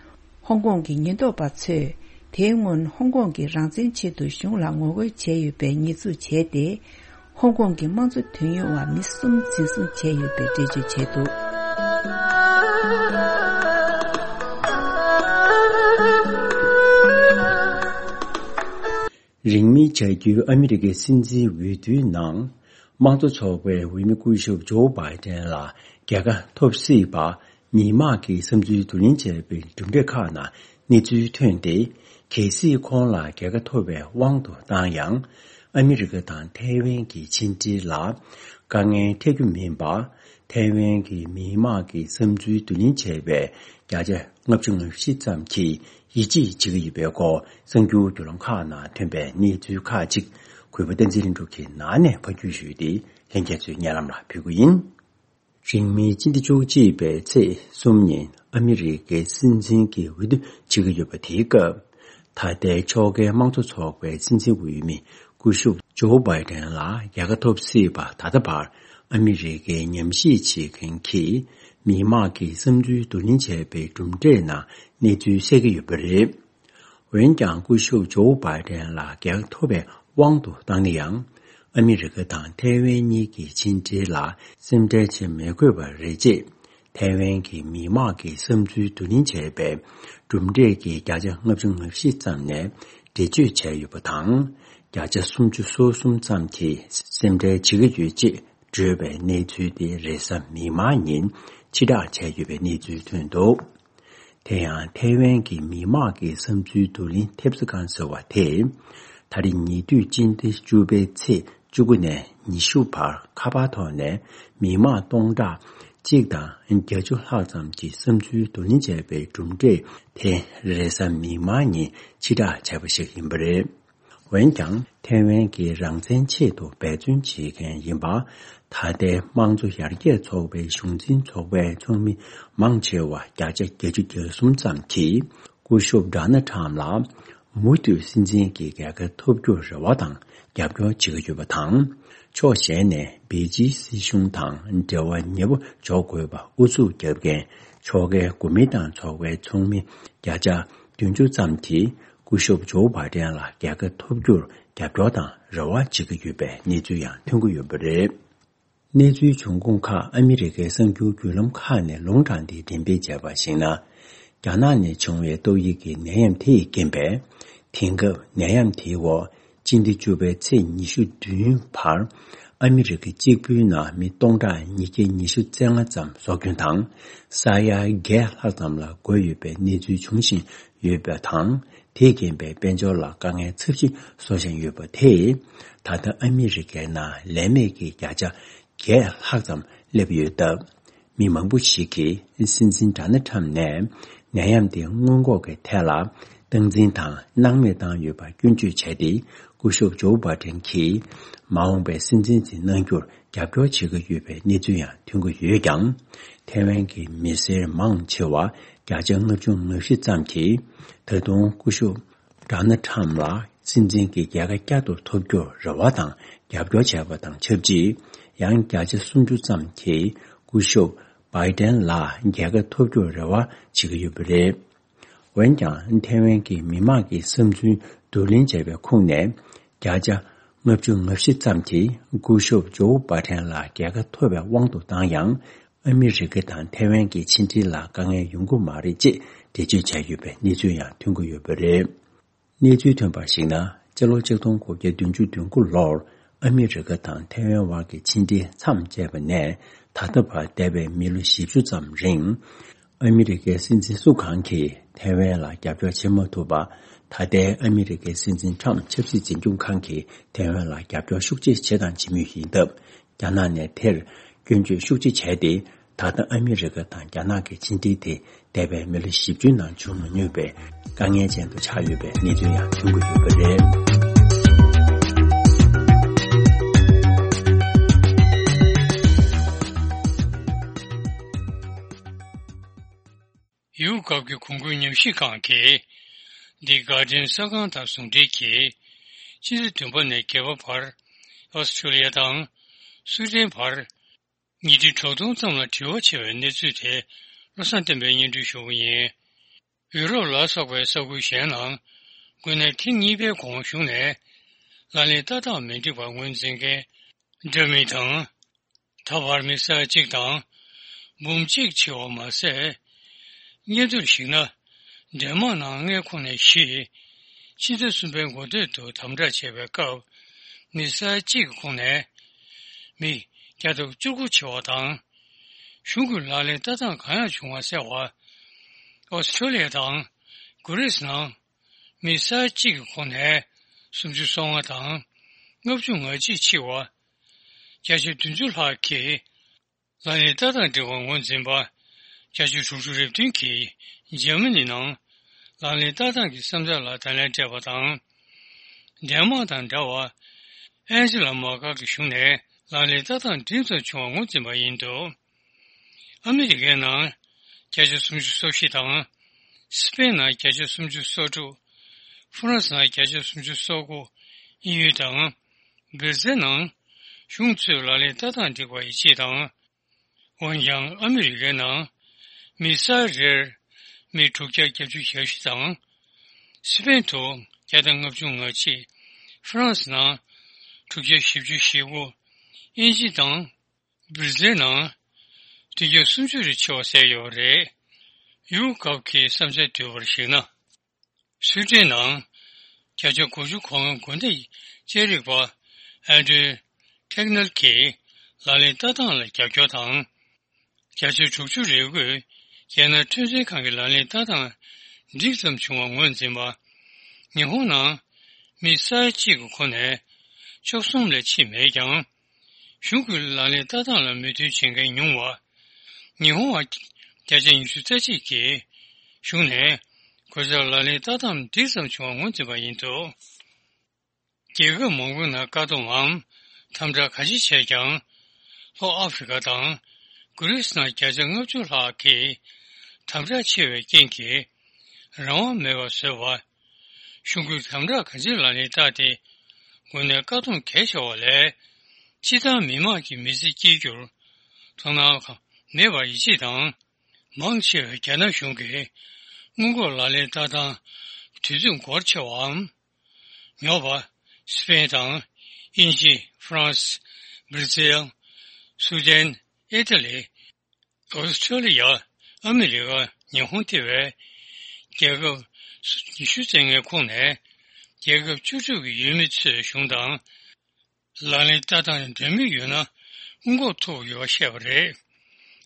ཧོང་ཀོང་གི་ཉེན་རྟོག་པ་ཚོས། དེའི་སྔོན་ཧོང་ཀོང་གི་རང་བཙན་ཆེད་དུ་གཞུང་ལ་ངོ་རྒོལ་བྱས་ཡོད་པའི་ཉེས་འཛུགས་བྱས་ཏེ། ཧོང་ཀོང་གི་དམངས་གཙོ་དོན་གཉེར་བ་མི་གསུམ་འཛིན་བཟུང་བྱས་ཡོད་པའི་འགྲེལ་བརྗོད་བྱས་འདུག་རིང་མིན་བྱ་རྒྱུའི་ཨ་མི་རི་ཀའི་སྲིད་འཛིན་འོས་བསྡུའི་ནང་། དམངས་གཙོ་ཚོགས་པའི་འོས་མི་སྐུ་ཞབས་ཇོ་བྷའི་ཏན་ལ་རྒྱལ་ཁ་ཐོབ་སྲིད་པ། མི་དམངས་ཀྱི་བསམ་ཚུལ་བསྡུ་ལེན་བྱས་པའི་གྲུབ་འབྲས་ཁག་ནང་གནས་ཚུལ་ཐོན་ཏེ། གལ་སྲིད་ཁོང་ལ་རྒྱལ་ཁ་ཐོབ་པའི་དབང་དུ་བཏང་ཡང་། ཨ་མི་རི་ཀ་དང་ཐའེ་ཝན་གྱི་ཕྱི་འབྲེལ་ལ་དཀའ་ངལ་འཕྲད་རྒྱུ་མིན་པ། ཐའེ་ཝན་གྱི་མི་དམངས་ཀྱི་བསམ་ཚུལ་བསྡུ་ལེན་བྱས་པའི་བརྒྱ་ཆ་ལྔ་བཅུ་ང་བཞི་ཙམ་གྱིས་ཡིད་ཆེས་བྱེད་ཀྱི་ཡོད་པའི་སྐོར། གསར་འགྱུར་བརྒྱུད་ལམ་ཁག་ནང་ཐོན་པའི་གནས་ཚུལ་ཁག་ཅིག་གུས་པ་བསྟན་འཛིན་ལྷུན་གྲུབ་ཀྱིས་ནང་ནས་ཕབ་སྒྱུར་ཞུས་ཏེ། ལྷན་རྒྱས་ཚོས་སྙན་ལམ་ལ་ཕུལ་གྱི་ཡིན། རིང་མིན་སྤྱི་ཟླ་བཅུ་གཅིག་པའི་ཚེས་གསུམ་ཉིན་ཨ་མི་རི་ཀའི་སྲིད་འཛིན་གྱི་འོས་བསྡུ་བྱེད་ཀྱི་ཡོད་པ་དེའི་སྐབས། ད་ལྟའི་ཕྱོགས་འགལ་དམངས་གཙོ་ཚོགས་པའི་སྲིད་འཛིན་འོས་མི་སྐུ་ཞབས་ཇོ་བྷའི་ཏན་ལ་རྒྱལ་ཁ་ཐོབ་སྲིད་པ། ད་ལྟ་བར་ཨ་མི་རི་ཀའི་ཉམས་ཞིབ་བྱེད་མཁན་གྱིས་མི་དམངས་ཀྱི་བསམ་ཚུལ་བསྡུ་ལེན་བྱས་པའི་གྲུབ་འབྲས་ནང་གནས་ཚུལ་གསལ་གྱི་ཡོད་པ་རེད། འོན་ཀྱང་། སྐུ་ཞབས་ཇོ་བྷའི་ཏན་ལ་རྒྱལ་ཁ་ཐོབ་པའི་དབང་དུ་བཏང་ན་ཡང་། ཨ་མི་རི་ཀ་དང་ཐའེ་ཝན་གཉིས་ཀྱི་ཕྱི་འབྲེལ་ལ་སེམས་ཁྲལ་བྱེད་མི་དགོས་པ་རེད་ཅེས། ཐའེ་ཝན་གྱི་མི་དམངས་ཀྱི་བསམ་ཚུལ་བསྡུ་ལེན་བྱས་པའི་གྲུབ་འབྲས་ཀྱི་བརྒྱ་ཆ་ལྔ་བཅུ་ང་བཞི་ཙམ་ནས་འགྲེལ་བརྗོད་བྱས་ཡོད་པ་དང་། བརྒྱ་ཆ་སུམ་ཅུ་སོ་གསུམ་ཙམ་གྱིས་སེམས་ཁྲལ་བྱེད་ཀྱི་ཡོད་ཅེས་བརྗོད་པའི་གནས་ཚུལ་དེ་རེས་གཟའ་མིག་དམར་ཉིན་ཕྱིར་བསྒྲགས་བྱས་ཡོད་པའི་གནས་ཚུལ་ཐོན་འདུག་དེ་ཡང་། ཐའེ་ཝན་གྱི་མི་དམངས་ཀྱི་བསམ་ཚུལ་བསྡུ་ལེན་ཐེབས་རྩ་ཁང་ཟེར་བ་དེས། ད་རེས་ཉེ་དུས་སྤྱི་ཟླ་བཅུ་པའི་ཚེས་བཅུ་དགུ་ནས་ཉི་ཤུ་བར་ཁ་པར་ཐོག་ནས་མི་དམངས་སྟོང་ཕྲག་གཅིག་དང་བརྒྱད་ཅུ་ལྷག་ཙམ་གྱི་བསམ་ཚུལ་བསྡུ་ལེན་བྱས་པའི་གྲུབ་འབྲས་དེ་རེས་གཟའ་མིག་དམར་ཉིན་ཕྱིར་བསྒྲགས་བྱས་པ་ཞིག་ཡིན་པ་རེད། འོན་ཀྱང་། ཐའེ་ཝན་གྱི་རང་བཙན་ཆེད་དུ་འབད་བརྩོན་བྱེད་མཁན་ཡིན་པ། ད་ལྟའི་དམངས་གཙོ་ཡར་རྒྱས་ཚོགས་པའི་གཞུང་འཛིན་ཚོགས་པའི་ཚོགས་མི་མང་ཆེ་བ་བརྒྱ་ཆ་བརྒྱད་ཅུ་གྱ་གསུམ་ཙམ་གྱིས། སྐུ་ཞབས་ཌོ་ནལ་ཊམ་ལ་མུ་མཐུད་སྲིད་འཛིན་གྱི་རྒྱལ་ཁ་ཐོབ་རྒྱུར་རེ་བ་དང་རྒྱབ་སྐྱོར་བྱེད་ཀྱི་ཡོད་པ་དང་། ཕྱོགས་གཞན་ནས་པེ་ཅིན་སྲིད་གཞུང་དང་འབྲེལ་བ་ཉེ་པོ་འཇོག་དགོས་པ་ཨུ་ཚུགས་བརྒྱབ་མཁན་ཕྱོགས་འགལ་གོ་མིན་ཏང་ཚོགས་པའི་ཚོགས་མི་བརྒྱ་ཆ་བདུན་ཅུ་ཙམ་གྱིས། སྐུ་ཞབས་ཇོ་བྷ་ཏན་ལ་རྒྱལ་ཁ་ཐོབ་རྒྱུར་རྒྱབ་སྐྱོར་དང་རེ་བ་བྱེད་ཀྱི་ཡོད་པའི་གནས་ཚུལ་ཡང་ཐོན་གྱི་ཡོད་པ་རེད། གནས་ཚུལ་འབྱུང་ཁུངས་ཁག་ཨ་མི་རི་ཀའི་གསར་འགྱུར་བརྒྱུད་ལམ་ཁག་ནས་ལུང་དྲངས་ཏེ་འགྲེམས་སྤེལ་བྱས་པར་གཞིགས་ན། རྒྱ་ནག་ནས་བྱུང་བའི་ཏོག་དབྱིབས་ཀྱི་ནད་ཡམས་དེ་ཡི་རྐྱེན་པས། དེང་སྐབས་ནད་ཡམས་དེའི་འོག་སྤྱི་ཟླ་བཅུ་པའི་ཚེས་ཉི་ཤུ་བདུན་བར་ཨ་མི་རི་ཀ་གཅིག་པུའི་ནང་མི་སྟོང་ཕྲག་ཉིས་བརྒྱ་ཉི་ཤུ་རྩ་ལྔ་ཙམ་སྲོག་སྐྱོན་དང་། ས་ཡ་བརྒྱད་ལྷག་ཙམ་ལ་འགོས་ཡོད་པའི་གནས་ཚུལ་འབྱུང་བཞིན་ཡོད་པ་དང་། དེས་རྐྱེན་པས་དཔལ་འབྱོར་ལ་དཀའ་ངལ་ཚབས་ཆེན་བཟོ་བཞིན་ཡོད་པ་དེས། ད་ལྟ་ཨ་མི་རི་ཀའི་ནང་ལས་མེད་ཀྱི་བརྒྱ་ཆ་བརྒྱད་ལྷག་ཙམ་སླེབས་ཡོད་སྟབས། མི་མང་པོ་ཞིག་གིས་སྲིད་འཛིན་ཌོ་ནལ་ཊམ་ནས་ནད་ཡམས་དེ་སྔོན་འགོག་གི་ཐད་ལ་སྟངས་འཛིན་དང་སྣང་མེད་བཏང་ཡོད་པར་སྐྱོན་བརྗོད་བྱས་ཏེ། སྐུ་ཞབས་ཇོ་བྷ་ཏན་གྱིས་མ་འོངས་པའི་སྲིད་འཛིན་དེ་གནང་རྒྱུར་རྒྱབ་སྐྱོར་བྱེད་ཀྱི་ཡོད་པའི་གནས་ཚུལ་ཡང་ཐོན་གྱི་ཡོད་ཀྱང་། ཐའེ་ཝན་གྱི་མི་སེར་མང་ཆེ་བ་བརྒྱ་ཆ་ལྔ་བཅུ་ང་བཞི་ཙམ་གྱིས་ད་དུང་སྐུ་ཞབས་ཌོ་ནལ་ཊམ་ལ་སྲིད་འཛིན་གྱི་རྒྱལ་ཁ་བསྐྱར་དུ་ཐོབ་རྒྱུར་རེ་བ་དང་རྒྱབ་སྐྱོར་བྱས་པ་དང་ཆབས་ཅིག། ཡང་བརྒྱ་ཆ་སུམ་ཅུ་ཙམ་གྱིས་སྐུ་ཞབས་བྷའི་ཏན་ལ་རྒྱལ་ཁ་ཐོབ་རྒྱུར་རེ་བ་བྱེད་ཀྱི་ཡོད་པ་རེད། འོན་ཀྱང་། ཐའེ་ཝན་གྱི་མི་དམངས་ཀྱི་བསམ་ཚུལ་བསྡུ་ལེན་བྱས་པའི་ཁོངས་ནས། བརྒྱ་ཆ་ལྔ་བཅུ་ང་བཞི་ཙམ་གྱིས་སྐུ་ཞབས་ཇོ་བྷ་ཏན་ལ་རྒྱལ་ཁ་ཐོབ་པའི་དབང་དུ་བཏང་ཡང་། ཨ་མི་རི་ཀ་དང་ཐའེ་ཝན་གྱི་ཕྱི་འབྲེལ་ལ་དཀའ་ངལ་ཡོང་གི་མ་རེད་ཅེས་འགྲེལ་བརྗོད་བྱས་ཡོད་པའི་གནས་ཚུལ་ཡང་ཐོན་གྱི་ཡོད་པ་རེད། གནས་ཚུལ་ཐོན་པར་གཞིགས་ན། སྤྱི་ལོ་ཆིག་སྟོང་དགུ་བརྒྱ་བདུན་ཅུ་དོན་དགུ་ལོར་ཨ་མི་རི་ཀ་དང་ཐའེ་ཝན་དབར་གྱི་ཕྱི་འབྲེལ་མཚམས་བཅད་པ་ནས་ད་ལྟ་བར་འདས་པའི་མི་ལོ་བཞི་བཅུ་ཙམ་རིང་། ཨ་མི་རི་ཀའི་སྲིད་འཛིན་སུ་གང་གིས་ཐའེ་ཝན་ལ་རྒྱབ་སྐྱོར་བྱེད་མ་ཐུབ་པ། ད་ལྟའི་ཨ་མི་རི་ཀའི་སྲིད་འཛིན་ཊམ་ཆབ་སྲིད་འཛིན་སྐྱོང་ཁང་གིས་ཐའེ་ཝན་ལ་རྒྱབ་སྐྱོར་ཤུགས་ཆེ་བྱས་དང་བྱེད་མུས་ཡིན་སྟབས། རྒྱ་ནག་ནས་དེར་སྐྱོན་བརྗོད་ཤུགས་ཆེ་བྱས་ཏེ། ད་ལྟ་ཨ་མི་རི་ཀ་དང་རྒྱ་ནག་གི་ཕྱི་འབྲེལ་དེ་འདས་པའི་མི་ལོ་བཞི་བཅུའི་ནང་བྱུང་མ་མྱོང་བའི་དཀའ་ངལ་ཅན་དུ་ཆགས་ཡོད་པའི་གནས་ཚུལ་ཡང་ཐོན་གྱི་ཡོད་པ་རེད། ཡུ་རོབ་ཀྱི་གོང་བཀུར་ཉམས་ཞིབ་ཁང་གིས། འདི་ག་ཌི་ཡན་གསར་ཁང་དང་ཟུང་འབྲེལ་གྱིས། ཕྱི་ཟླ་བདུན་པ་ནས་བརྒྱད་པ་བར། ཨོ་སི་ཁྲུ་ལི་ཡ་དང་། སུའེ་ཏན་བར། ཉིས་ཁྲི་དྲུག་སྟོང་ཙམ་ལ་དྲི་བ་བྱས་པའི་གནས་ཚུལ་དེ། བློ་བཟང་བསྟན་པས་སྙན་སྒྲོན་ཞུ་བ་ཡིན། ཡུ་རོབ་ལ་སོགས་པའི་ས་ཁུལ་གཞན་ནང་། དངོས་གནས་ཐེངས་གཉིས་པའི་གོང་གཞུང་ནས། ལག་ལེན་ལྟ་སྟངས་མི་འགྲིག་པར་ངོས་འཛིན་མཁན། འདྲ་མིན་དང་། ད་བར་མི་ས་ཡ་གཅིག་དང་། འབུམ་གཅིག་ཆེ་བ་མ་ཟད། སྙན་ཐོར་གཞིགས་ན། འདན་མ་ནང་མངའ་ཁོངས་ནས་བཞི། ཕྱི་ཟླ་གསུམ་པའི་འགོ་སྟོད་དུ་དམ་དྲག་བྱས་པའི་སྐབས། མི་ས་ཡ་གཅིག་གི་ཁོངས་ནས། མི་བརྒྱ་དང་བཅུ་དགུ་ཆེ་བ་དང་། གཞུང་གི་ལག་ལེན་ལྟ་སྟངས་གང་ཡང་བྱུང་མ་ཟད་པར། ཨོ་སི་ཁྲུ་ལི་ཡ་དང་། གྷི་རིས་ནང་། མི་ས་ཡ་གཅིག་གི་ཁོངས་ནས། སུམ་ཅུ་སོ་ལྔ་དང་། ལྔ་བཅུ་ང་གཅིག་ཆེ་བ། བརྒྱ་ཆ་བདུན་ཅུ་ལྷག་གིས། ལག་ལེན་ལྟ་སྟངས་འགྲིག་པར་ངོས་འཛིན་པ། བརྒྱ་ཆ་དྲུག་ཅུ་རེ་བདུན་གྱིས་འཇར་མ་ནི་ནང་ལག་ལེན་ལྟ་སྟངས་ཀྱི་བསམ་འཆར་ལ་བརྡ་ལན་སྤྲད་པ་དང་། འདན་མག་དང་འདྲ་བར་ཨན་ཇི་ལ་མར་ཀལ་གྱི་གཞུང་ནས་ལག་ལེན་ལྟ་སྟངས་འགྲིག་ཙམ་བྱུང་བར་ངོས་འཛིན་པ་ཡིན་འདུག་ཨ་མི་རི་ཀའི་ནང་བརྒྱ་ཆ་སུམ་ཅུ་སོ་བཞི་དང་། སི་པེན་ནང་བརྒྱ་ཆ་སུམ་ཅུ་སོ་དྲུག་ཧྥ་རན་སི་ནང་བརྒྱ་ཆ་སུམ་ཅུ་སོ་དགུ། དབྱིན་ཡུལ་དང་། སྦིར་ཛེལ་ནང་གཞུང་ཚོས་ལག་ལེན་ལྟ་སྟངས་འགྲིག་པ་ཡིད་ཆེས་དང་། འོན་ཀྱང་ཨ་མི་རི་ཀའི་ནང་མི་ས་རེར་མི་དྲུག་བརྒྱ་བརྒྱད་ཅུ་གྱ་བཞི་དང་། སི་པེན་དུ་བརྒྱ་དང་ལྔ་བཅུ་ང་གཅིག་ཧྥ་རན་སི་ནང་དྲུག་བརྒྱ་བཞི་བཅུ་ཞེ་དགུ། དབྱིན་ཇི་དང་སྦིར་ཛེལ་ནང་བདུན་བརྒྱ་སུམ་ཅུ་རེ་ཆེ་བ་གསལ་ཡོད་པ་རེད། ཡུ་གབ་ཀྱི་བསམ་འཆར་བསྡུས་པར་གཞིགས་ན། སུའེ་ཏེན་ནང་བརྒྱ་ཆ་དགུ་ཅུ་གོ་ལྔ་འགོ་ནད་དཔྱད་རིག་པ་ཨན་ཌྲུ་ཐེག་ནལ་གྱིས་ལག་ལེན་ལྟ་སྟངས་ལ་རྒྱབ་སྐྱོར་དང་། བརྒྱ་ཆ་དྲུག་ཅུ་རེ་དགུས་རྒྱལ་ནང་འཕྲོད་བསྟེན་ཁང་གི་ལག་ལེན་ལྟ་སྟངས་འགྲིག་ཙམ་བྱུང་བར་ངོས་འཛིན་པ། ཉི་ཧོང་ནང་མི་ས་ཡ་གཅིག་གི་ཁོངས་ནས་བཅུ་གསུམ་ལས་ཕྱིན་མེད་ཀྱང་། གཞུང་གི་ལག་ལེན་ལྟ་སྟངས་ལ་མོས་མཐུན་བྱེད་མཁན་ཉུང་བ། ཉི་ཧོང་བ་བརྒྱ་ཆ་ཉི་ཤུ་རྩ་གཅིག་གིས་གཞུང་ནས་གོ་སར་ལག་ལེན་ལྟ་སྟངས་འགྲིག་ཙམ་བྱུང་བར་ངོས་འཛིན་པ་ཡིན་འདུག་རྒྱལ་ཁབ་མང་པོའི་ནང་བཀག་སྡོམ་འམ་དམ་དྲག་ག་ཅི་བྱས་ཀྱང་། ལྷོ་ཨ་ཧྥེ་རི་ཀ་དང་གྷི་རིས་ནང་བརྒྱ་ཆ་ལྔ་བཅུ་ལྷག་གིས་དམ་དྲག་ཆེ་བའི་རྐྱེན་གྱིས་རང་དབང་མེད་པར་བཟོས་པ། གཞུང་གིས་དམ་དྲག་ག་ཅིར་ལག་ལེན་བསྟར་ཏེ། འགོ་ནད་བཀག་སྡོམ་གལ་ཆེ་བ་ལས་སྤྱིར་བཏང་མི་དམངས་ཀྱི་མི་ཚེ་སྐྱེལ་རྒྱུར་དོ་སྣང་མེད་པར་ཡིད་ཆེས་དང་། མང་ཆེ་བས་རྒྱ་ནག་གཞུང་གིས་སྔོན་འགོག་ལག་ལེན་ལྟ་སྟངས་ དུས་ཚོད་འགོར་ཆེ་བའམ། ཉོ་བ། སི་པེན་དང་། དབྱིན་ཇི། ཧྥ་རན་སི། སྦིར་ཛིལ། སུའུ་ཌེན། ཨི་ཏ་ལི། ཨོ་སི་ཁྲུ་ལི་ཡ། ཨ་མི་རི་ཀ། ཉི་ཧོང་ཐེ་བའི་རྒྱལ་ཁབ་ཉི་ཤུ་ཙམ་ཀྱི་ཁོངས་ནས་རྒྱལ་ཁབ་བཅུ་དྲུག་གི་ཡུལ་མི་ཚོས་གཞུང་དང་ལག་ལེན་བསྟར་སྟངས་འདྲ་མིན་ཡོད་ན་སྔོན་འགོག་ཐུབ་ཡོད་པ་བཤད་པ་རེད།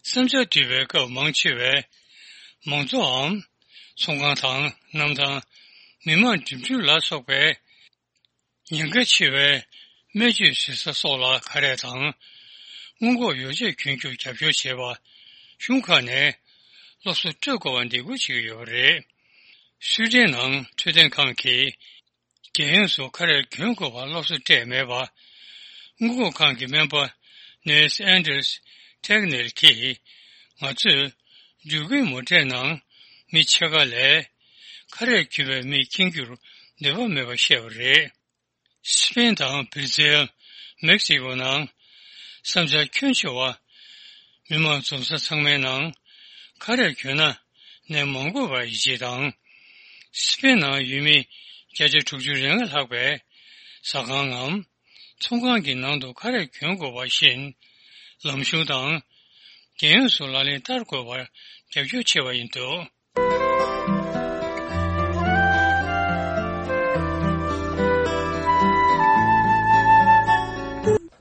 བསམ་འཆར་བསྡུས་པའི་སྐབས་མང་ཆེ་བས་མང་གཙོའམ་ཚོང་ཁང་དང་གནམ་ཐང་། མི་མང་འགྲིམ་འགྲུལ་ལ་སོགས་པའི་ཉེན་ཁ་ཆེ་བའི་སྨན་བཅོས་བྱེད་ས་སོགས་ལ་ཁ་རས་དང་སྔོན་འགོག་ཡོ་བྱད་གྱོན་རྒྱུར་རྒྱབ་སྐྱོར་བྱེད་པ། གཞུང་ཁག་ནས་སློབ་གསོ་སྤྲོད་དགོས་པ་འདེད་སྐུལ་བྱེད་ཀྱི་ཡོད་པ་རེད། སུའེ་ཏེན་ནང་འཕྲོད་བསྟེན་ཁང་གིས་རྒྱལ་ཡོངས་སུ་ཁ་རས་གྱོན་དགོས་པར་སློབ་གསོ་སྤྲད་མེད་པ། སྔོན་འགོག་ཁང་གི་སྨན་པ་ནེལ་སི་ཨན་ཌར་སི་ཐེག་ནེལ་གྱིས། ང་ཚོས་འགྲུལ་འཁོར་མོ་ཊའི་ནང་མི་ཕྱེད་ཀ་ལས་ཁ་རས་གྱོན་པའི་མི་མཁྱེན་རྒྱུར་འདོད་པ་མེད་པ་བཤད་པ་རེད། སི་པེན་དང་སྦིར་ཛིལ། མེག་སི་ཀོ་ནང་བསམ་འཆར་ཁྱོན་ཆེ་བ། མི་མང་འཛོམས་ས་ཚང་མའི་ནང་ཁ་རས་གྱོན་ན་ནད་མ་འགོས་པར་ཡིད་ཆེས་དང་། སི་པེན་ནང་ཡུལ་མི་བརྒྱ་ཆ་དྲུག་ཅུ་རེ་ལྔ་ལྷག་པས་ཟ་ཁང་ངམ་ཚོང་ཁང་གི་ནང་དུ་ཁ་རས་གྱོན་དགོས་པ་བཞིན་ལམ་གཞུང་དང་རྒྱལ་ཡོངས་སུ་ལག་ལེན་བསྟར་དགོས་པར་རྒྱབ་སྐྱོར་བྱས་པ་ཡིན་འདུག།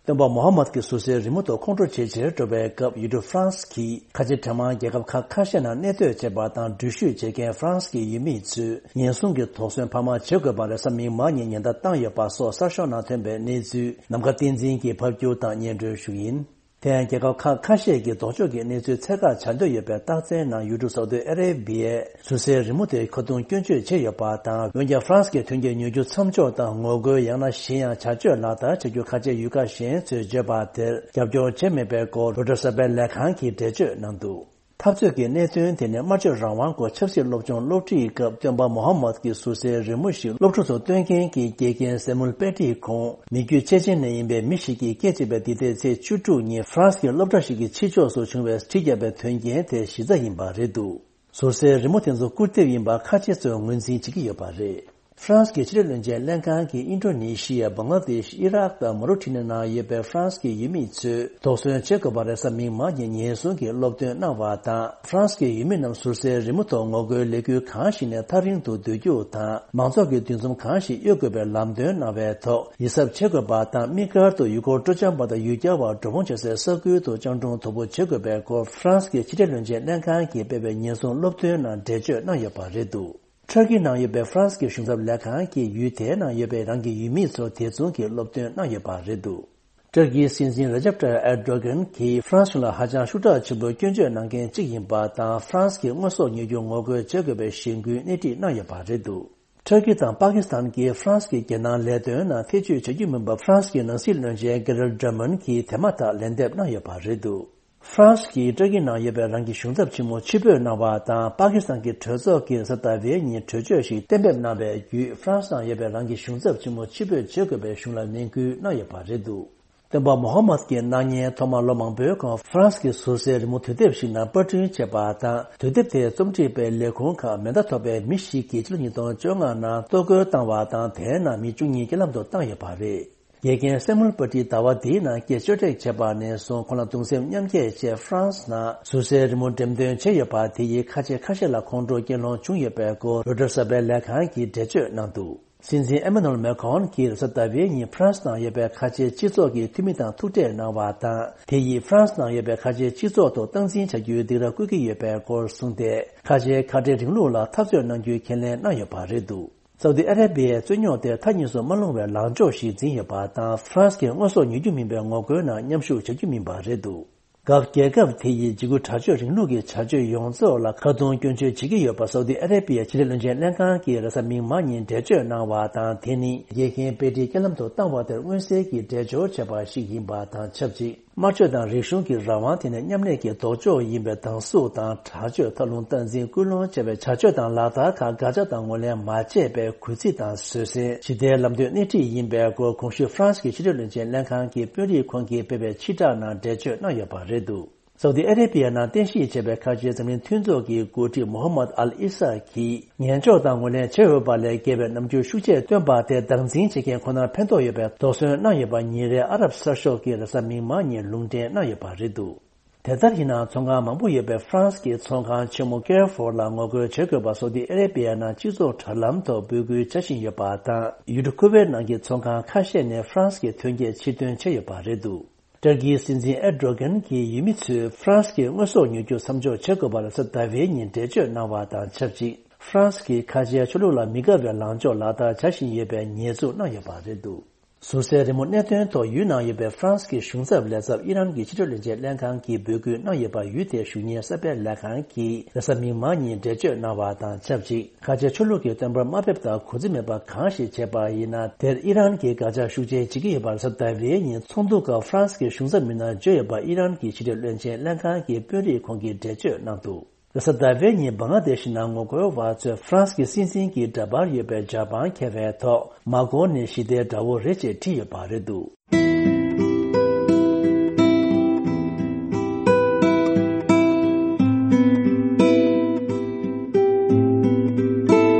སྟོན་པ་མོ་ཧ་མད་ཀྱི་ཟུར་སའི་རི་མོ་ཐོག་ཁོང་ཁྲོ་ཇེ་ཆེར་འགྲོ་བའི་སྐབས། ཡུལ་གྲུ་ཧྥ་རན་སི་གིས་ཁ་ཆེ་འབྲེལ་མང་རྒྱལ་ཁབ་ཁག་ཁ་ཤས་ནང་གནས་སྡོད་བྱེད་པ་དང་འགྲུལ་བཞུད་བྱེད་མཁན་ཧྥ་རན་སི་གི་ཡུལ་མི་ཚོས་ཉེན་སྲུང་གི་དོགས་ཟོན་འཕར་མ་བྱེད་དགོས་པར་རེས་གཟའ་མིག་དམར་ཉིན་ཉེན་བརྡ་བཏང་ཡོད་པ་སོགས་གསར་ཤོག་ནང་ཐོན་པའི་གནས་ཚུལ་ནམ་མཁའ་བསྟན་འཛིན་གྱིས་ཕབ་སྒྱུར་དང་སྙན་སྒྲོན་ཞུ་ཡིན། དེ་ཡང་རྒྱལ་ཁབ་ཁག་ཁ་ཤས་ཀྱིས་ལྡོག་ཕྱོགས་ཀྱི་གནས་ཚུལ་འཚོལ་ཁ་བྱ་འདོད་ཡོད་པའི་རྟགས་མཚན་ནང་ཡུལ་གྲུ་སའུ་ཏི་ཨ་རེ་བྷི་ཡའི་ཟུར་སའི་རི་མོ་དེ་ཁ་རྡུང་སྐྱོན་བརྗོད་བྱས་ཡོད་པ་དང་། འོན་ཀྱང་ཧྥ་རན་སི་གི་མཐུན་རྐྱེན་ཉོ་རྒྱུ་མཚམས་འཇོག་དང་ངོ་རྒོལ་ཡང་ན་གཞན་ཡང་བྱ་སྤྱོད་ལག་བསྟར་བྱ་རྒྱུ་ཁ་ཆེ་ཡུལ་ཁག་གཞན་ཚོས་བརྗོད་པ་དེར་རྒྱབ་སྐྱོར་བྱས་མེད་པའི་སྐོར་རོའི་ཊར་གསར་པའི་ལས་ཁང་གིས་འགྲེལ་བརྗོད་གནང་འདུག། འཐབ་རྩོད་ཀྱི་གནད་དོན་དེ་ནི་སྨྲ་བརྗོད་རང་དབང་སྐོར་ཆབ་སྲིད་སློབ་སྦྱོང་སློབ་ཁྲིད་སྐབས་སྟོན་པ་མོ་ཧ་མད་ཀྱི་ཟུར་སའི་རི་མོ་ཞིག་སློབ་ཕྲུག་ཚོར་སྟོན་མཁན་གྱི་དགེ་རྒན་སེ་མུལ་པེ་ཏྲིས་ཁོང་མི་རྒྱུད་ཅེ་ཅེན་ནས་ཡིན་པའི་མི་ཞིག་གིས་སྐད་ཆ་བྱས་པའི་འདི་ཟླའི་ཚེས་བཅུ་དྲུག་ཉིན་ཧྥ་རན་སི་གི་སློབ་གྲྭ་ཞིག་གི་ཕྱི་ཕྱོགས་སུ་བྱུང་བའི་གྲི་བརྒྱབ་པའི་དོན་རྐྱེན་དེ་གཞི་རྩ་ཡིན་པ་རེད་འདུག། ཟུར་སའི་རི་མོ་དེ་ཚོ་སྐུར་འདེབས་ཡིན་པ་ཁ་ཆེ་ཚོས་ངོས་འཛིན་བྱེད་ཀྱི་ཡོད་པ་རེད། ཧྥ་རན་སི་གི་ཕྱི་འབྲེལ་བློན་ཆེན་ལྷན་ཁང་གིས་ཨིན་ཌོ་ནེ་ཤི་ཡ། བང་ལ་དེཤ། ཨི་རག་དང་མོ་རོ་ཊི་ནི་ནང་ཡོད་པའི་ཧྥ་རན་སི་གི་ཡུལ་མི་ཚོས་དོགས་ཟོན་བྱེད་དགོས་པར་རེས་གཟའ་མིག་དམར་ཉིན་ཉེན་སྲུང་གི་སློབ་སྟོན་གནང་བ་དང་། ཧྥ་རན་སི་གི་ཡུལ་མི་རྣམས་ཟུར་སའི་རི་མོ་ཐོག་ངོ་རྒོལ་ལས་འགུལ་གང་ཞིག་ནས་ཐག་རིང་དུ་སྡོད་རྒྱུ་དང་། མང་ཚོགས་ཀྱི་འདུ་འཛོམས་གང་ཞིག་གཡོལ་དགོས་པའི་ལམ་སྟོན་གནང་བའི་ཐོག་ཡིད་གཟབ་བྱེད་དགོས་པ་དང་། དམིགས་བཀར་དུ་ཡུལ་སྐོར་སྤྲོ་འཆམ་པ་དང་ཡུལ་གྱར་བ་འགྲོ་འོང་བྱེད་སའི་ས་ཁུལ་དུ་སྤྱང་གྲུང་དོད་པོ་བྱེད་དགོས་པའི་སྐོར་ཧྥ་རན་སི་གི་ཕྱི་འབྲེལ་བློན་ཆེན་ལྷན་ཁང་གིས་སྤེལ་བའི་ཉེན་སྲུང་སློབ་སྟོན་ནང་འགྲེལ་བརྗོད་གནང་ཡོད་པ་རེད་འདུག། ཊར་ཀི་ནང་ཡོད་པའི་ཧྥ་རན་སི་གི་གཞུང་ཚབ་ལས་ཁང་གིས་ཡུལ་དེའི་ནང་ཡོད་པའི་རང་གི་ཡུལ་མི་ཚོར་དེ་མཚུངས་ཀྱི་སློབ་སྟོན་གནང་ཡོད་པ་རེད་འདུག། ཊར་ཀིའི་སྲིད་འཛིན་རེ་ཇབ་ཏཱ་ཡིབ་ཨེར་ཌོ་གྷན་གྱིས་ཧྥ་རན་སི་གཞུང་ལ་ཧ་ཅང་ཤུགས་དྲག་ཆེན་པོས་སྐྱོན་བརྗོད་གནང་མཁན་གཅིག་ཡིན་པ་དང་། ཧྥ་རན་སི་གི་དངོས་ཟོག་ཉོ་རྒྱུ་ངོ་རྒོལ་བྱེད་དགོས་པའི་གཞེན་སྐུལ་སྣེ་ཁྲིད་གནང་ཡོད་པ་རེད་འདུག། ཊར་ཀི་དང་པ་ཀི་སི་ཐན་གྱིས་ཧྥ་རན་སི་གི་རྒྱལ་ནང་ལས་དོན་ནང་ཐེ་བྱུས་བྱ་རྒྱུ་མིན་པ། ཧྥ་རན་སི་གི་ནང་སྲིད་བློན་ཆེན་ཀེ་རལ་ཌར་མན་གྱིས་དེ་མ་ཐག་ལན་འདེབས་གནང་ཡོད་པ་རེད་འདུག། ཧྥ་རན་སི་གིས་ཊར་ཀི་ནང་ཡོད་པའི་རང་གི་གཞུང་ཚབ་ཆེན་མོ་ཕྱིར་འབུད་གནང་བ་དང་། པ་ཀི་སི་ཐན་གྱི་གྲོས་ཚོགས་ཀྱིས་གཟའ་ཟླ་བའི་ཉིན་གྲོས་ཆོད་ཞིག་གཏན་འབེབས་གནང་བའི་བརྒྱུད། ཧྥ་རན་སི་ནང་ཡོད་པའི་རང་གི་གཞུང་ཚབ་ཆེན་མོ་ཕྱིར་འབུད་བྱེད་དགོས་པའི་གཞུང་ལ་ནན་སྐུལ་གནང་ཡོད་པ་རེད་འདུག། སྟོན་པ་མོ་ཧ་མད་ཀྱི་གནངས་ཉིན་ཐོག་མར་ལོ་མང་པོའི་གོང་ཧྥ་རན་སི་གི་ཟུར་སའི་རི་མོ་དུས་དེབ་ཞིག་ནང་པར་སྐྲུན་བྱས་པ་དང་། དུས་དེབ་དེ་རྩོམ་སྒྲིག་པའི་ལས་ཁུངས་ཁག་མེ་མདའ་ཐོགས་པའི་མི་ཞིག་གིས་ཕྱི་ལོ་ཉིས་སྟོང་བཅོ་ལྔ་ནང་གཏོར་རྒོལ་བཏང་བ་དང་། དེའི་ནང་མི་བཅུ་གཉིས་རྐྱེན་ལམ་དུ་བཏང་ཡོད་པ་རེད། དགེ་རྒན་སེ་མུལ་པ་ཏིས་ཟླ་བ་འདིའི་ནང་སྐད་བཅོས་སྒྲིག་བྱས་པ་ནས་བཟུང་ཁོང་ལ་གདུང་སེམས་མཉམ་སྐྱེད་ཆེད་ཧྥ་རན་སི་ནང་ཟུར་སའི་རི་མོ་འགྲེམས་སྟོན་བྱས་ཡོད་པ་དེ་ཡིས་ཁ་ཆེ་ཁ་ཤས་ལ་ཁོང་ཁྲོ་སྐྱེ་ལོང་བྱུང་ཡོད་པའི་སྐོར་རོའི་ཊར་གསར་པའི་ལས་ཁང་གིས་འགྲེལ་བརྗོད་གནང་འདུག། སྲིད་འཛིན་ཨེ་མ་ནུ་ཨེལ་མེ་ཁོན་གྱིས་གཟའ་ཟླ་བའི་ཉིན་ཧྥ་རན་སི་ནང་ཡོད་པའི་ཁ་ཆེའི་སྤྱི་ཚོགས་ཀྱི་འཐུས་མི་དང་ཐུག་འཕྲད་གནང་བ་དང་། དེ་ཡིས་ཧྥ་རན་སི་ནང་ཡོད་པའི་ཁ་ཆེའི་སྤྱི་ཚོགས་ཐོག་སྟངས་འཛིན་བྱ་རྒྱུའི་སྡིགས་ར་བསྐུལ་གྱི་ཡོད་པའི་སྐོར་གསུངས་ཏེ། ཁ་ཆེའི་ཁ་བྲལ་རིང་ལུགས་ལ་འཐབ་རྩོད་གནང་རྒྱུའི་ཁས་ལེན་གནང་ཡོད་པ་རེད་འདུག། སའུ་ཏི་ཨ་རེ་བྷི་ཡའི་རྩོད་རྙོག་དེ་མཐའ་གཉིས་སུ་མ་ལྷུང་བའི་ལངས་ཕྱོགས་ཤིག་འཛིན་ཡོད་པ་དང་། ཧྥ་རན་སི་གིས་དངོས་ཟོག་ཉོ་རྒྱུ་མིན་པའི་ངོ་རྒོལ་ནང་མཉམ་ཞུགས་བྱ་རྒྱུ་མིན་པ་རེད་འདུག། སྐབས་རྒྱལ་ཁབ་དེ་ཡིས་འཇིགས་སྐུལ་དྲག་སྤྱོད་རིང་ལུགས་ཀྱི་བྱ་སྤྱོད་ཡོངས་རྫོགས་ལ་ཁ་རྡུང་སྐྱོན་བརྗོད་བྱེད་ཀྱི་ཡོད་པ་སའུ་ཏི་ཨ་རེ་བྷི་ཡའི་ཕྱི་འབྲེལ་བློན་ཆེན་ལྷན་ཁང་གིས་རེས་གཟའ་མིག་དམར་ཉིན་འགྲེལ་བརྗོད་གནང་བ་དང་། དེ་ནི་རྒྱལ་ཁའི་དཔེ་ཁྲིད་རྐྱེན་ལམ་དུ་བཏང་བ་དེར་མངོན་གསལ་གྱིས་འགྲེལ་བརྗོད་བྱས་པ་ཞིག་ཡིན་པ་དང་ཆབས་ཅིག། དམར་གཅོད་དང་རིག་གཞུང་གི་རང་དབང་དེ་ནི་མཉམ་གནས་ཀྱི་ལྡོག་ཕྱོགས་ཡིན་པའི་སྡང་ཟུག་དང་། དྲག་སྤྱོད་ཐབས་ལུང་སྟངས་འཛིན་སྐུལ་སློང་བྱས་པའི་བྱ་སྤྱོད་དང་ལག་བསྟར་ཁག་འགག་ཆ་དང་ངོས་ལེན་མ་བྱས་པའི་གུས་བརྩི་དང་བཟོད་བསྲན། ཞི་བདེའི་ལམ་སྟོན་སྣེ་ཁྲིད་ཡིན་པའི་སྐོར་གོང་ཞུས་ཧྥ་རན་སི་གི་ཕྱི་འབྲེལ་བློན་ཆེན་ལྷན་ཁང་གི་དཔོན་རིགས་ཁོང་གིས་སྤེལ་བའི་ཕྱིར་བསྒྲགས་ནང་འགྲེལ་བརྗོད་གནང་ཡོད་པ་རེད་འདུག། སའུ་ཏི་ཨ་རེ་བྷི་ཡ་ནང་རྟེན་གཞི་བྱས་པའི་ཁ་ཆེའི་འཛམ་གླིང་མཐུན་ཚོགས་ཀྱི་འགོ་ཁྲིད་མོ་ཧམ་མད་ཨལ་ཨི་ས་གིས་ཉན་འཇོག་དང་ངོས་ལེན་བྱས་ཡོད་པ་ལས་བརྒལ་བའི་རྣམ་འགྱུར་ཤུགས་ཆེ་སྟོན་པ་དེ་སྡང་འཛིན་བྱེད་མཁན་ཁོ་ནར་ཕན་ཐོགས་ཡོད་པའི་དོགས་ཟོན་གནང་ཡོད་པ་ཉིན་རེའི་ཨ་རབ་གསར་ཤོག་གིས་རེས་གཟའ་མིག་དམར་ཉིན་ལུང་འདྲེན་གནང་ཡོད་པ་རེད་འདུག་དེ་ལྟར་ཡིན་ནའང་ཚོང་ཁང་མང་པོ་ཡོད་པའི་ཧྥ་རན་སི་གི་ཚོང་ཁང་ཆེན་མོ་ཀེར་ཧྥོར་ལ་ངོ་རྒོལ་བྱེད་དགོས་པ་སའུ་ཏི་ཨ་རེ་བྷི་ཡ་ནང་སྤྱི་ཚོགས་དྲ་ལམ་ཐོག་འབོད་སྐུལ་བྱ་བཞིན་ཡོད་པ་དང་ཡུལ་གྲུ་ཁུ་ཝེར་ནང་གི་ཚོང་ཁང་ཁ་ཤས་ནས་ཧྥ་རན་སི་གི་ཐོན་སྐྱེད་ཕྱིར་ཐོན་བྱས་ཡོད་པ་རེད་འདུག་ཏུར་ཀིའི་སྲིད་འཛིན་ཨེར་ཌོ་གྷན་གྱིས་ཡུལ་མི་ཚོས་ཧྥ་རན་སི་གི་དངོས་ཟོག་ཉོ་རྒྱུ་མཚམས་འཇོག་བྱེད་དགོས་པར་རེས་གཟའ་ཟླ་བའི་ཉིན་འགྲེལ་བརྗོད་གནང་བ་དང་ཆབས་ཅིག་ཧྥ་རན་སི་གིས་ཁ་ཆེའི་ཆོས་ལུགས་ལ་མི་དགའ་བའི་ལངས་ཕྱོགས་ལག་བསྟར་བྱ་བཞིན་ཡོད་པའི་ཉེས་འཛུགས་གནང་ཡོད་པ་རེད་འདུག་ཟུར་སའི་རི་མོ་གནད་དོན་ཐོག་ཡུལ་ནང་ཡོད་པའི་ཧྥ་རན་སི་གི་གཞུང་ཚབ་ལས་ཚབ་ཨི་རན་གྱི་ཕྱི་འབྲེལ་བློན་ཆེན་ལྷན་ཁང་གིས་འབོད་སྐུལ་གནང་ཡོད་པར་ཡུལ་དེའི་གཞུང་གཉེར་གསར་སྤེལ་ལས་ཁང་གིས་རེས་གཟའ་མིག་དམར་ཉིན་འགྲེལ་བརྗོད་གནང་བ་དང་ཆབས་ཅིག་ཁ་ཆེ་ཆོས་ལུགས་ཀྱི་བསྟན་པར་དམའ་འབེབས་དང་གུས་བརྩི་མེད་པ་གང་ཞིག་བྱས་པ་ཡིན་ན། དེར་ཨི་རན་གྱིས་དགག་བྱ་ཤུགས་ཆེན་བྱེད་ཀྱི་ཡོད་པར་རེས་གཟའ་ཟླ་བའི་ཉིན་ཚོགས་འདུ་སྐབས་ཧྥ་རན་སི་གི་གཞུང་ཚབ་མི་སྣར་བརྗོད་ཡོད་པ་ཨི་རན་གྱི་ཕྱི་འབྲེལ་བློན་ཆེན་ལྷན་ཁང་གི་དཔོན་རིགས་ཁོང་གིས་འགྲེལ་བརྗོད་གནང་འདུག་རེས་གཟའ་ཟླ་བའི་ཉིན་བང་ལ་དེ་ཤི་ནང་ངོ་རྒོལ་བ་ཚོས་ཧྥ་རན་སི་གི་སྲིད་འཛིན་གྱི་འདྲ་པར་ཡོད་པའི་ཇ་པང་འཁྱེར་བའི་ཐོག་མར་ཁོང་ནི་ཞི་བདེའི་དགྲ་བོ་རེད་ཅེས་བྲིས་ཡོད་པ་རེད་འདུག་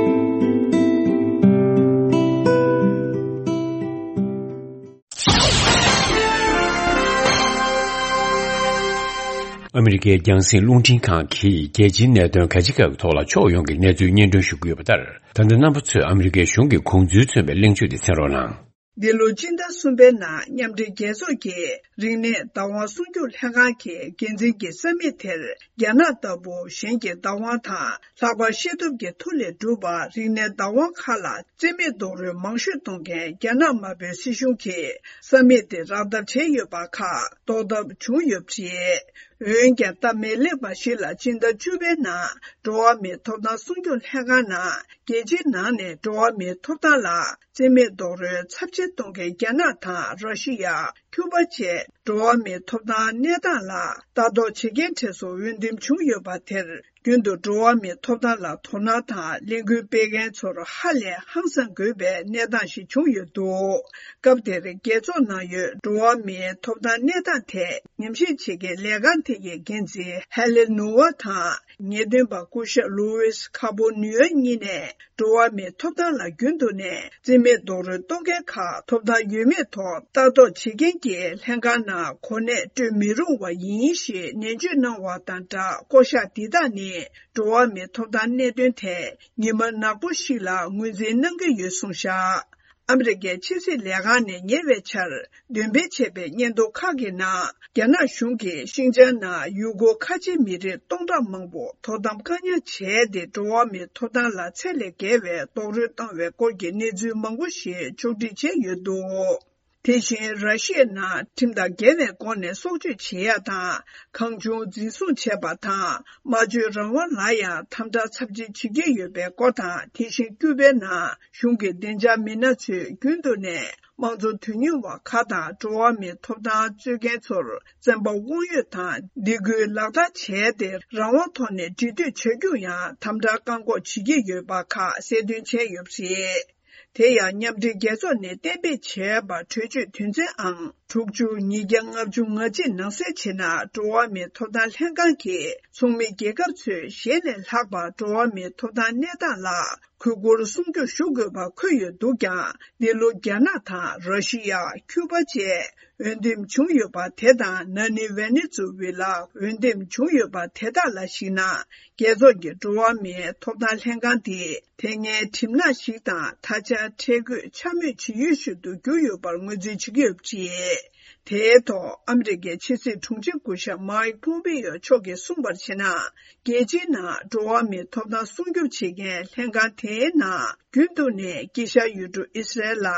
ཨ་མི་རི་ཀའི་རྒྱང་སྲིང་རླུང་འཕྲིན་ཁང་གིས་རྒྱལ་སྤྱིའི་གནད་དོན་ག་ཅི་ག་གི་ཐོག་ལ་ཕྱོགས་ཡོངས་ཀྱི་གནས་ཚུལ་སྙན་སྒྲོན་ཞུ་གི་ཡོད་པ་ལྟར། ད་ལྟ་རྣམ་པ་ཚོས་ཨ་མི་རི་ཀའི་གཞུང་གི་དགོངས་ཚུལ་མཚོན་པའི་གླེང་བརྗོད་དེ་གསན་རོགས་གནང་། འདི་ལོ་སྤྱི་ཟླ་གསུམ་པའི་ནང་མཉམ་འབྲེལ་རྒྱལ་ཚོགས་ཀྱི་རིག་གནས་བདག་དབང་སྲུང་སྐྱོབ་ལྷན་ཁང་གི་འགན་འཛིན་གྱི་ས་མིག་དེར་རྒྱ་ནག་ལྟ་བུ་གཞན་གྱི་བདག་དབང་དང་ལྷག་པར་ཤེས་ཐོབ་ཀྱི་མཐུ་ལས་གྲུབ་པ་རིག་གནས་བདག་དབང་ཁག་ལ་རྩིས་མེད་རྡོག་རོལ་མང་ཤོས་གཏོང་མཁན་རྒྱ་ནག་དམར་པོའི་སྲིད་གཞུང་གིས་ས་མིག་དེ་རག་ཐབས་བྱས་ཡོད་པ་ཁག་རྟོགས་ཐབས་བྱུང་ཡོད་པ་རེད། འོན་ཀྱང་སྟབས་མི་ལེགས་པ་ཞིག་ལ་སྤྱི་ཟླ་བཅུ་པའི་ནང་འགྲོ་བ་མིའི་ཐོབ་ཐང་སྲུང་སྐྱོབ་ལྷན་ཁང་ནང་རྒྱལ་སྤྱིའི་ནང་ནས་འགྲོ་བ་མིའི་ཐོབ་ཐང་ལ་རྩིས་མེད་རྡོག་རོལ་ཚབས་ཆེ་གཏོང་མཁན་རྒྱ་ནག་དང་ར་ཤི་ཡ། ཁྱུ་པ་བཅས་འགྲོ་བ་མིའི་ཐོབ་ཐང་གནས་སྟངས་ལ་ལྟ་རྟོག་བྱེད་མཁན་གྲས་སུ་འོས་འདེམས་བྱུང་ཡོད་པ་དེར་རྒྱུན་དུ་འགྲོ་བ་མིའི་ཐོབ་ཐང་ལ་དོ་སྣང་དང་ལས་འགུལ་སྤེལ་མཁན་ཚོར་ཧ་ལས་ཧང་སང་དགོས་པའི་གནས་སྟངས་ཤིག་བྱུང་ཡོད་འདུག་སྐབས་དེར་རྒྱལ་ཚོགས་ནང་ཡོད་འགྲོ་བ་མིའི་ཐོབ་ཐང་གནས་སྟངས་ཐད་ཉམས་ཞིབ་བྱེད་མཁན་ལས་ཁང་དེ་གའི་འགན་འཛིན་ཧེ་ལེ་ནུ་ཝ་དང་། ངེས་སྟོན་པ་སྐུ་ཞབས་ལུའུ་ཝེས་ཁ་པོ་ནུའེ་གཉིས་ནས་འགྲོ་བ་མིའི་ཐོབ་ཐང་ལ་རྒྱུན་དུ་ནས་རྩིས་མེད་རྡོག་རོལ་གཏོང་མཁན་ཁག་ཐོབ་ཐང་ཡོད་མེད་ཐོག་ལྟ་རྟོག་བྱེད་མཁན་གྱི་ལྷན་ཁང་ནང་གོ་གནས་སྤྲོད་མི་རུང་བ་ཡིན་ཞེས་ནན་བརྗོད་གནང་བ་དང་སྦྲགས། བསྐོ་གཞག་འདི་དག་ནི་འགྲོ་བ་མིའི་ཐོབ་ཐང་གནད་དོན་ཐད་ཉི་མ་ནག་པོ་ཞིག་ལ་ངོས་འཛིན་གནང་གི་ཡོད་གསུངས་བཞག་ཨ་མི་རི་ཀའི་ཕྱི་སྲིད་ལས་ཁང་ནས་ཉེ་བའི་ཆར་འདོན་སྤེལ་བྱས་པའི་སྙན་ཐོ་ཁག་གི་ནང་། རྒྱ་ནག་གཞུང་གིས་ཤིང་ཅང་ནང་ཡུ་གུར་ཁ་ཆེའི་མི་རིགས་སྟོང་ཕྲག་མང་པོ་དོ་དམ་བཀག་ཉར་བྱས་ཏེ། འགྲོ་བ་མིའི་ཐོབ་ཐང་ལ་ཚད་ལས་བརྒལ་བའི་རྡོག་རོལ་བཏང་བའི་སྐོར་གྱི་གནས་ཚུལ་མང་པོ་ཞིག་ཕྱོགས་སྒྲིག་བྱས་ཡོད་འདུག་དེ་བཞིན་ར་ཤི་ཡའི་ནང་ཁྲིམས་དང་འགལ་བའི་སྒོ་ནས་སྲོག་གཅོད་བྱེད་ཡ་དང་། གང་བྱུང་འཛིན་བཟུང་བྱས་པ་དང་། སྨྲ་བརྗོད་རང་དབང་ལ་ཡང་དམ་དྲག་ཚབས་ཆེན་བྱེད་ཀྱི་ཡོད་པའི་སྐོར་དང་། དེ་བཞིན་ཀྱུ་པའི་ནང་གཞུང་གི་བདེ་འཇགས་མི་སྣ་ཚོས་རྒྱུན་དུ་ནས་དམངས་གཙོ་དོན་གཉེར་བ་ཁག་དང་འགྲོ་བ་མིའི་ཐོབ་ཐང་རྩོད་མཁན་ཚོར་བཙན་པ་དབང་ཡོད་དང་སྡིགས་སྐུལ་ལག་བསྟར་བྱས་ཏེ། རང་དབང་ཐོག་ནས་འབྲེལ་མཐུད་བྱ་རྒྱུར་ཡང་དམ་དྲག་བཀག་འགོག་བྱེད་ཀྱི་ཡོད་པ་ཁག་གསལ་སྟོན་བྱས་ཡོད་པ་རེད། དེ་ཡང་མཉམ་འབྲེལ་རྒྱལ་ཚོགས་ནས་གཏན་འབེབས་བྱས་པ་གྲོས་ཆོད་དོན་ཚན་ཨང་དྲུག་ཅུ་ཉིས་བརྒྱ་ལྔ་བཅུ་ང་གཅིག་ནང་གསལ་བྱས་ན། འགྲོ་བ་མིའི་ཐོབ་ཐང་ལྷན་ཁང་གིས་ཚོགས་མི་རྒྱལ་ཁབ་ཚོས་གཞན་ལས་ལྷག་པར་འགྲོ་བ་མིའི་ཐོབ་ཐང་གནས་སྟངས་ལ་གུས་བཀུར་སྲུང་སྐྱོབ་ཞུ་དགོས་པ་འཁོད་ཡོད་འདུག་ཀྱང་། འདི་ལོ་རྒྱ་ནག་དང་ར་ཤི་ཡ། ཁྱུ་པ་བཅས་འོས་འདེམས་བྱུང་ཡོད་པ་དེ་དང་། ན་ནིང་ཝེ་ནེ་ཛུ་ཝེ་ལ་འོས་འདེམས་བྱུང་ཡོད་པ་དེ་དག་ལ་གཞིགས་ན། རྒྱལ་ཚོགས་ཀྱི་འགྲོ་བ་མིའི་ཐོབ་ཐང་ལྷན་ཁང་འདི་དེ་སྔའི་གྲིབ་ནག་ཞིག་དང་། ད་ཆ་ཁྲལ་དགོད་འཕྱ་སྨོད་བྱེད་ཡུལ་ཞིག་ཏུ་གྱུར་ཡོད་པར་ངོས་འཛིན་བྱེད་ཀྱི་ཡོད་པ་རེད། དེའི་ཐོག་ཨ་མི་རི་ཀའི་ཕྱི་སྲིད་དྲུང་ཆེ་སྐུ་ཞབས་མཱིག་པོམ་པེ་ཡོ་མཆོག་གིས་གསུངས་པར་བྱས་ན། རྒྱལ་སྤྱིའི་ནང་འགྲོ་བ་མིའི་ཐོབ་ཐང་སྲུང་སྐྱོབ་བྱེད་མཁན་ལྷན་ཁང་དེའི་ནང་། རྒྱུན་དུ་ནས་དཀྱིལ་ཤར་ཡུལ་གྲུ་ཨི་སི་རལ་ལ་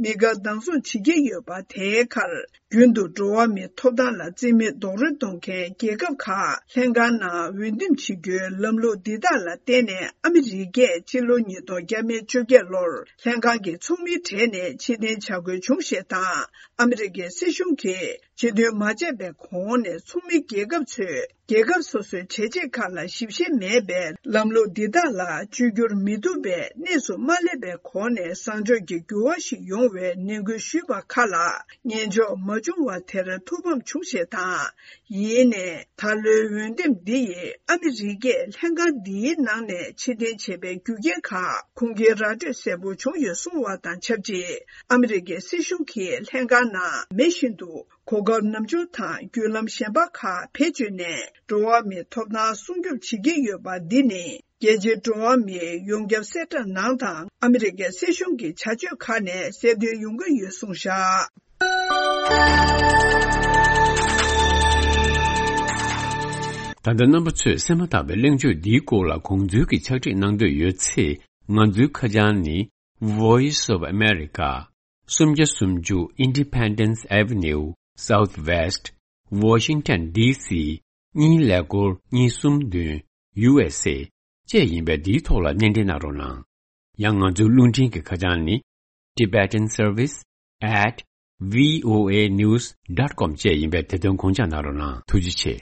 མི་དགའ་སྡང་ཟུང་བྱེད་ཀྱི་ཡོད་པ་དེའི་ཁར། རྒྱུན་དུ་འགྲོ་བ་མིའི་ཐོབ་ཐང་ལ་རྩིས་མེད་རྡོག་རོལ་གཏོང་མཁན་རྒྱལ་ཁབ་ཁག་ལྷན་ཁང་ནང་འོས་འདེམས་བྱེད་རྒྱུའི་ལམ་ལུགས་འདི་དག་ལ་བརྟེན་ནས། ཨ་མི་རི་ཀས་སྤྱི་ལོ་ཉིས་སྟོང་བརྒྱ་མེད་བཅོ་བརྒྱད་ལོར་ལྷན་ཁང་གི་ཚོགས་མིའི་གྲས་ནས་ཕྱིར་འཐེན་བྱ་དགོས་བྱུང་ཞེས་དང་། ཨ་མི་རི་ཀའི་སྲིད་གཞུང་གིས་ སྤྱི་མཐུན་མ་བྱས་པའི་གོང་ནས་ཚོགས་མི་རྒྱལ་ཁབ་ཚོས་རྒྱལ་ཁབ་སོ་སོའི་བྱས་རྗེས་ཁག་ལ་ཞིབ་བཤེར་མེད་པའི་ལམ་ལུགས་འདི་དག་ལ་བཅོས་བསྒྱུར་མི་ཐུབ་པའི་གནས་སུ་མ་སླེབས་པའི་གོང་ནས་བཟང་ཕྱོགས་ཀྱི་འགྱུར་བ་ཞིག་ཡོང་བའི་ནན་སྐུལ་ཞུས་པ་ཁག་ལ་ངན་ཕྱོགས་མ་བྱུང་བ་དེར་ཐུགས་ཕམ་བྱུང་ཞེས་དང་། ཡིན་ནའི་ད་ལོའི་འོས་འདེམས་འདི་ཡིས་ཨ་མི་རི་ཀས་ལྷན་ཁང་འདིའི་ནང་ནས་ཕྱིར་འཐེན་བྱས་པའི་རྒྱུ་རྐྱེན་ཁག་ཁུངས་སྐྱེལ་ར་སྤྲོད་གསལ་པོ་བྱུང་ཡོད་གསུངས་བ་དང་ཆབས་ཅིག་ཨ་མི་རི་ཀའི་སྲིད་གཞུང་གིས་ལྷན་ཁང་ནང་མེ་བཞིན་དུ་གོ་སྐབས་ནམ་འབྱོར་དང་བརྒྱུད་ལམ་གཞན་པ་ཁག་བེད་སྤྱོད་ནས་འགྲོ་བ་མིའི་ཐོབ་ཐང་སྲུང་སྐྱོབ་བྱེད་ཀྱི་ཡོད་པ་འདི་ནི། རྒྱལ་སྤྱིའི་འགྲོ་བ་མིའི་ཡོངས་ཁྱབ་གསལ་བསྒྲགས་ནང་དང་ཨ་མི་རི་ཀའི་སྲིད་གཞུང་གི་བྱ་སྤྱོད་ཁག་ནས་གསལ་སྟོན་ཡོང་གི་ཡོད་གསུངས་བཞག་ད་ལྟ་རྣམ་པ་ཚོས་གསན་མ་ཐག་པའི་གླེང་བརྗོད་འདིའི་སྐོར་ལ་དགོངས་ཚུལ་གྱི་ཕྱག་བྲིས་གནང་འདོད་ཡོད་ཚེ། ང་ཚོའི་ཁ་བྱང་ནི། Voice of America། སུམ་བརྒྱ་སུམ་ཅུ་Independence Avenue, Southwest, Washington D C གཉིས་ཀླད་ཀོར་གཉིས་གསུམ་བདུན། U S A བཅས་ཡིན་པས་འདིའི་ཐོག་ལ་སྣེ་འདྲེན་གནང་རོགས་གནང་། ཡང་ང་ཚོའི་རླུང་འཕྲིན་གྱི་ཁ་བྱང་ནི། Tibetan Service at V O A news dot com བཅས་ཡིན་པས་དེ་དོན་དགོངས་འཇགས་གནང་རོགས་གནང་། ཐུགས་རྗེ་ཆེ།